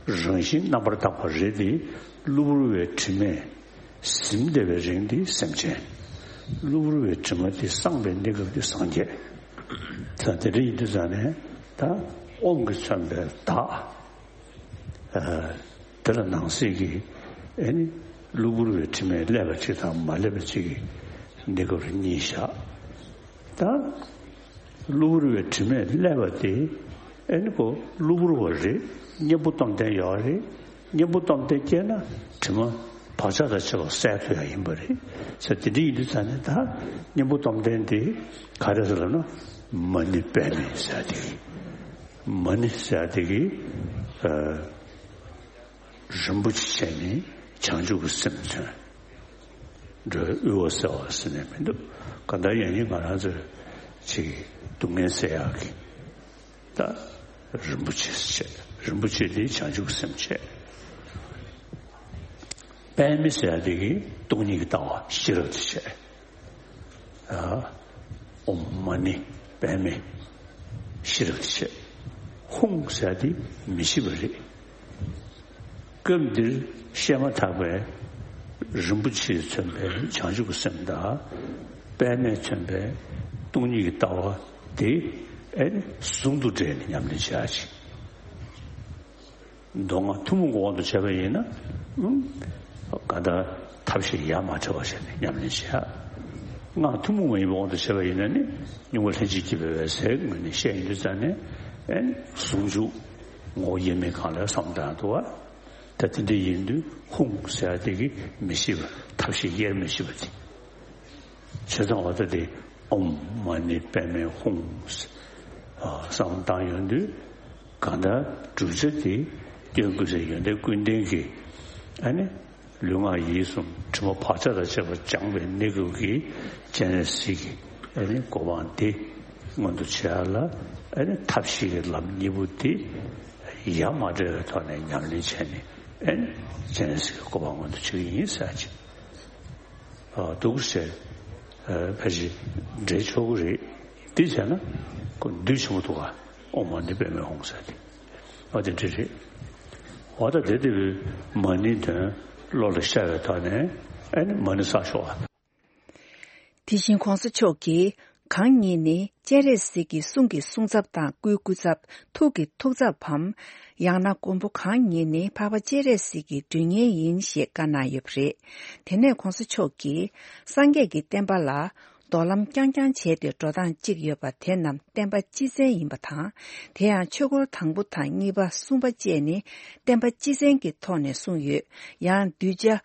རང་བཞིན་རྣམ་པར་དག་པ་རེད་དེ། གློ་བུར་བའི་དྲི་མས་ཟིན་བསྡད་པའི་རིང་དེ་སེམས་ཅན། གློ་བུར་བའི་དྲི་མ་དེ་སངས་པའི་གནས་སྐབས་དེ་སངས་རྒྱས། ད་དེ་འདྲ་ཡིན་དུས་ཙང་ནས་ད་ཨོཾ་གྱིས་མཚོན་པའི་བདག་ཨ་དེ་ལ་ནང་གསེས་ཀྱི་ཨེ་ནི་གློ་བུར་བའི་དྲི་མས་བསླད་པ་གཅིག་དང་མ་བསླད་པ་གཅིག་གི་གནས་སྐབས་རེ་གཉིས་བཞག་ད་གློ་བུར་བའི་དྲི་མས་བསླད་པ་དེ་ཨེ་ནི་ཁོ་གློ་བུར་བ་རེད། གཉེན་པོ་སྟོབས་ལྡན་ཡོད་རེད། གཉེན་པོ་སྟོབས་ལྡན་སྐྱེས་ན་དྲི་མ་བག་ཆགས་དང་བཅས་པ་བསལ་ཐུབ་ཡ་ཡིན་པ་རེད། ས་དེ་འདྲ་ཡིན་དུས་ཙང་ནས་ད་གཉེན་པོ་སྟོབས་ལྡན་དེ་ག་རེ་ཟེར་ལབ་ན་མ་ཎི་པདྨེ་ཟེར་དེ་གི་མ་ཎི་ཟེར་དེ་གི་ཨ། རིན་པོ་ཆེ་བྱས་ནས་བྱང་ཆུབ་ཀྱི་སེམས་མཚོན། འགྲོ་བའི་དབུལ་བ་སེལ་བ་ཟེར་ནས་མི་འདུག་གང་ལྟར་ཡང་སྙིང་ང་རང་ཚོའི་ཅིག་སྡུག་བསྔལ་སེལ་ཡག་གི་ད་རིན་པོ་ཆེ་བྱས། རིན་པོ་ཆེ་དེ་བྱང་ཆུབ་ཀྱི་སེམས་བྱས། པདྨེ་ཟེར་ཡག་དེ་གིས་སྟོང་ཉིད་ཀྱི་ལྟ་བ་ཤེས་རབ་དེ་བྱས། ཨོཾ་མ་ཎི་པདྨེ་ཤེས་རབ་ཀྱི་ཆེད། ཧཱུྃ་ཟེར་དེ་མི་ཤེས་པ་རེད། སྐབས་འདིར་བཤད་མ་ཐག་པའི་རིན་པོ་ཆེས་མཚོན་པའི་བྱང་ཆུབ་ཀྱི་སེམས་དང་། པདྨས་མཚོན་པའི་སྟོང་ཉིད་ཀྱི་ལྟ་བ་དེ་ཨེ་ནི་ཟུང་དུ་འབྲེལ་ནས་ཉམས་ལེན་བྱ་ཞིང་། མདོ་སྔགས་ཐུན་མོང་གི་དབང་དུ་བྱས་པ་ཡིན་ན། ཨུམ། གང་ལྟར་ཐབས་ཤེས་ཡ་མ་བྲལ་བ་བྱས་ནས་ཉམས་ལེན་བྱས། སྔགས་ཐུན་མོང་མ་ཡིན་པའི་དབང་དུ་བྱས་པ་ཡིན་ན་ནི་སྙོམས་པར་ལྷན་ཅིག་སྐྱེས་པའི་འོད་གསལ་ངོས་ནས་བཤད་ཡོང་དུས་ཙང་ནས། ཨེ་ནི་ཟུང་འཇུག་ངོ་བོ་དབྱེར་མེད་གང་ལ་བསམ་བཏང་འདུག་བ། ད་དེ་འདྲ་ཡིན་དུས་ཧཱུྃ་ཟེར་ཡ་དེ་གིས་མི་ཤེས་པ། ཐབས་ཤེས་དབྱེར་མི་ཤེས་པ་དེ། བྱས་ཙང་བ་ད་དེ་ཨོཾ་མ་ཎི་པདྨེ་ཧཱུྃ་ཟེར་བསམ་བཏང་ཡོང་དུས། གང་ལྟར་བསྒྲུབ་བྱ་དེ་སྐྱོན་ཀུན་ཟད་ཡོན་ཏན་ཀུན་ལྡན་གྱི། ཨ་ནི་ལུས་ངག་ཡིད་གསུམ་དྲི་མ་བག་ཆགས་དང་བཅས་པ་སྦྱངས་པའི་གནས་སྐབས་ཀྱི་སྤྱན་རས་གཟིགས་ཀྱི་ཨ་ནི་གོ་འཕང་དེ་མངོན་དུ་བྱེད་ཡ་ལ། ཨ་ནི་ཐབས་ཤེས་ཀྱི་ལམ་གཉིས་པོ་དེ་ཡ་མ་བྲལ་བའི་ཐོག་ནས་ཉམས་ལེན་བྱས་ནས། ཨ་ནི་སྤྱན་རས་གཟིགས་ཀྱི་གོ་འཕང་མངོན་དུ་བྱེད་ཀྱི་ཡིན་ཟེར་ཅིག་འདུག་ཟེར། ཕལ་ཆེར་འགྲེལ་ཆོག་གི་རེད། དེ་བྱས་ན་ཁོ་འདུས་ཆེན་པོ་འདུག་ག་ཨོཾ་མ་ཎི་པདྨེ་ཧཱུྃ་ཟེར་དེ། འོ་དེ་འདྲ་རེད། འོ་ད་དེ་དེ་བས་མ་ཎི་དོན་བློ་ལ་ཤར་བའི་ཐོག་ནས། ཨ་ནི་མ་ཎི་བསགས་ཤོག་ཨ། དེ་བཞིན་གོང་ས་མཆོག་གིས། གང་ཉིད་ནི་སྤྱན་རས་གཟིགས་ཀྱི་གསུང་གི་གསུང་ཚབ་དང་སྐུའི་སྐུ་ཚབ། ཐུགས་ཀྱི་ཐུགས་ཚབ་བམ། ཡང་ན་མགོན་པོ་གང་ཉིད་ནི་འཕགས་པ་སྤྱན་རས་གཟིགས་ཀྱི་མགྲོན་གཉེར་ཡིན་ཞེས་བཀའ་གནང་ཡོད་པ་རེད། དེ་ནས་གོང་ས་མཆོག་གིས། སངས་རྒྱས་ཀྱི་བསྟན་པ་ལ་རྡོ་ལམ་རྐྱང་རྐྱང་བྱས་ཏེ་འགྲོ་སྟངས་གཅིག་ཡོད་པ་དེ་རྣམས་བསྟན་པ་སྤྱི་མཚན་ཡིན་པ་དང་། དེ་ཡང་ཆོས་འཁོར་དང་པོ་དང་གཉིས་པ་གསུམ་པ་བཅས་ནི་བསྟན་པ་སྤྱི་མཚན་གྱི་ཐོག་ནས་གསུངས་ཡོད། ཡང་གདུལ་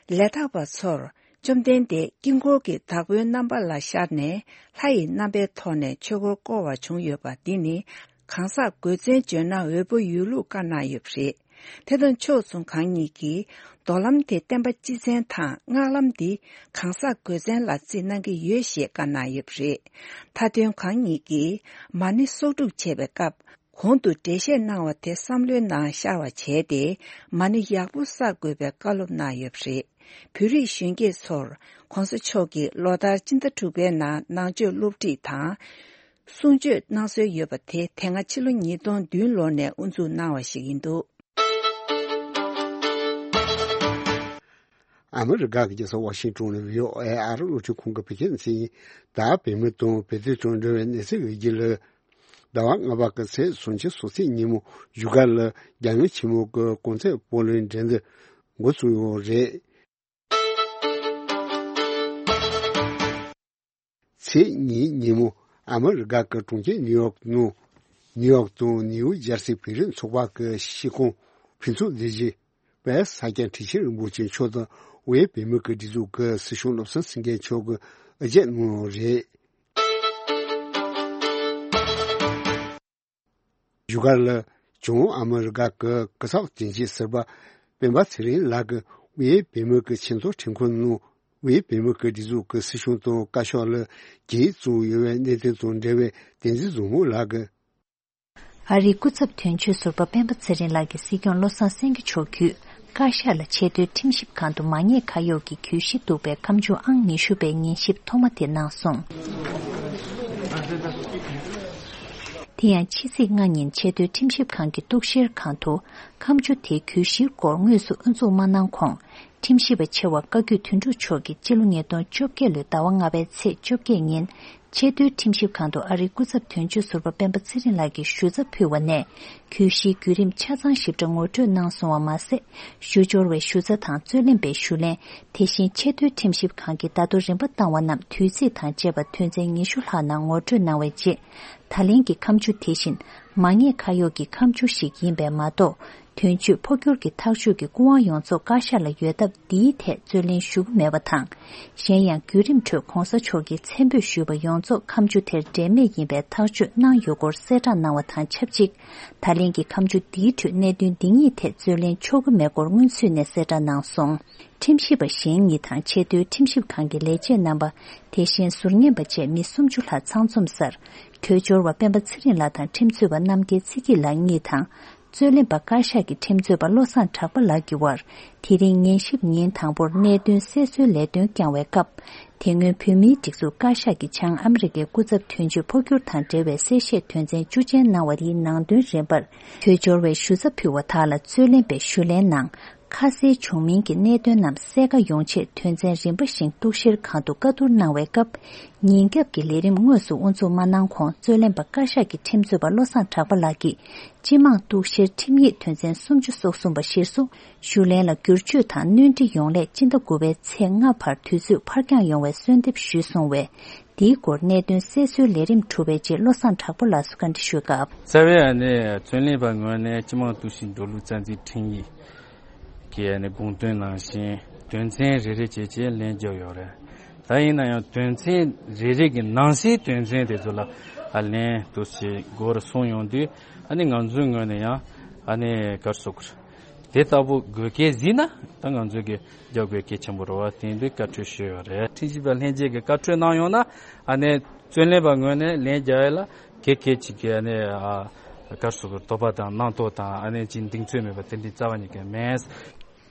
བྱ་ལས་དག་པ་ཚོར། བཅོམ་ལྡན་འདས་དཀྱིལ་འཁོར་གྱི་བདག་པོའི་རྣམ་པ་ལ་ཤར་ནས་ལྷ་ཡི་རྣམ་པའི་ཐོག་ནས་ཆོས་འཁོར་བསྐོར་བ་བྱུང་ཡོད་པ་འདི་ནི་གང་ཟག་དགོས་མཚན་བརྗོད་ན་འོས་པ་ཡོད་ལུགས་བཀའ་གནང་ཡོད་པ་རེད། དེ་དང་ཕྱོགས་མཚུངས་གང་ཉིད་ཀྱིས་རྡོ་ལམ་དེ་བསྟན་པ་སྤྱི་མཚན་དང་སྔགས་ལམ་འདི་གང་ཟག་དགོས་མཚན་ལ་བརྩི་གནང་གི་ཡོད་ཞེས་བཀའ་གནང་ཡོད་པ་རེད། མཐའ་དོན་གང་ཉིད་ཀྱིས་མ་ཎི་གསོག་སྒྲུབ་བྱེད་པའི་སྐབས། གོང་དུ་འགྲེལ་བཤད་གནང་བ་དེ་བསམ་བློའི་ནང་ཤར་བ་བྱས་ཏེ་མ་ཎི་ཡག་པོ་བསགས་དགོས་པའི་བཀའ་སློབ་གནང་ཡོད་པ་རེད། བོད་རིགས་གཞོན་སྐྱེས་ཚོར་གོང་ས་མཆོག་གིས་ལོ་ལྟར་སྤྱི་ཟླ་དྲུག་པའི་ནང་ནང་ཆོས་སློབ་ཁྲིད་དང་གསུང་ཆོས་གནང་སྲོལ་ཡོད་པ་དེ་དེ་སྔ་ཕྱི་ལོ་ཉིས་སྟོང་བདུན་ལོ་ནས་དབུ་འཛུགས་གནང་བ་ཞིག་ཡིན་འདུག་ཨ་མི་རི་ཀ་གི་རྒྱལ་ས་ཝ་ཤིང་ཏོན་ནས་བྷི་ཨོ་ཨེ་ཨ་རི་རླུང་འཕྲིན་ཁང་གི་བོད་སྐད་སྡེ་ཚན་ཡིན། ད་བོད་མི་དང་བོད་དོན་དང་འབྲེལ་བའི་གནས་ཚུལ་ཡོད་རྒྱུ་ལ། ཟླ་བ་ལྔ་པ་གི་ཚེས་སུམ་ཅུ་སོ་གཅིག་ཉིན་མོ་བཞུགས་སྒར་ལ་རྒྱལ་ཡོངས་ཆེན་མོ་གི་གོང་ཚད་སྤོ་ལོའི་འགྲན་བསྡུར་འགོ་བཙུགས་ཡོད་རེད། ཚེས་གཉིས་ཉིན་མོ་ཨ་མི་རི་ཀ་གི་གྲོང་ཁྱེར་ནིའུ་ཡོག་ནང་ནིའུ་ཡོག་དང་ནིའུ་ཇར་སི་བོད་རིགས་ཚོགས་པ་གི་ཤིས་ཁོང་ཕུན་ཚོགས་སྡེ་བཞི་པས་ས་སྐྱ་ཁྲི་ཆེན་རིན་པོ་ཆེ་མཆོག་དང་དབུས་བོད་མི་གི་སྒྲིག་འཛུགས་ཀྱི་སྲིད་སྐྱོང་བློ་བཟང་སེང་གེ་མཆོག་གི་ཨ་ཅག་གནང་ཡོད་རེད། བཞུགས་སྒར་ལ་བྱང་ཨ་མི་རི་ཀ་གི་གུས་ཕྱག་དྲན་ཆེད་ཟུར་པ་སྤེན་པ་ཚེ་རིང་ལགས་ཀྱིས་དབུས་བོད་མི་གི་ཆེས་མཐོའི་ཁྲིམས་ཁང་ནང་དབུས་བོད་མི་གི་སྒྲིག་འཛུགས་ཀྱི་སྲིད་སྐྱོང་དང་བཀའ་ཤག་ལ་གྱེས་བཙུགས་ཡོད་པའི་གནད་དོན་དང་འབྲེལ་བའི་བསྟན་འཛིན་བཟང་མོ་ལགས་ཀྱིས། ཨ་རིའི་སྐུ་ཚབ་དོན་གཅོད་ཟུར་པ་སྤེན་པ་ཚེ་རིང་ལགས་ཀྱིས་སྲིད་སྐྱོང་བློ་བཟང་སེང་གེ་མཆོག་བརྒྱུད་བཀའ་ཤག་ལ་ཆེས་མཐོའི་ཁྲིམས་ཞིབ་ཁང་དུ་མ་ཉེས་ཁ་གཡོགས་ཀྱི་གྱོད་གཞི་འདུག་པའི་ཁ་མཆུ་ཨང་ཉི་ཤུ་པའི་ཉན་ཞིབ་ཐོག་མ་དེ་གནང་སོང་། དེ་ཡང་ཕྱི་ཚེས་ལྔ་ཉིན་ཆེས་མཐོའི་ཁྲིམས་ཞིབ་ཁང་གི་གཏུག་བཤེར་ཁང་དུ་ཁ་མཆུ་དེའི་གྱོད་གཞིའི་སྐོར་དངོས་སུ་དབུ་འཛུགས་མ་གནང་གོང་། ཁྲིམས་ཞིབ་པ་ཆེ་བ་བཀའ་བརྒྱུད་དོན་གྲུབ་མཆོག་གིས་སྤྱི་ལོ་ཉིས་སྟོང་བཅོ་བརྒྱད་ལོའི་ཟླ་བ་ལྔ་པའི་ཚེས་བཅོ་བརྒྱད་ཉིན། ཆེས་མཐོའི་ཁྲིམས་ཞིབ་ཁང་དུ་ཨ་རིའི་སྐུ་ཚབ་དོན་གཅོད་ཟུར་པ་སྤེན་པ་ཚེ་རིང་ལགས་ཀྱིས་ཞུ་ཚབ་ཕུལ་བ་ནས། གྱོད་གཞིའི་བརྒྱུད་རིམ་ཆ་ཚང་ཞིབ་ཕྲ་ངོ་སྤྲོད་གནང་སོང་བ་མ་ཟད། ཞུ་སྦྱོར་བའི་ཞུ་རྩ་དང་རྩོད་ལེན་པའི་ཞུ་ལན། དེ་བཞིན་ཆེས་མཐོའི་ཁྲིམས་ཞིབ་ཁང་གིས་ད་དུང་རིམ་པ་བཏང་བ་རྣམས་དུས་ཚིགས་དང་བཅས་པ་དོན་ཚན་ཉི་ཤུ་ལྷག་ནང་ངོ་སྤྲོད་གནང་བའི་རྗེས། ད་ལན་གྱི་ཁ་མཆུ་དེ་བཞིན་མ་ཉེས་ཁ་གཡོགས་ཀྱི་ཁ་མཆུ་ཞིག་ཡིན་པས་མ་གཏོགས། དོན་གཅོད་འཕོ་འགྱུར་གྱི་ཐག་གཅོད་ཀྱི་སྐུ་དབང་ཡོངས་རྫོགས་བཀའ་ཤག་ལ་ཡོད་སྟབས། འདིའི་ཐད་རྩོད་ལེན་ཞུ་གི་མེད་པ་དང་། གཞན་ཡང་བརྒྱུད་རིམ་ཁྲོད་གོང་ས་མཆོག་གིས་མཚན་འབོད་ཞུས་པ་ཡོངས་རྫོགས་ཁ་མཆུ་དེར་འབྲེལ་མེད་ཡིན་པའི་ཐག་གཅོད་གནང་ཡོད་སྐོར་གསལ་བསྒྲགས་གནང་བ་དང་ཆབས་ཅིག་ད་ལན་གྱི་ཁ་མཆུ་འདིའི་ཁྲོད་གནད་དོན་འདི་གཉིས་ཐད་རྩོད་ལེན་ཆོག་གི་མེད་སྐོར་སྔོན་ཚུད་ནས་གསལ་བསྒྲགས་གནང་སོང་། ཁྲིམས་ཞིབ་པ་གཞན་གཉིས་དང་ཆེས་མཐོའི་ཁྲིམས་ཞིབ་ཁང་གི་ལས་བྱེད་རྣམ་པ། དེ་བཞིན་ཟུར་ཉན་པ་བཅས་མི་སུམ་ཅུ་ལྷག་ཚང་འཛོམས་སར། གྲོས་འཆོར་བ་སྤེན་པ་ཚེ་རིང་ལགས་དང་ཁྲིམས་རྩོད་པ་རྣམ་རྒྱལ་ཚེ་སྐྱིད་ལགས་གཉིས་དང་། རྩོད་ལེན་པ་བཀའ་ཤག་གི་ཁྲིམས་རྩོད་པ་བློ་བཟང་གྲགས་པ་ལགས་ཀྱི་དབར། དེ་རིང་ཉན་ཞིབ་ཉིན་དང་པོར་གནད་དོན་གསལ་བཟོའི་ལས་དོན་བསྐྱངས་བའི་སྐབས། དེ་སྔོན་བོད་མིའི་སྒྲིག་འཛུགས་བཀའ་ཤག་གི་བྱང་ཨ་མི་རི་ཀའི་སྐུ་ཚབ་དོན་གཅོད་འཕོ་འགྱུར་དང་འབྲེལ་བའི་གསལ་བཤད་དོན་ཚན་བཅུ་ཅན་གནང་བ་དེའི་ནང་དོན་རིམ་པར། གྲོས་འཆོར་བའི་ཞུ་ཚབ་ཕུལ་བ་དག་ལ་རྩོད་ལེན་པའི་ཞུ་ལན་ནང་། ཁ་གསལ་བྱུང་མིན་གྱི་གནད་དོན་རྣམས་གསལ་ཁ་ཡོང་ཆེད། དོན་ཚན་རིམ་པ་བཞིན་གཏུག་བཤེར་ཁང་དུ་བཀའ་བསྡུར་གནང་བའི་སྐབས། ཉིན་རྒྱབ་ཀྱི་ལས་རིམ་དངོས་སུ་དབུ་འཛུགས་མ་གནང་གོང་། རྩོད་ལེན་པ་བཀའ་ཤག་གི་ཁྲིམས་རྩོད་པ་བློ་བཟང་གྲགས་པ་ལགས་ཀྱིས། སྤྱི་དམངས་གཏུག་བཤེར་ཁྲིམས་ཡིག་དོན་ཚན་སུམ་ཅུ་སོ་གསུམ་པ་གཞིར་བཟུང་། ཞུ་ལན་ལ་བསྒྱུར་བཅོས་དང་སྣོན་འཕྲི་ཡོང་སླད། སྤྱི་ཟླ་དགུ་པའི་ཚེས་ལྔ་བར་དུས་ཚོད་ཕར་འགྱངས་ཡོང་བའི་གསོལ་འདེབས་ཞུས་སོང་བས། འདིའི་སྐོར་གནད་དོན་གསལ་བཟོའི་ལས་རིམ་གྲུབ་པའི་རྗེས། བློ་བཟང་གྲགས་པ་ལགས་སུ་བཀའ་འདྲི་ཞུས་སྐབས། རྩ་བའི་ཨ་ནི་རྩོད་ལེན་པ་ངོས་ནས་སྤྱི་དམངས་གཏུག་བཤེར་འགྲོ་ལུགས་རྩ་འཛིན་ཁྲིམས་ཡིག་གི་ཨ་ནི་དགོངས་དོན་ནང་བཞིན་དོན་ཚན་རེ་རེ་བྱས་བྱས་ལན་བརྒྱབ་ཡོད་རེད། ད་ཡིན་ན་ཡང་དོན་ཚན་རེ་རེ་གི་ནང་གསེས་དོན་ཚན་དེ་ཚོ་ལ་ཨ་ལན་དུ་ཞིག་དགོས་རེ་གསུངས་ཡོང་དུས། ཨ་ནི་ང་ཚོའི་ངོས་ནས་ཡང་ཨ་ནི་ག་རེ་ཟེར་དགོས་རེད། དེ་ལྟ་བུ་དགོས་གལ་གཟིགས་ན། ད་ང་ཚོས་ཀྱི་རྒྱབ་དགོས་གལ་ཆེན་པོ་རེད་བ། དེ་འདི་བཀའ་འཁྲོལ་ཞུས་ཡོད་རེད། ཁྲིམས་ཞིབ་པ་ལྷན་རྒྱས་ཀྱིས་བཀའ་འཁྲོལ་གནང་ཡོང་ན། ཨ་ནི་རྩོད་ལེན་པ་ངོས་ནས་ལན་རྒྱག་ཡ་ལ་གལ་གལ་ཅིག་གི་ཨ་ནི་ཨ་ག་རེ་ཟེར་དགོས། དོགས་པ་དང་རྣམ་རྟོག་དང་། ཨ་ནི་ཅིག་གདེང་ཚོད་མེད་པ་དེ་འདྲའི་རྩ་བ་ཉིད་ཀྱི་མེད།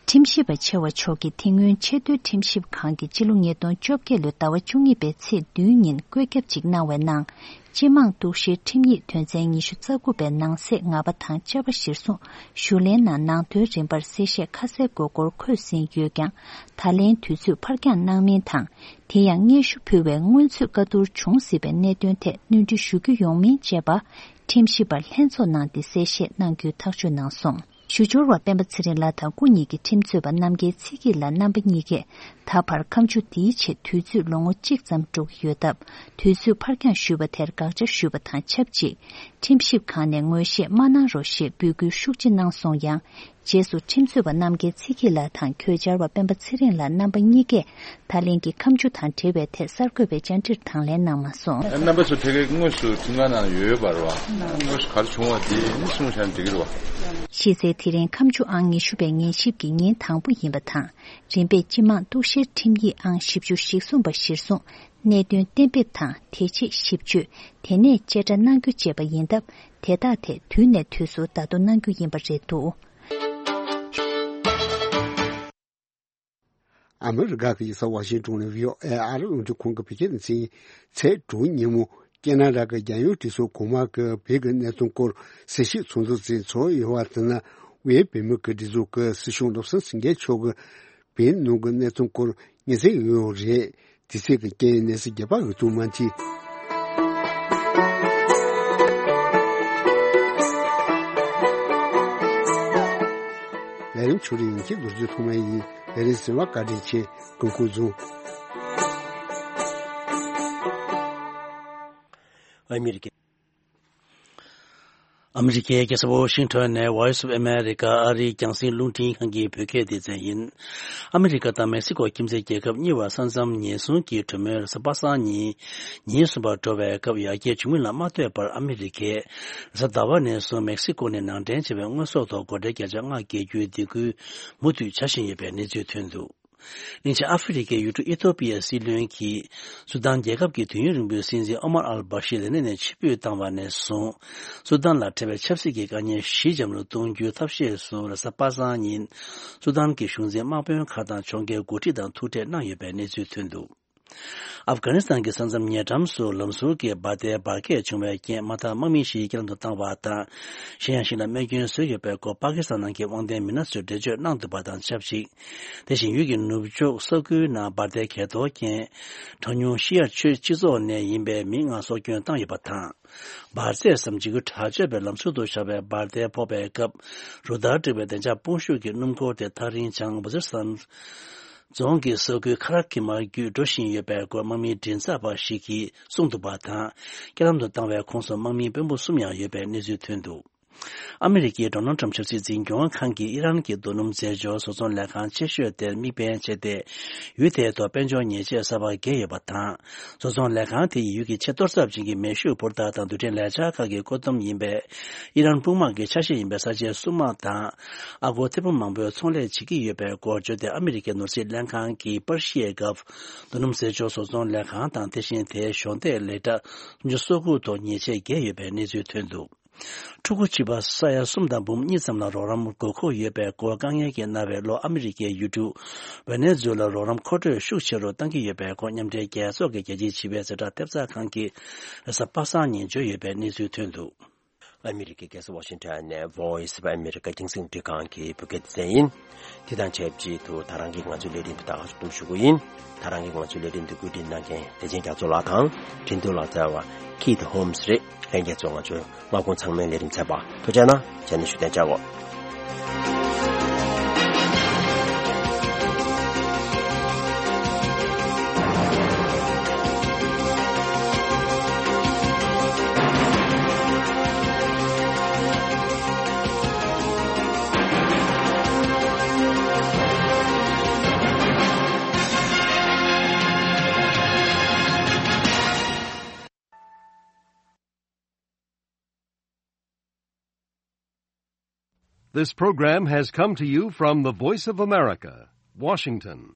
ཁྲིམས་ཞིབ་པ་ཆེ་བ་མཆོག་གིས་དེ་སྔོན་ཆེས་མཐོའི་ཁྲིམས་ཞིབ་ཁང་གིས་སྤྱི་ལོ་ཉིས་སྟོང་བཅོ་བརྒྱད་ལོའི་ཟླ་བ་བཅུ་གཉིས་པའི་ཚེས་བདུན་ཉིན་བཀོད་ཁྱབ་ཅིག་གནང་བའི་ནང་། སྤྱི་དམངས་གཏུག་བཤེར་ཁྲིམས་ཡིག་དོན་ཚན་ཉི་ཤུ་རྩ་དགུ་པའི་ནང་གསེས་ང་པ་དང་བཅའ་པ་གཞིར་བཟུང་། ཞུ་ལན་ནང་ནང་དོན་རིམ་པར་གསལ་བཤད་ཁ་གསལ་དགོས་སྐོར་འཁོད་ཟིན་ཡོད་ཀྱང་། ད་ལན་དུས་ཚོད་ཕར་འགྱངས་གནང་མིན་དང་། དེ་ཡང་སྙན་ཞུ་ཕུལ་བའི་སྔོན་ཚུད་བཀའ་བསྡུར་བྱུང་སྲིད་པའི་གནད་དོན་ཐད་སྣོན་འཕྲི་ཞུ་རྒྱུ་ཡོང་མིན་བཅས་པ། ཁྲིམས་ཞིབ་པར་ལྷན་ཚོགས་ནང་འདི་གསལ་བཤད་གནང་རྒྱུའི་ཐག་གཅོད་གནང་སོང་། ཞུ་སྦྱོར་བ་སྤེན་པ་ཚེ་རིང་ལགས་དང་སྐུ་ཉིད་ཀྱི་ཁྲིམས་རྩོད་པ་རྣམ་རྒྱལ་ཚེ་སྐྱིད་ལགས་རྣམ་པ་གཉིས་ཀས། ད་བར་ཁ་མཆུ་འདིའི་ཆེད་དུས་ཚོད་ལོ་ངོ་གཅིག་ཙམ་འགྲོ་གི་ཡོད་སྟབས། དུས་ཚོད་ཕར་འགྱངས་ཞུས་པ་དེར་དགག་བྱ་ཞུས་པ་དང་ཆབས་ཅིག། ཁྲིམས་ཞིབ་ཁང་ནས་ངོས་བཞེས་མ་གནང་རོགས་ཞེས་འབོད་སྐུལ་ཤུགས་ཆེ་གནང་སོང་ཡང་། རྗེས་སུ་ཁྲིམས་རྩོད་པ་རྣམ་རྒྱལ་ཚེ་སྐྱིད་ལགས་དང་གོས་འཆར་བ་སྤེན་པ་ཚེ་རིང་ལགས་རྣམ་པ་གཉིས་ཀས། ད་ལན་གྱི་ཁ་མཆུ་དང་འབྲེལ་བའི་ཐད་གསར་འགོད་པའི་བཅར་འདྲིར་དང་ལེན་གནང་མ་སོང་། རྣམ་པ་ཚོ་ཕ་གིར་དངོས་སུ་ཁྲིམས་ཁང་ནང་ཡོད་པ་རེད་བ། དངོས་སུ་ག་རེ་བྱུང་བ་དེ་ནི་གསུངས་བཞག་ན་འགྲིག་གི་རེད་བ། གཞི་རྩའི་དེ་རིང་ཁ་མཆུ་ཨང་ཉི་ཤུ་པའི་ཉན་ཞིབ་ཀྱི་ཉིན་དང་པོ་ཡིན་པ་དང་། རིམ་པས་སྤྱི་དམངས་གཏུག་བཤེར་ཁྲིམས་ཡིག་ཨང་བཞི་བཅུ་ཞེ་གསུམ་པ་གཞིར་བཟུང་། གནད་དོན་གཏན་འབེབས་དང་། དེ་རྗེས་ཞིབ་དཔྱོད། དེ་ནས་བཅད་ཁྲ་གནང་རྒྱུ་བཅས་པ་ཡིན་སྟབས། དེ་དག་ཐད་དུས་ནས་དུས་སུ་བརྡ་ཐོ་གནང་རྒྱུ་ཡིན་པ་རེད་འདུག། ཨ་མི་རི་ཀ་གི་ཡུལ་ས་ཝ་ཤིང་ཏོན་ནས་བྷི་ཨོ་ཨེ་ཨ་རི་རླུང་འཕྲིན་ཁང་གི་བོད་སྐད་སྡེ་ཚན་ཚེས་དྲུག་ཉིན་མོ། ཁེ་ན་ཌ་གི་རྒྱལ་ཡོངས་གྲོས་ཚོགས་གོང་མ་གི་བོད་ཀྱི་གནད་དོན་སྐོར་གསལ་བཤད་ཚོགས་འདུ་ཞིག་ཚོགས་ཡོད་པ་དེ་ནི། དབུས་བོད་མི་གི་སྒྲིག་འཛུགས་ཀྱི་སྲིད་སྐྱོང་བློ་བཟང་སེང་གེ་མཆོག་གིས་བོད་ནང་གི་གནད་དོན་སྐོར་ཉིན་མཚན་ཡོད་རེད། དེ་ཚེ་གི་རྐྱེན་ནས་སི་རྒྱ་པ་འོས་བསྡུ་མ་མཐུན། ལས་རིམ་ཆུ་རིང་གི་ལོ་རྒྱུས་ཐོག་མ་ཡིན། ལས་རིམ་གསན་པར་བཀའ་དྲིན་ཆེ། སྐུ་ཁམས་བཟང་། ཨ་མི་རི་ཀའི་ཨ་མི་རི་ཀའི་རྒྱལ་ས་ཝ་ཤིང་ཊོན་ནས་Voice of America ཨ་རིའི་རྒྱང་སྲིང་རླུང་འཕྲིན་ཁང་གི་བོད་སྐད་སྡེ་ཚན་ཡིན། ཨ་མི་རི་ཀ་དང་མེག་སི་ཀོ་ཁྱིམ་མཚེས་རྒྱལ་ཁབ་གཉིས་བར་ས་མཚམས་ཉེན་སྲུང་གི་གྲོས་མོལ་རེས་གཟའ་པ་སངས་ཉིན་ཉིན་གསུམ་པར་འགྲོ་བའི་སྐབས། ཡར་རྒྱས་བྱུང་མིན་ལ་མ་ལྟོས་པར། ཨ་མི་རི་ཀས་རེས་གཟའ་ཟླ་བ་ནས་བཟུང་མེག་སི་ཀོ་ནས་ནང་འདྲེན་བྱས་པའི་དངོས་ཟོག་ཐོག་སྒོ་ཁྲལ་བརྒྱ་ཆ་ལྔ་བཀལ་རྒྱུའི་སྡིགས་སྐུལ་མུ་མཐུད་བྱ་བཞིན་ཡོད་པའི་གནས་ཚུལ་ཐོན་འདུག། སླིང་ཆེན་ཨ་ཧྥེ་རི་ཁའི་ཡུལ་གྲུ་ཨི་ཐོ་པི་ཡའི་སྲིད་བློན་གྱིས་སུ་དཱན་རྒྱལ་ཁབ་ཀྱི་དུས་ཡུན་རིང་པོའི་སྲིད་འཛིན་ཨོ་མར་ཨལ་བྷ་ཤིར་ལས་གནས་ནས་ཕྱིར་འབུད་བཏང་བ་ནས་བཟུང་། སུ་དཱན་ལ་འཕྲད་པའི་ཆབ་སྲིད་ཀྱི་དཀའ་ངལ་ཞི་འཇམ་རུ་གཏོང་རྒྱུའི་ཐབས་ཤེས་སུ། རེས་གཟའ་པ་སངས་ཉིན་སུ་དཱན་གྱི་གཞུང་འཛིན་དམག་དཔོན་ཁག་དང་ཕྱོགས་འགལ་འགོ་ཁྲིད་དང་ཐུག་འཕྲད་གནང་ཡོད་པའི་གནས་ཚུལ་ཐོན་འདུག། ཨབ་གྷ་ནི་སི་ཐན་གྱི་ས་མཚམས་ཉེ་འགྲམ་སུ་ལམ་ཟུར་གྱི་འབར་མདེལ་འབར་གས་བྱུང་བའི་རྐྱེན། དམག་དང་དམག་མི་བཞི་བསྐྱར་དུ་བཏང་བ་དང་། གཞན་ཡང་ཞིག་ལ་རྨས་སྐྱོན་བཟོས་ཡོད་པའི་སྐོར་པ་ཀི་སི་ཐན་ནང་གི་དབང་ལྡན་མི་སྣ་ཚོས་འགྲེལ་བརྗོད་གནང་འདུག་པ་དང་ཆབས་ཅིག། དེ་བཞིན་ཡུལ་གྱི་ནུབ་ཕྱོགས་ས་ཁུལ་ནང་འབར་མདེལ་གས་གཏོར་རྐྱེན། གྲངས་ཉུང་ཤི་ཡར་ཆོས་སྤྱི་ཚོགས་ནས་ཡིན་པའི་མི་ལྔ་སྲོག་སྐྱོན་བཏང་ཡོད་པ་དང་། འབར་རྫས་སམ་འཇིགས་སྐུལ་དྲག་སྤྱོད་པའི་ལམ་ཟུར་དུ་བཞག་པའི་འབར་མདེལ་ཕོག་པའི་སྐབས། རུ་སྟར་བསྒྲིགས་པའི་བདེ་འཇགས་དཔུང་ཤུགས་ཀྱིས་སྣུམ་འཁོར་དེ་ཐག་རིང་བྱང་བུ་ཛི་སམ་རྫོང་གི་ས་ཁུལ་ཁ་ར་ཁི་མ་བརྒྱུད་འགྲོ་བཞིན་ཡོད་པའི་སྐོར་དམག་མིའི་མགྲིན་ཚབ་པ་ཞིག་གིས་གསུངས་འདུག་པ་དང་། རྐྱེན་ལམ་དུ་བཏང་བའི་ཁོངས་སུ་དམག་མིའི་དཔོན་པོ་གསུམ་ཡང་ཡོད་པའི་གནས་ཚུལ་ཐོན་འདུག། ཨ་མི་རི་ཀའི་ཌོ་ནལ་ཊམ་ཆབ་སྲིད་འཛིན་སྐྱོང་ཁང་གིས་ཨི་རན་གྱི་རྡོ་སྣུམ་རྫས་སྦྱོར་བཟོ་ཚོང་ལས་ཁང་ཆེ་ཤོས་དེར་དམིགས་འབེན་བྱས་ཏེ། ཡུལ་དེའི་ཐོག་དཔལ་འབྱོར་ཉེས་ཆད་གསར་པ་བཀལ་ཡོད་པ་དང་། བཟོ་ཚོང་ལས་ཁང་དེ་ཡིས་ཡུལ་གྱི་ཆེས་གཏོར་ཚབས་ཅན་གྱི་མེ་ཤུགས་འཕུར་མདའ་དང་རྡུལ་ཕྲན་ལས་འཆར་ཁག་གི་བཀོད་འདོམས་ཡིན་པས། ཨི་རན་དཔུང་དམག་གི་ཆ་ཤས་ཡིན་པའི་ས་ཆའི་སྲུང་དམག་དང་། ཨ་སྒོར་ཐེར་འབུམ་མང་པོའི་ཚོང་ལས་བྱེད་ཀྱི་ཡོད་པའི་སྐོར་བརྗོད་དེ། ཨ་མི་རི་ཀའི་ནོར་སྲིད་ལྷན་ཁང་གིས་པར་ཤིའི་སྒབ་རྡོ་སྣུམ་རྫས་སྦྱོར་བཟོ་ཚོང་ལས་ཁང་དང་། དེ་བཞིན་དེའི་གཞོགས་འདེགས་ལས་གྲྭ་སུམ་ཅུ་སོ་དགུ་ཐོག་ཉེས་ཆད་བཀལ་ཡོད་པའི་གནས་ཚུལ་ཐོན་འདུག། ཕྲུ་གུ་བྱིས་པ་ས་ཡ་གསུམ་དང་འབུམ་གཉིས་ཙམ་ལ་རོགས་རམ་དགོས་མཁོ་ཡོད་པའི་སྐོར། དཀའ་ངལ་གྱིས་མནར་བའི་ལྷོ་ཨ་མི་རི་ཀའི་ཡུལ་གྲུ་ཝེ་ནེ་ཛུ་ལ་རོགས་རམ་མཁོ་སྤྲོད་ཤུགས་ཆེ་རུ་གཏང་གི་ཡོད་པའི་སྐོར། མཉམ་འབྲེལ་རྒྱལ་ཚོགས་ཀྱི་རྒྱལ་སྤྱིའི་བྱིས་པའི་གཟེངས་རྟགས་ཐེབས་རྩ་ཁང་གིས་རེས་གཟའ་པ་སངས་ཉིན་བརྗོད་ཡོད་པའི་གནས་ཚུལ་ཐོན་འདུག། ཨ་མི་རི་ཀའི་རྒྱལ་ས་ཝ་ཤིང་ཊོན་ནས་Voice of America རྒྱང་སྲིང་རླུང་འཕྲིན་ཁང་གི་བོད་སྐད་སྡེ་ཚན་ཡིན། དེ་དང་ཆབས་ཅིག་ཏུ་ད་རང་གི་ང་ཚོའི་ལས་རིམ་འདི་དག་སྒྲུབ་ཞུ་གི་ཡིན། ད་རང་གི་ང་ཚོའི་ལས་རིམ་འདི་བཀོད་སྒྲིག་གནང་མཁན་བདེ་ཆེན་རྒྱ་མཚོ་ལགས་དང་། འཕྲིན་གཏོང་ལག་རྩལ་བ་Keith Holmes རེད། ལྷན་རྒྱས་ཚོ་ང་ཚོའི་སྔ་དགོང་ཚང་མའི་ལས་རིམ་ཚར་བ། ཐུགས་རྗེ་གནང་། རྗེས་ནས་ཞུ་གཏན་འཇགས་གོ། This program has come to you from the Voice of America, Washington.